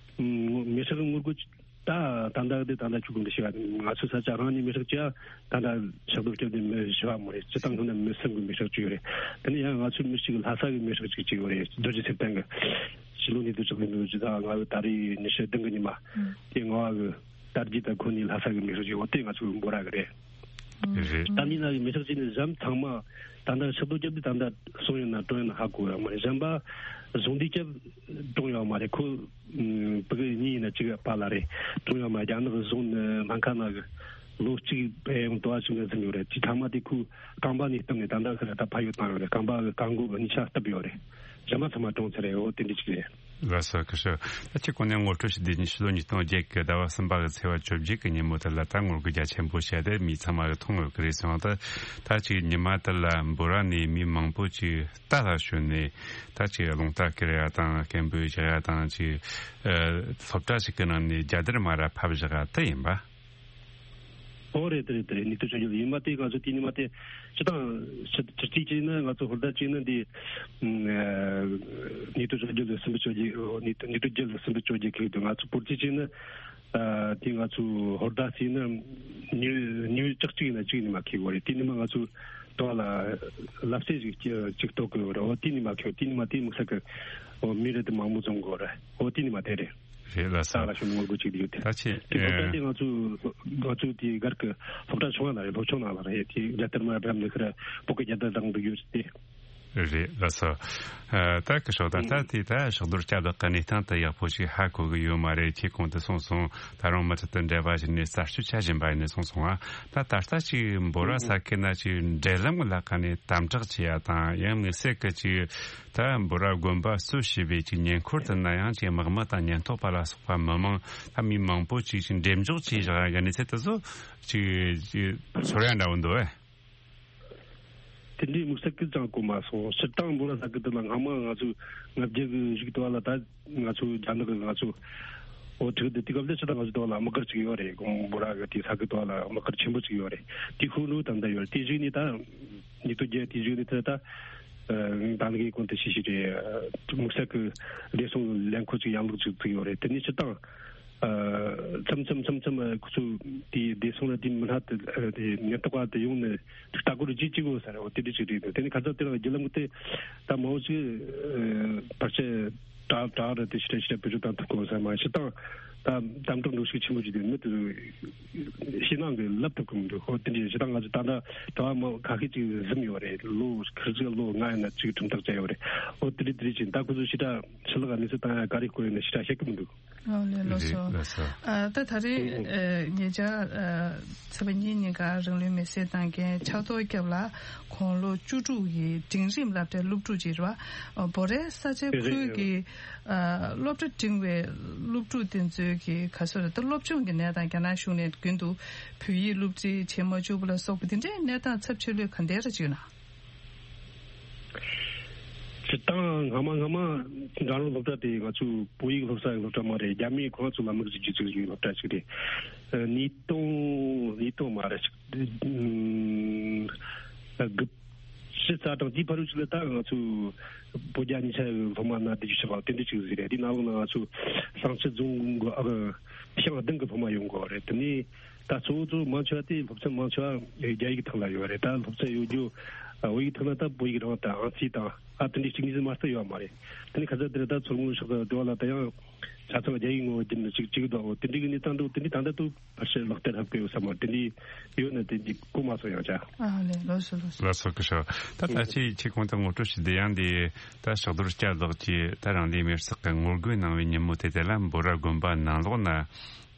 མི་ཧྲག་གི་ངོ་རྒོལ་ད་ད་ལྟ་དེ་ད་ལྟ་ཆུ་ཀུན་དུ་ཤི་བ་ང་ཚོའི་ས་ཆ་རང་ནས་མི་ཧྲག་ཅིག་ད་ལྟ་ཕྱག་རྡོར་སྐྱབས་དེ་མི་ཤི་བ་མ་རེད། སྤྱི་བཏང་ཐོག་ནས་མི་སེམས་ཀྱི་མི་ཧྲག་ཅིག་ཡོད་རེད། དེ་ནས་ཡང་ང་ཚོའི་མི་གཅིག་ལྷ་ས་གི་མི་ཧྲག་ཅིག་ཅིག་ཡོད་རེད། རྡོ་རྗེ་སེམས་ལྡན་གི་ཕྱི་ལོ་ཉིས་སྟོང་བཅུ་གཉིས་ལོའི་ཕྱི་ཟླ་ལྔ་པའི་ད་རེས་ཉི་ཤུ་བདུན་གི་ཉི་མ་དེ་ལྔ་པ་གི་དར་རྒྱས་དང་ཁོ་གཉིས་ལྷ་ས་གི་མི་ཧྲག་ཅིག་འོ་དེ་ང་ཚོའི་འབོད་ར་གི་རེད། རེད། ད་མི་ནང་གི་མི་ཧྲག་ཅིག་ནི་གཞན་ཚང་མ་ད་ལྟ་ཕྱག་རྡོར་སྐྱབས་དེ་ད་ལྟ་སོང་ཡོད་ན་གྲོངས་ཡོད་ན་ཧ་གོ་ཡོད་མ་རེད། གཞན་པ་གཞུང་འདི་སྐྱབས་གྲོངས་ཡོད་མ་རེད། ཁོ་ཕྲུ་གུ་གཉིས་ཡིན་ན་གཅིག་པཱ་ལགས་རེད། གྲོངས་ཡོད་མ་རེད། རྒྱ་ནག་གི་གཞུང་ནི་སྨན་ཁང་ནང་གི་ལོ་གཅིག་ཕན་ཡོན་དུ་བ་ཞིག་ནས་ཟིན་ཡོད་རེད། དེ་ཚང་མ་དེ་ཁོའི་རྐང་པ་ནས་བཏབ་ནས་ད་ལྟ་ཁ་ད་ཕ་ཡུལ་བཏང་ཡོད་རེད། རྐང་པ་གི་རྐང་མགོ་གི་གཉིས་ཆ་བཏབ་ཡོད་རེད། གཞན་པ་ཚང་མ་གྲོངས་ཚར་རེད། འོ་དེ་འདྲ་ཅིག་རེད། ལགས་སོ། ཁ་ཤོ། ད་ཁྱེད་ཁོང་ནས་ངོ་སྤྲོད་ཞུ་དུས་ཉི་ཤུ་ལོ་ཉིས་སྟོང་བརྒྱད་ཀྱི་ཟླ་བ་གསུམ་པ་གི་ཚེས་པ་བཅོ་བརྒྱད་ཀྱི་ཉིན་མོ་དེ་ལ་ད་ངོ་རྒོལ་རྒྱ་ཆེན་པོ་བྱས་ཏེ་མི་ཚང་མ་གི་མཐོང་ཡོད་ཀྱི་རེད་སོང་། ད་ད་ཅིག་ཉི་མ་དེ་ལ་འབོད་ར་ནས་མི་མང་པོ་ཅིག་རྟ་ལ་ཞོན་ནས་ད་ཅིག་རླུང་རྟ་ཁྱེར་ཡ་དང་སྐད་འབོད་རྒྱག་ཡ་དང་ཅིག་ཨ་སློབ་གྲྭ་ཞིག་གི་ནང་ནས་རྒྱ་དར་མར་ཕབ་བཞག་ཡ་དེ་ཡིན་པ། ཨོ་རེད་དེ་རེད་དེ་རེད། ཉིས་སྟོང་བཅོ་བརྒྱད་ལ་ཡིན་པ་དེ་ང་ཚོ་དེ་ཉི་མ་དེ་སྤྱི་བཏང་ཕྱི་ཕྱི་རྩིས་བྱས་ན་ང་ཚོ་ཧོར་ཟླ་གཅིག་ནི་འདི་ཉིས་སྟོང་བཅོ་བརྒྱད་ལ་སུམ་ཅུ་བཅོ་བརྒྱད། ཉིས་སྟོང་བརྒྱད་ལ་སུམ་ཅུ་བཅོ་བརྒྱད་ཁེལ་འདུག་ང་ཚོ་བོད་རྩིས་བྱས་ན་དེ་ང་ཚོ་ཧོར་ཟླ་གཅིག་ནི་ཉི་ཉི་བཅུ་གཅིག་ཡིན་ན་གཅིག་ཉི་མ་ཁེལ་གོ་རེད། དེ་ཉི་མ་ང་ཚོ་དོ་ལ་ལབ་སེ་ཞིག་ཅིག་གཏོགས་གི་ཡོད་རེད། འོ་དེ་ཉི་མ་ཁེལ་དེ་ཉི་མ་དེ་དམིགས་བསལ་གི་འོ་མི་རེ་དེ་མང་མོ་འཛོམས་གོ་རེད། འོ་དེ་ཉི་མ་དེ་རེད། རེད་ལགས་སོ། ས་ལ་ཤོང་ངོ་རྒོལ་ཅིག་ཡོད་དེ། ད་ཆེ་དེ་སློབ་གྲྭ་དེ་ང་ཚོ་ང་ཚོ་དེ་སྒར་གི་སློབ་གྲྭ་ཆུང་བ་ལ་རེད། སློབ་ཆུང་ནང་ལ་རེད། དེ་རྒྱལ་དར་མར་བཀྲམ་ནས་ཁར་བོད་ཀྱི་རྒྱལ་དར་དང་འདུག་ཡོད་དེ། རེད་ལགས་སོ། ད་ཁ་ཤོ་ད་ད་དེ་ད་ཕྱག་རྡོར་སྐྱབས་ལགས་ཀྱི་གནས་སྟངས་དེ་ཡག་པོ་ཞིག་ཧ་གོ་གི་ཡོད་མ་རེད། ཁྱེད་གོང་དུ་གསུངས་སོང་། ད་རུང་མུ་མཐུད་དུ་འབྲེལ་བ་བྱས་ནས་གསར་ཤོག་ཆ་བཞིན་པ་ཡིན་ནས་གསུངས་སོང་ང་། ད་ད་ལྟ་ཅིག་འབོད་ར་ས་ཁུལ་ན་ཅིག་འབྲེལ་ལམ་གྱི་ལྷག་ཁ་ནས་དམ་དྲག་བྱེད་ཡ་དང་ཡང་དམིགས་བསལ་གྱི་ཅིག་ད་འབོད་ར་དགོན་པ་གཙོས་བྱས་པའི་ཅིག་ཉེ་འཁོར་དུ་ན་ཡང་ཅིག་དམག་མི་དང་ཉེན་རྟོག་པ་ལ་སོགས་པ་མི་མང་ད་མི་མང་པོ་ཅིག་ཅིག་འགྲེམས་འཇོག་བྱས་བཞག་གི་གནས་ཚུལ་དེ་ཚོ་ཅིག་ཅིག་ཚོར་ཡ་འདྲ་བོ་འདུག་ཨེ། དེ་འདྲའི་དམིགས་བསལ་གི་ཅང་གོ་མ་སོང་། སྤྱིར་བཏང་འབོད་ར་ས་ཁུལ་དེ་ལ་སྔ་མ་ང་ཚོ་ང་རྒྱལ་གི་རིགས་དུ་བ་ལ་ད་ང་ཚོ་རྒྱ་ནག་གི་ང་ཚོ་འོ་ཁྲིག་དེ་དུས་སྐབས་དེ་སྤྱིར་བཏང་ང་ཚོ་དུ་བ་ལ་དམག་སྒར་ཅིག་ཡོད་རེད། འབོད་ར་གི་དེ་ས་ཁུལ་དུ་བ་ལ་དམག་སྒར་ཆེན་པོ་ཅིག་ཡོད་རེད། དེ་ཤུགས་འགྲོ་དམ་དུ་ཡོད་རེད། དེ་བཞིན་ནི་ད་ཉིས་སྟོང་བརྒྱད་དེ་བཞིན་ནི་ད་ད་ལྟ་གི་གོང་དུ་ཞིག་ཞིག་རེད། དམིགས་བསལ་གི་བདེ་སྲུང་ལས་འཁོར་ཅིག་ཡང་ལུགས་ཅིག་བཙུགས་ཡོད་རེད། དེ་ནི་སྤྱིར་བཏང་མཚམས་མཚམས་མཚམས་མཚམས་ཁོ་ཚོ་དེ་བདེ་སྲུང་ལ་དེ་མི་སྣ་དེ་དེ་ཉེན་རྟོག་པ་དེ་ཡོང་ནས་ལྟ་སྐོར་བརྗེ་བྱེད་དགོས་ས་རེད། འོ་དེ་འདྲ་ཅིག་རེད། དེ་ནི་ཁ་ཚ་དེ་རང་བརྒྱུད་ལམ་དེ་ད་མང་པོ་ཞིག་བར་ཆད་དྲག་དྲག་རེད། དེ་ཞིག་རེད་ཞིག་རེད་བེད་སྤྱོད་བཏང་ཐུབ་དགོས་ས་མ་ཞིག་དང་ད་དམ་དྲག་འགྲོ་ཤུགས་ཆེན་པོ་ཞིག་དེ་མི་དེ་ཞེད་སྣང་གི་ལབ་ཐུབ་གི་མི་འདུག་འོ་དེ་འདྲ་ཞིག་དང་ང་ཚོ་ད་ལྟ་གྲྭ་བ་མང་ཁ་ཤས་ཅིག་གཟིམ་ཡོད་རེད། ལོ་ཁ་ཅིག་ལོ་ལྔ་ཡིན་ན་ཅིག་ཁྲིམས་ཐག་བཅད་ཡོད་རེད། འོ་དེ་འདྲ་དེ་འདྲ་ཅིག་ད་ཁོ་ཚོ་ཞེ་དྲག་ཕྱི་ལོགས་ལ་གནས་ཚུལ་བཏང་ཡ་ག་རེ་སྐོར་ཡིན་ན་ཞེ་དྲག་ཤེས་གི་མི་འདུག་ཨོ་ལེ་ལགས་སོ། ལགས་སོ། ཨ་ད་ད་རེས་ཨེ་ཉེ་ཆར་ཨ་ཚེས་པ་གཉིས་ཉིན་ཀ་རང་ལུས་མེར་སྲེག་བཏང་མཁན་ཕྱག་རྡོར་སྐྱབས་ལགས་ཁོང་ལོ་བཅུ་དྲུག་གི་འབྲིང་རིམ་སློབ་གྲྭའི་སློབ་ཕྲུག་ཅིག་རེད་བ། ཨ་བོད་རའི་ས་ཆའི་ཁུལ་གྱི་ཨ་སློབ་གྲྭ་འབྲིང་བའི་སློབ་ཕྲུག་དེ་ཚོའི་གི་ག་ཚོད་རེད་ད་སློབ་སྦྱོང་གི་གནས་སྟངས་རྒྱ་ནག་གཞུང་ནས་རྒྱུན་དུ་བོད་ཡིག་སློབ་ཁྲིད་བྱེད་མ་བཅུག་པ་ལ་སོགས་པ་དེ་འདྲའི་གནས་སྟངས་ཚབས་ཆེ་ལོས་ག་འདྲ་རེ་བྱུང་ན། སྤྱིར་བཏང་སྔ་མ་སྔ་མ་འགྲོ་རུང་སློབ་གྲྭ་དེ་ང་ཚོ་བོད་ཡིག་སློབ་ས་ཡི་སློབ་གྲྭ་མ་རེད། རྒྱ་མིས་ཁོ་རང་ཚོ་ལ་དམིགས་བྱས་བཙུགས་ཡོད་སློབ་གྲྭ་ཞིག་རེད། ཉིས་སྟོང་ཉིས་སྟོང་མ་རེད། དགུ་བཅུ་རྩ་གྲངས་དེའི་བར་ཞིག་ལ་ད་ང་ཚོ་བོད་རྒྱ་གཉིས་ཆ་ཡི་སློབ་མ་ན་བདེ་སྐྱིད་ཆེ་བ་དེ་འདྲ་ཞིག་ཟིག་རེད། དེ་ནང་ལོགས་ན་ང་ཚོ་ཟངས་ཆུ་རྫོང་གི་ཨ་ཤང་བདུན་གི་སློབ་མ་ཡོང་གི་རེད། དེ་ནས་ད་གཙོ་བོ་གཙོ་བོ་མང་ཆེ་བ་དེ་སློབ་ཚན་མང་ཆེ་བ་རྒྱ་ཡིག་ཐོག་ལ་ཡོད་རེད། ད་སློབ་ཚན་ཡོད་རྒྱུ་ བོད་ཡིག་ཐོག་ན་ད་བོད་ཡིག་རང་དང་ཨང་རྩིས་དང་ཨ་དེ་འདྲའི་གཅིག་གཉིས་མ་གཏོགས་ཡོད་མ་རེད། དེ་ནི་ཁ་ཚ་དེ་རེད། ད་མཚོ་སྔོན་ཕྱོགས་དང་འདྲ་བ་ལ་ད་ཡང་ཆ་ཚང་རྒྱ་ཡིག་ངོ་བོ་བརྒྱུད་ནས་གཅིག་གཅིག་དང་འོ་དེ་འདྲའི་གནས་སྟངས་འདུག་དེ་འདྲའི་ད་ལྟ་དུ་ཕལ་ཆེར་ལག་བསྟར་ཧ་གོ་ཡོད་ས་མ་རེད། དེ་འདྲའི་ཡོད་ན་དེ་འདྲའི་གོ་མ་སོང་ཡང་ཅག་ཨ་ལས་ལགས་སོ་ལགས་སོ། ལགས་སོ་སྐུ་ཞབས། ད་ད་ཅི་ཁྱེད་ཁོང་དུ་ངོ་སྤྲོད་ཞུས་དེ་ཡང་འདི་ད་ཕྱག་རྡོར་སྐྱབས་ལགས་ཀྱིས་ད་རང་ལུས་མེར་སྲེག་གི་ངོ་རྒོལ་གནང་བའི་ཉིན་མོ་དེ་དེ་ལ་འབོ་ར་དགོན་པ་ནང་ལོགས་ན་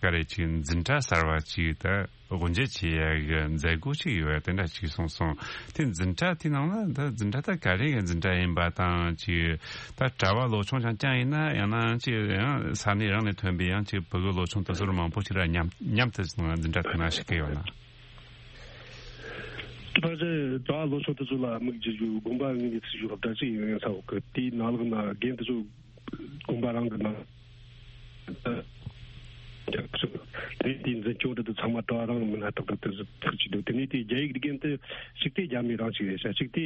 ག་རེ་ཅིག་འཛིན་གྲྭ་གསར་བ་ཅིག་ད་དབུ་འབྱེད་བྱེད་ཡ་གི་མཛད་སྒོ་ཅིག་ཡོད་ཡ་དེ་འདྲ་ཅིག་གསུངས་སོང་། དེ་འཛིན་གྲྭ་དེ་ནང་ལ་ད་འཛིན་གྲྭ་ད་ག་རེ་གི་འཛིན་གྲྭ་ཡིན་པ་དང་ཅིག་ད་གྲྭ་བ་ལོ་ཆུང་རྐྱང་རྐྱང་ཡིན་ན་ཡང་ན་ཅིག་ཡང་ས་གནས་རང་ནས་ཐོན་པའི་ཡང་ཅིག་ཕྲུ་གུ་ལོ་ཆུང་དེ་ཚོར་མང་པོ་ཅིག་ལ་མཉམ་མཉམ་དུ་འཛིན་གྲྭ་དེ་ན་ཞུགས་ཀྱི་ཡོད་ན། ཕལ་ཆེར་གྲྭ་བ་ལོ་ཆུང་དེ་ཚོ་ལ་དམིགས་ཀྱི་ཡོད། དགོན་པ་དངོས་གནས་ཚུགས་རྒྱུ་སློབ་གྲྭ་ཅིག་ཡིན་ཡང་ས་འོག་གི་དེའི་ནང་ལོགས་ན་རྒན་དེ་ཚོ་དགོན་པ་རང་གི་ནང་དེ་དེའི་འཛིན་སྐྱོང་དེ་ཚོ་ཚང་མ་གྲྭ་བ་རང་མིན་ན་ཏག་ཏག་དེ་ཚོ་ཐུག་ཅིག་འདུག་དེ་ནས་དེ་རྒྱ་ཡིག་རྒན་དེ་གཅིག་དེ་རྒྱ་མི་རང་ཅིག་རེད་ཤག་གཅིག་དེ་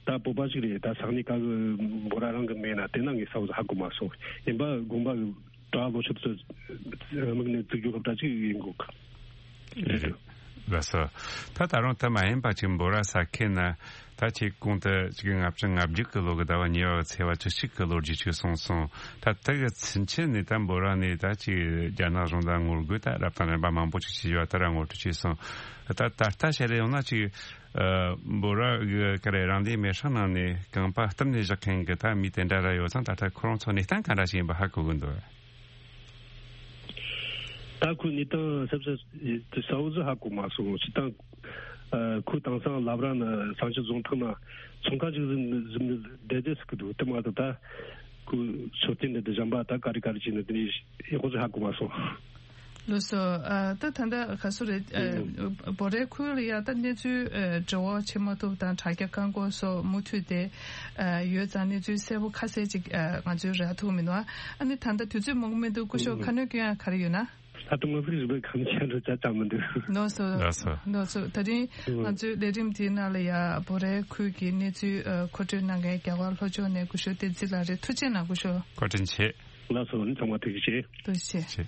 ད་བོད་པ་ཞིག་རེད། ད་ས་གནས་ག་གི་འབོ་ར་རང་གི་མེད་ན་དེ་ན་ངས་གསལ་བོ་ཧ་གོ་མ་སོང་། ཡིན་པ་དགོན་པ་གི་གྲྭ་ལོ་ཆུང་དུ་དམིགས་ནས་བཙུགས་རྒྱུ་སློབ་གྲྭ་ཅིག་ཡིན་དགོས་གི། རེད། ལགས་སོ། ད་ད་རུང་ད་མ་ཡིན་པ་ཅིག་འབོ་ར་ས་ཁེ་ན་ད་ཅིག་གོང་དུ་ཅིག་ལྔ་བཅུ་ང་བརྒྱད་ཀྱི་ལོ་གི་ཟླ་བ་གཉིས་པ་ཚེས་པ་བཅུ་གཅིག་གི་ལོ་རྒྱུས་ཅིག་གསུངས་སོང་། ད་དེ་གི་ཚུན་ཆད་ནས་ད་འབོ་ར་ནས་ད་ཅིག་རྒྱ་ནག་གཞུང་ལ་ངོ་རྒོལ་ད་རབ་དང་རིམ་པ་མང་པོ་ཅིག་བྱས་ཡོད་ད་ར་ངོ་སྤྲོད་བྱས་སོང་། ད་ད་ལྟ་བཤད་རེ་ཡོང་ན་ཅིག་ཨ་འབོ་ར་གི་ག་རེ་རང་བདེན་མེར་སྲེག་ནང་ནས་རྐང་པ་བཏབ་ནས་བཞག་མཁན་གི་ད་མི་དེ་འདྲ་ར་ཡོད་ཙང་ད་ལྟ་ཁོ་རང་ཚོ་གནས་སྟངས་ག་འདྲ་ཞིག་ཡིན་པ་ཧ་གོ་གི་འདུག་ད་ཁོའི་གནས་སྟངས་གསལ་གསལ་གསལ་བོ་ཟིག་ཧ་གོ་མ་སོང་། སྤྱིར་བཏང་ཨ་ཁོ་དེང་སང་ལབ་ར་ན་བསམ་ཤེས་རྫོང་ཐག་ན་ཚོང་ཁང་ཞིག་བཟུང་བཟུང་ནས་བསྡད་བསྡད་ཟེར་གི་འདུག་དེ་མ་གཏོགས་ད་ཁོའི་ཕྱོགས་སྟོན་འདི་འདྲ་གཞན་པ་ད་ག་རེ་ག་རེ་བྱས་ནས་དེ་ནས་ཡག་པོ་ཟིག་ཧ་གོ་མ་སོང་། ལགས་སོ། ཨ་ད་ད་ལྟ་ག་སུ་རེད། ཨ་ཨུ། བོ་རའི་ཁུལ་ལ་ཡ་ད་གནས་ཚུལ་ཨ་འབྲེལ་བ་བྱེད་མ་ཐུབ་དང་དྲ་རྒྱ་བཀག་འགོག་སོགས་མུ་མཐུད་དེ་ཨ་ཡོད་ཙང་གནས་ཚུལ་གསལ་པོ་ཁ་གསལ་ཅིག་ཨ་ང་ཚོས་རག་ཐུབ་མི་འདུག་ཨ་ནི་ད་ལྟ་དུས་ཚོད་མང་པོ་མི་འདུག་སྐུ་ཞབས་ཨུ། ཁ་སྣོན་སྐྱོན་ཡ་ག་རེ་ཡོད་ན། ད་དུང་ང་ཚོའི་རིག་པའི་ཁམས་ཆེན་རུ་ཅག་ཅག་མི་འདུག་ལགས་སོ། ལགས་སོ། ལགས་སོ། ད་རིང་ང་ཚོའི་ལས་རིམ་འདིའི་ནང་ལ་ཡ་བོ་རའི་ཁུལ་གྱི་གནས་ཚུལ་ཨ་མཁོ་སྤྲོད་གནང་མཁན་རྒྱ་གར་ལྷོ་ཕྱོགས་ནས་སྐུ་ཞབས་བསྟན་འཛིན་ལགས་རེད། ཐུགས་རྗེ་གནང་སྐུ་ཞབས། བཀའ་དྲིན་ཆེ། ལགས་སོ། ཨ་ནི་ཚང་མ་ཐུགས་རྗེ་ཆེ། ཐུགས་རྗེ་ཆེ།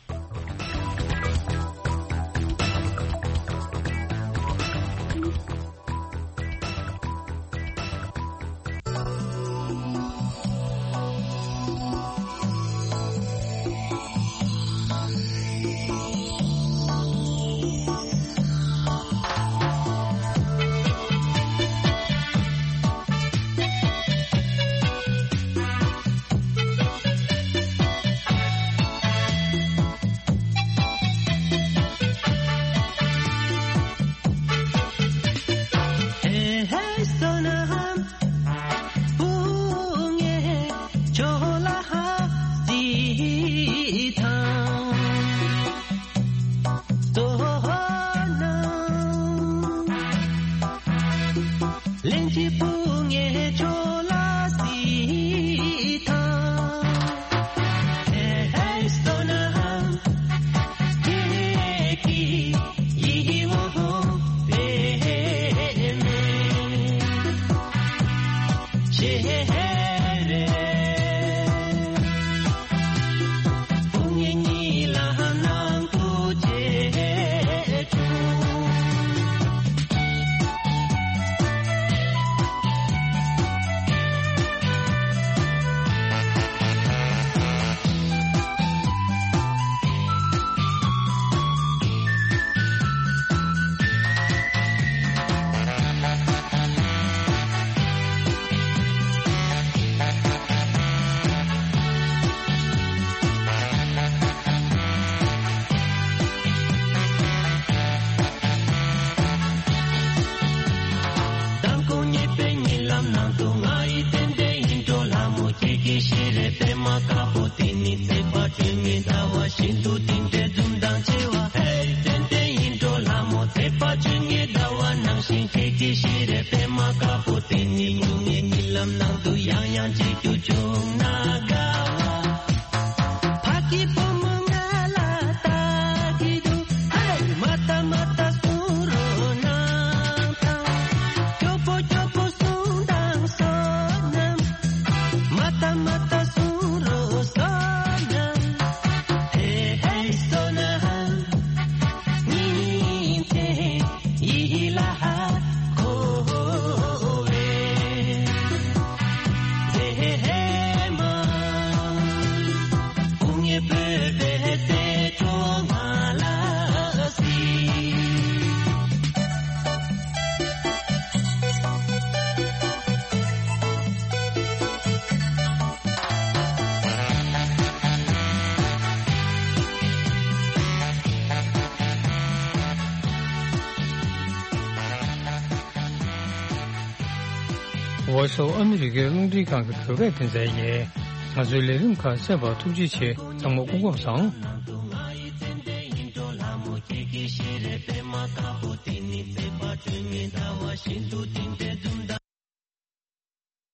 མདང་དགོང་ཉེས་པའི་ཉིན་ལམ་ནང་དུ་ང་ཡི་ཏན་ཏན་ཡིན་འགྲོ་ལྷ་མོ། ཁྱེད་ཀྱི་ཤེས་རེ་པད་མ་དཀར་པོ་དེ་ནི་ཚེས་པ་བཅོ་ལྔའི་ཟླ་བ་བཞིན་དུ་དེ་འདྲའི་འཛུམ་མདངས་ཆེ་བ། ཧེ་ཏན་ཏན་ཡིན་འགྲོ་ལྷ་མོ། ཚེས་པ་བཅོ་ལྔའི་ཟླ་བ་ནང་བཞིན་ཁྱེད་ཀྱི་ཤེས་རེ་པད་མ་དཀར་པོ་དེ་ནི་སྨྱུང་གནས་ཉིན་ལམ་ནང་དུ་ཡང་ཡང་མཇལ་རྒྱུ་བྱུང་ན་དགའ་བ། ཕ་གི་བུ་མོ་ང་ལ་ལྟ་གི་འདུག་ཧེ། མ་ལྟ་མ་ལྟ་གསུང་རོགས་གནང་དང་། སྐྱོ་པོ་སྐྱོ་པོ་གསུང་དང་བསོད་ནམས། མ་ལྟ་མ་ལྟ་གསུང་རོགས་བསོད་ནམས། ཧེ་ཧེ་བསོད་ནམས། ཉིན་མཚན་ཡིད་ལ་འཁོར་བའི། ཨ་སོ་ཨ་མི་རི་ཀའི་རླུང་འཕྲིན་ཁང་གི་བོད་སྐད་སྡེ་ཚན་ཡིན། ང་ཚོའི་ལས་རིམ་ཁག་གསན་པར་ཐུགས་རྗེ་ཆེ། ཚང་མ་སྐུ་ཁམས་བཟང་།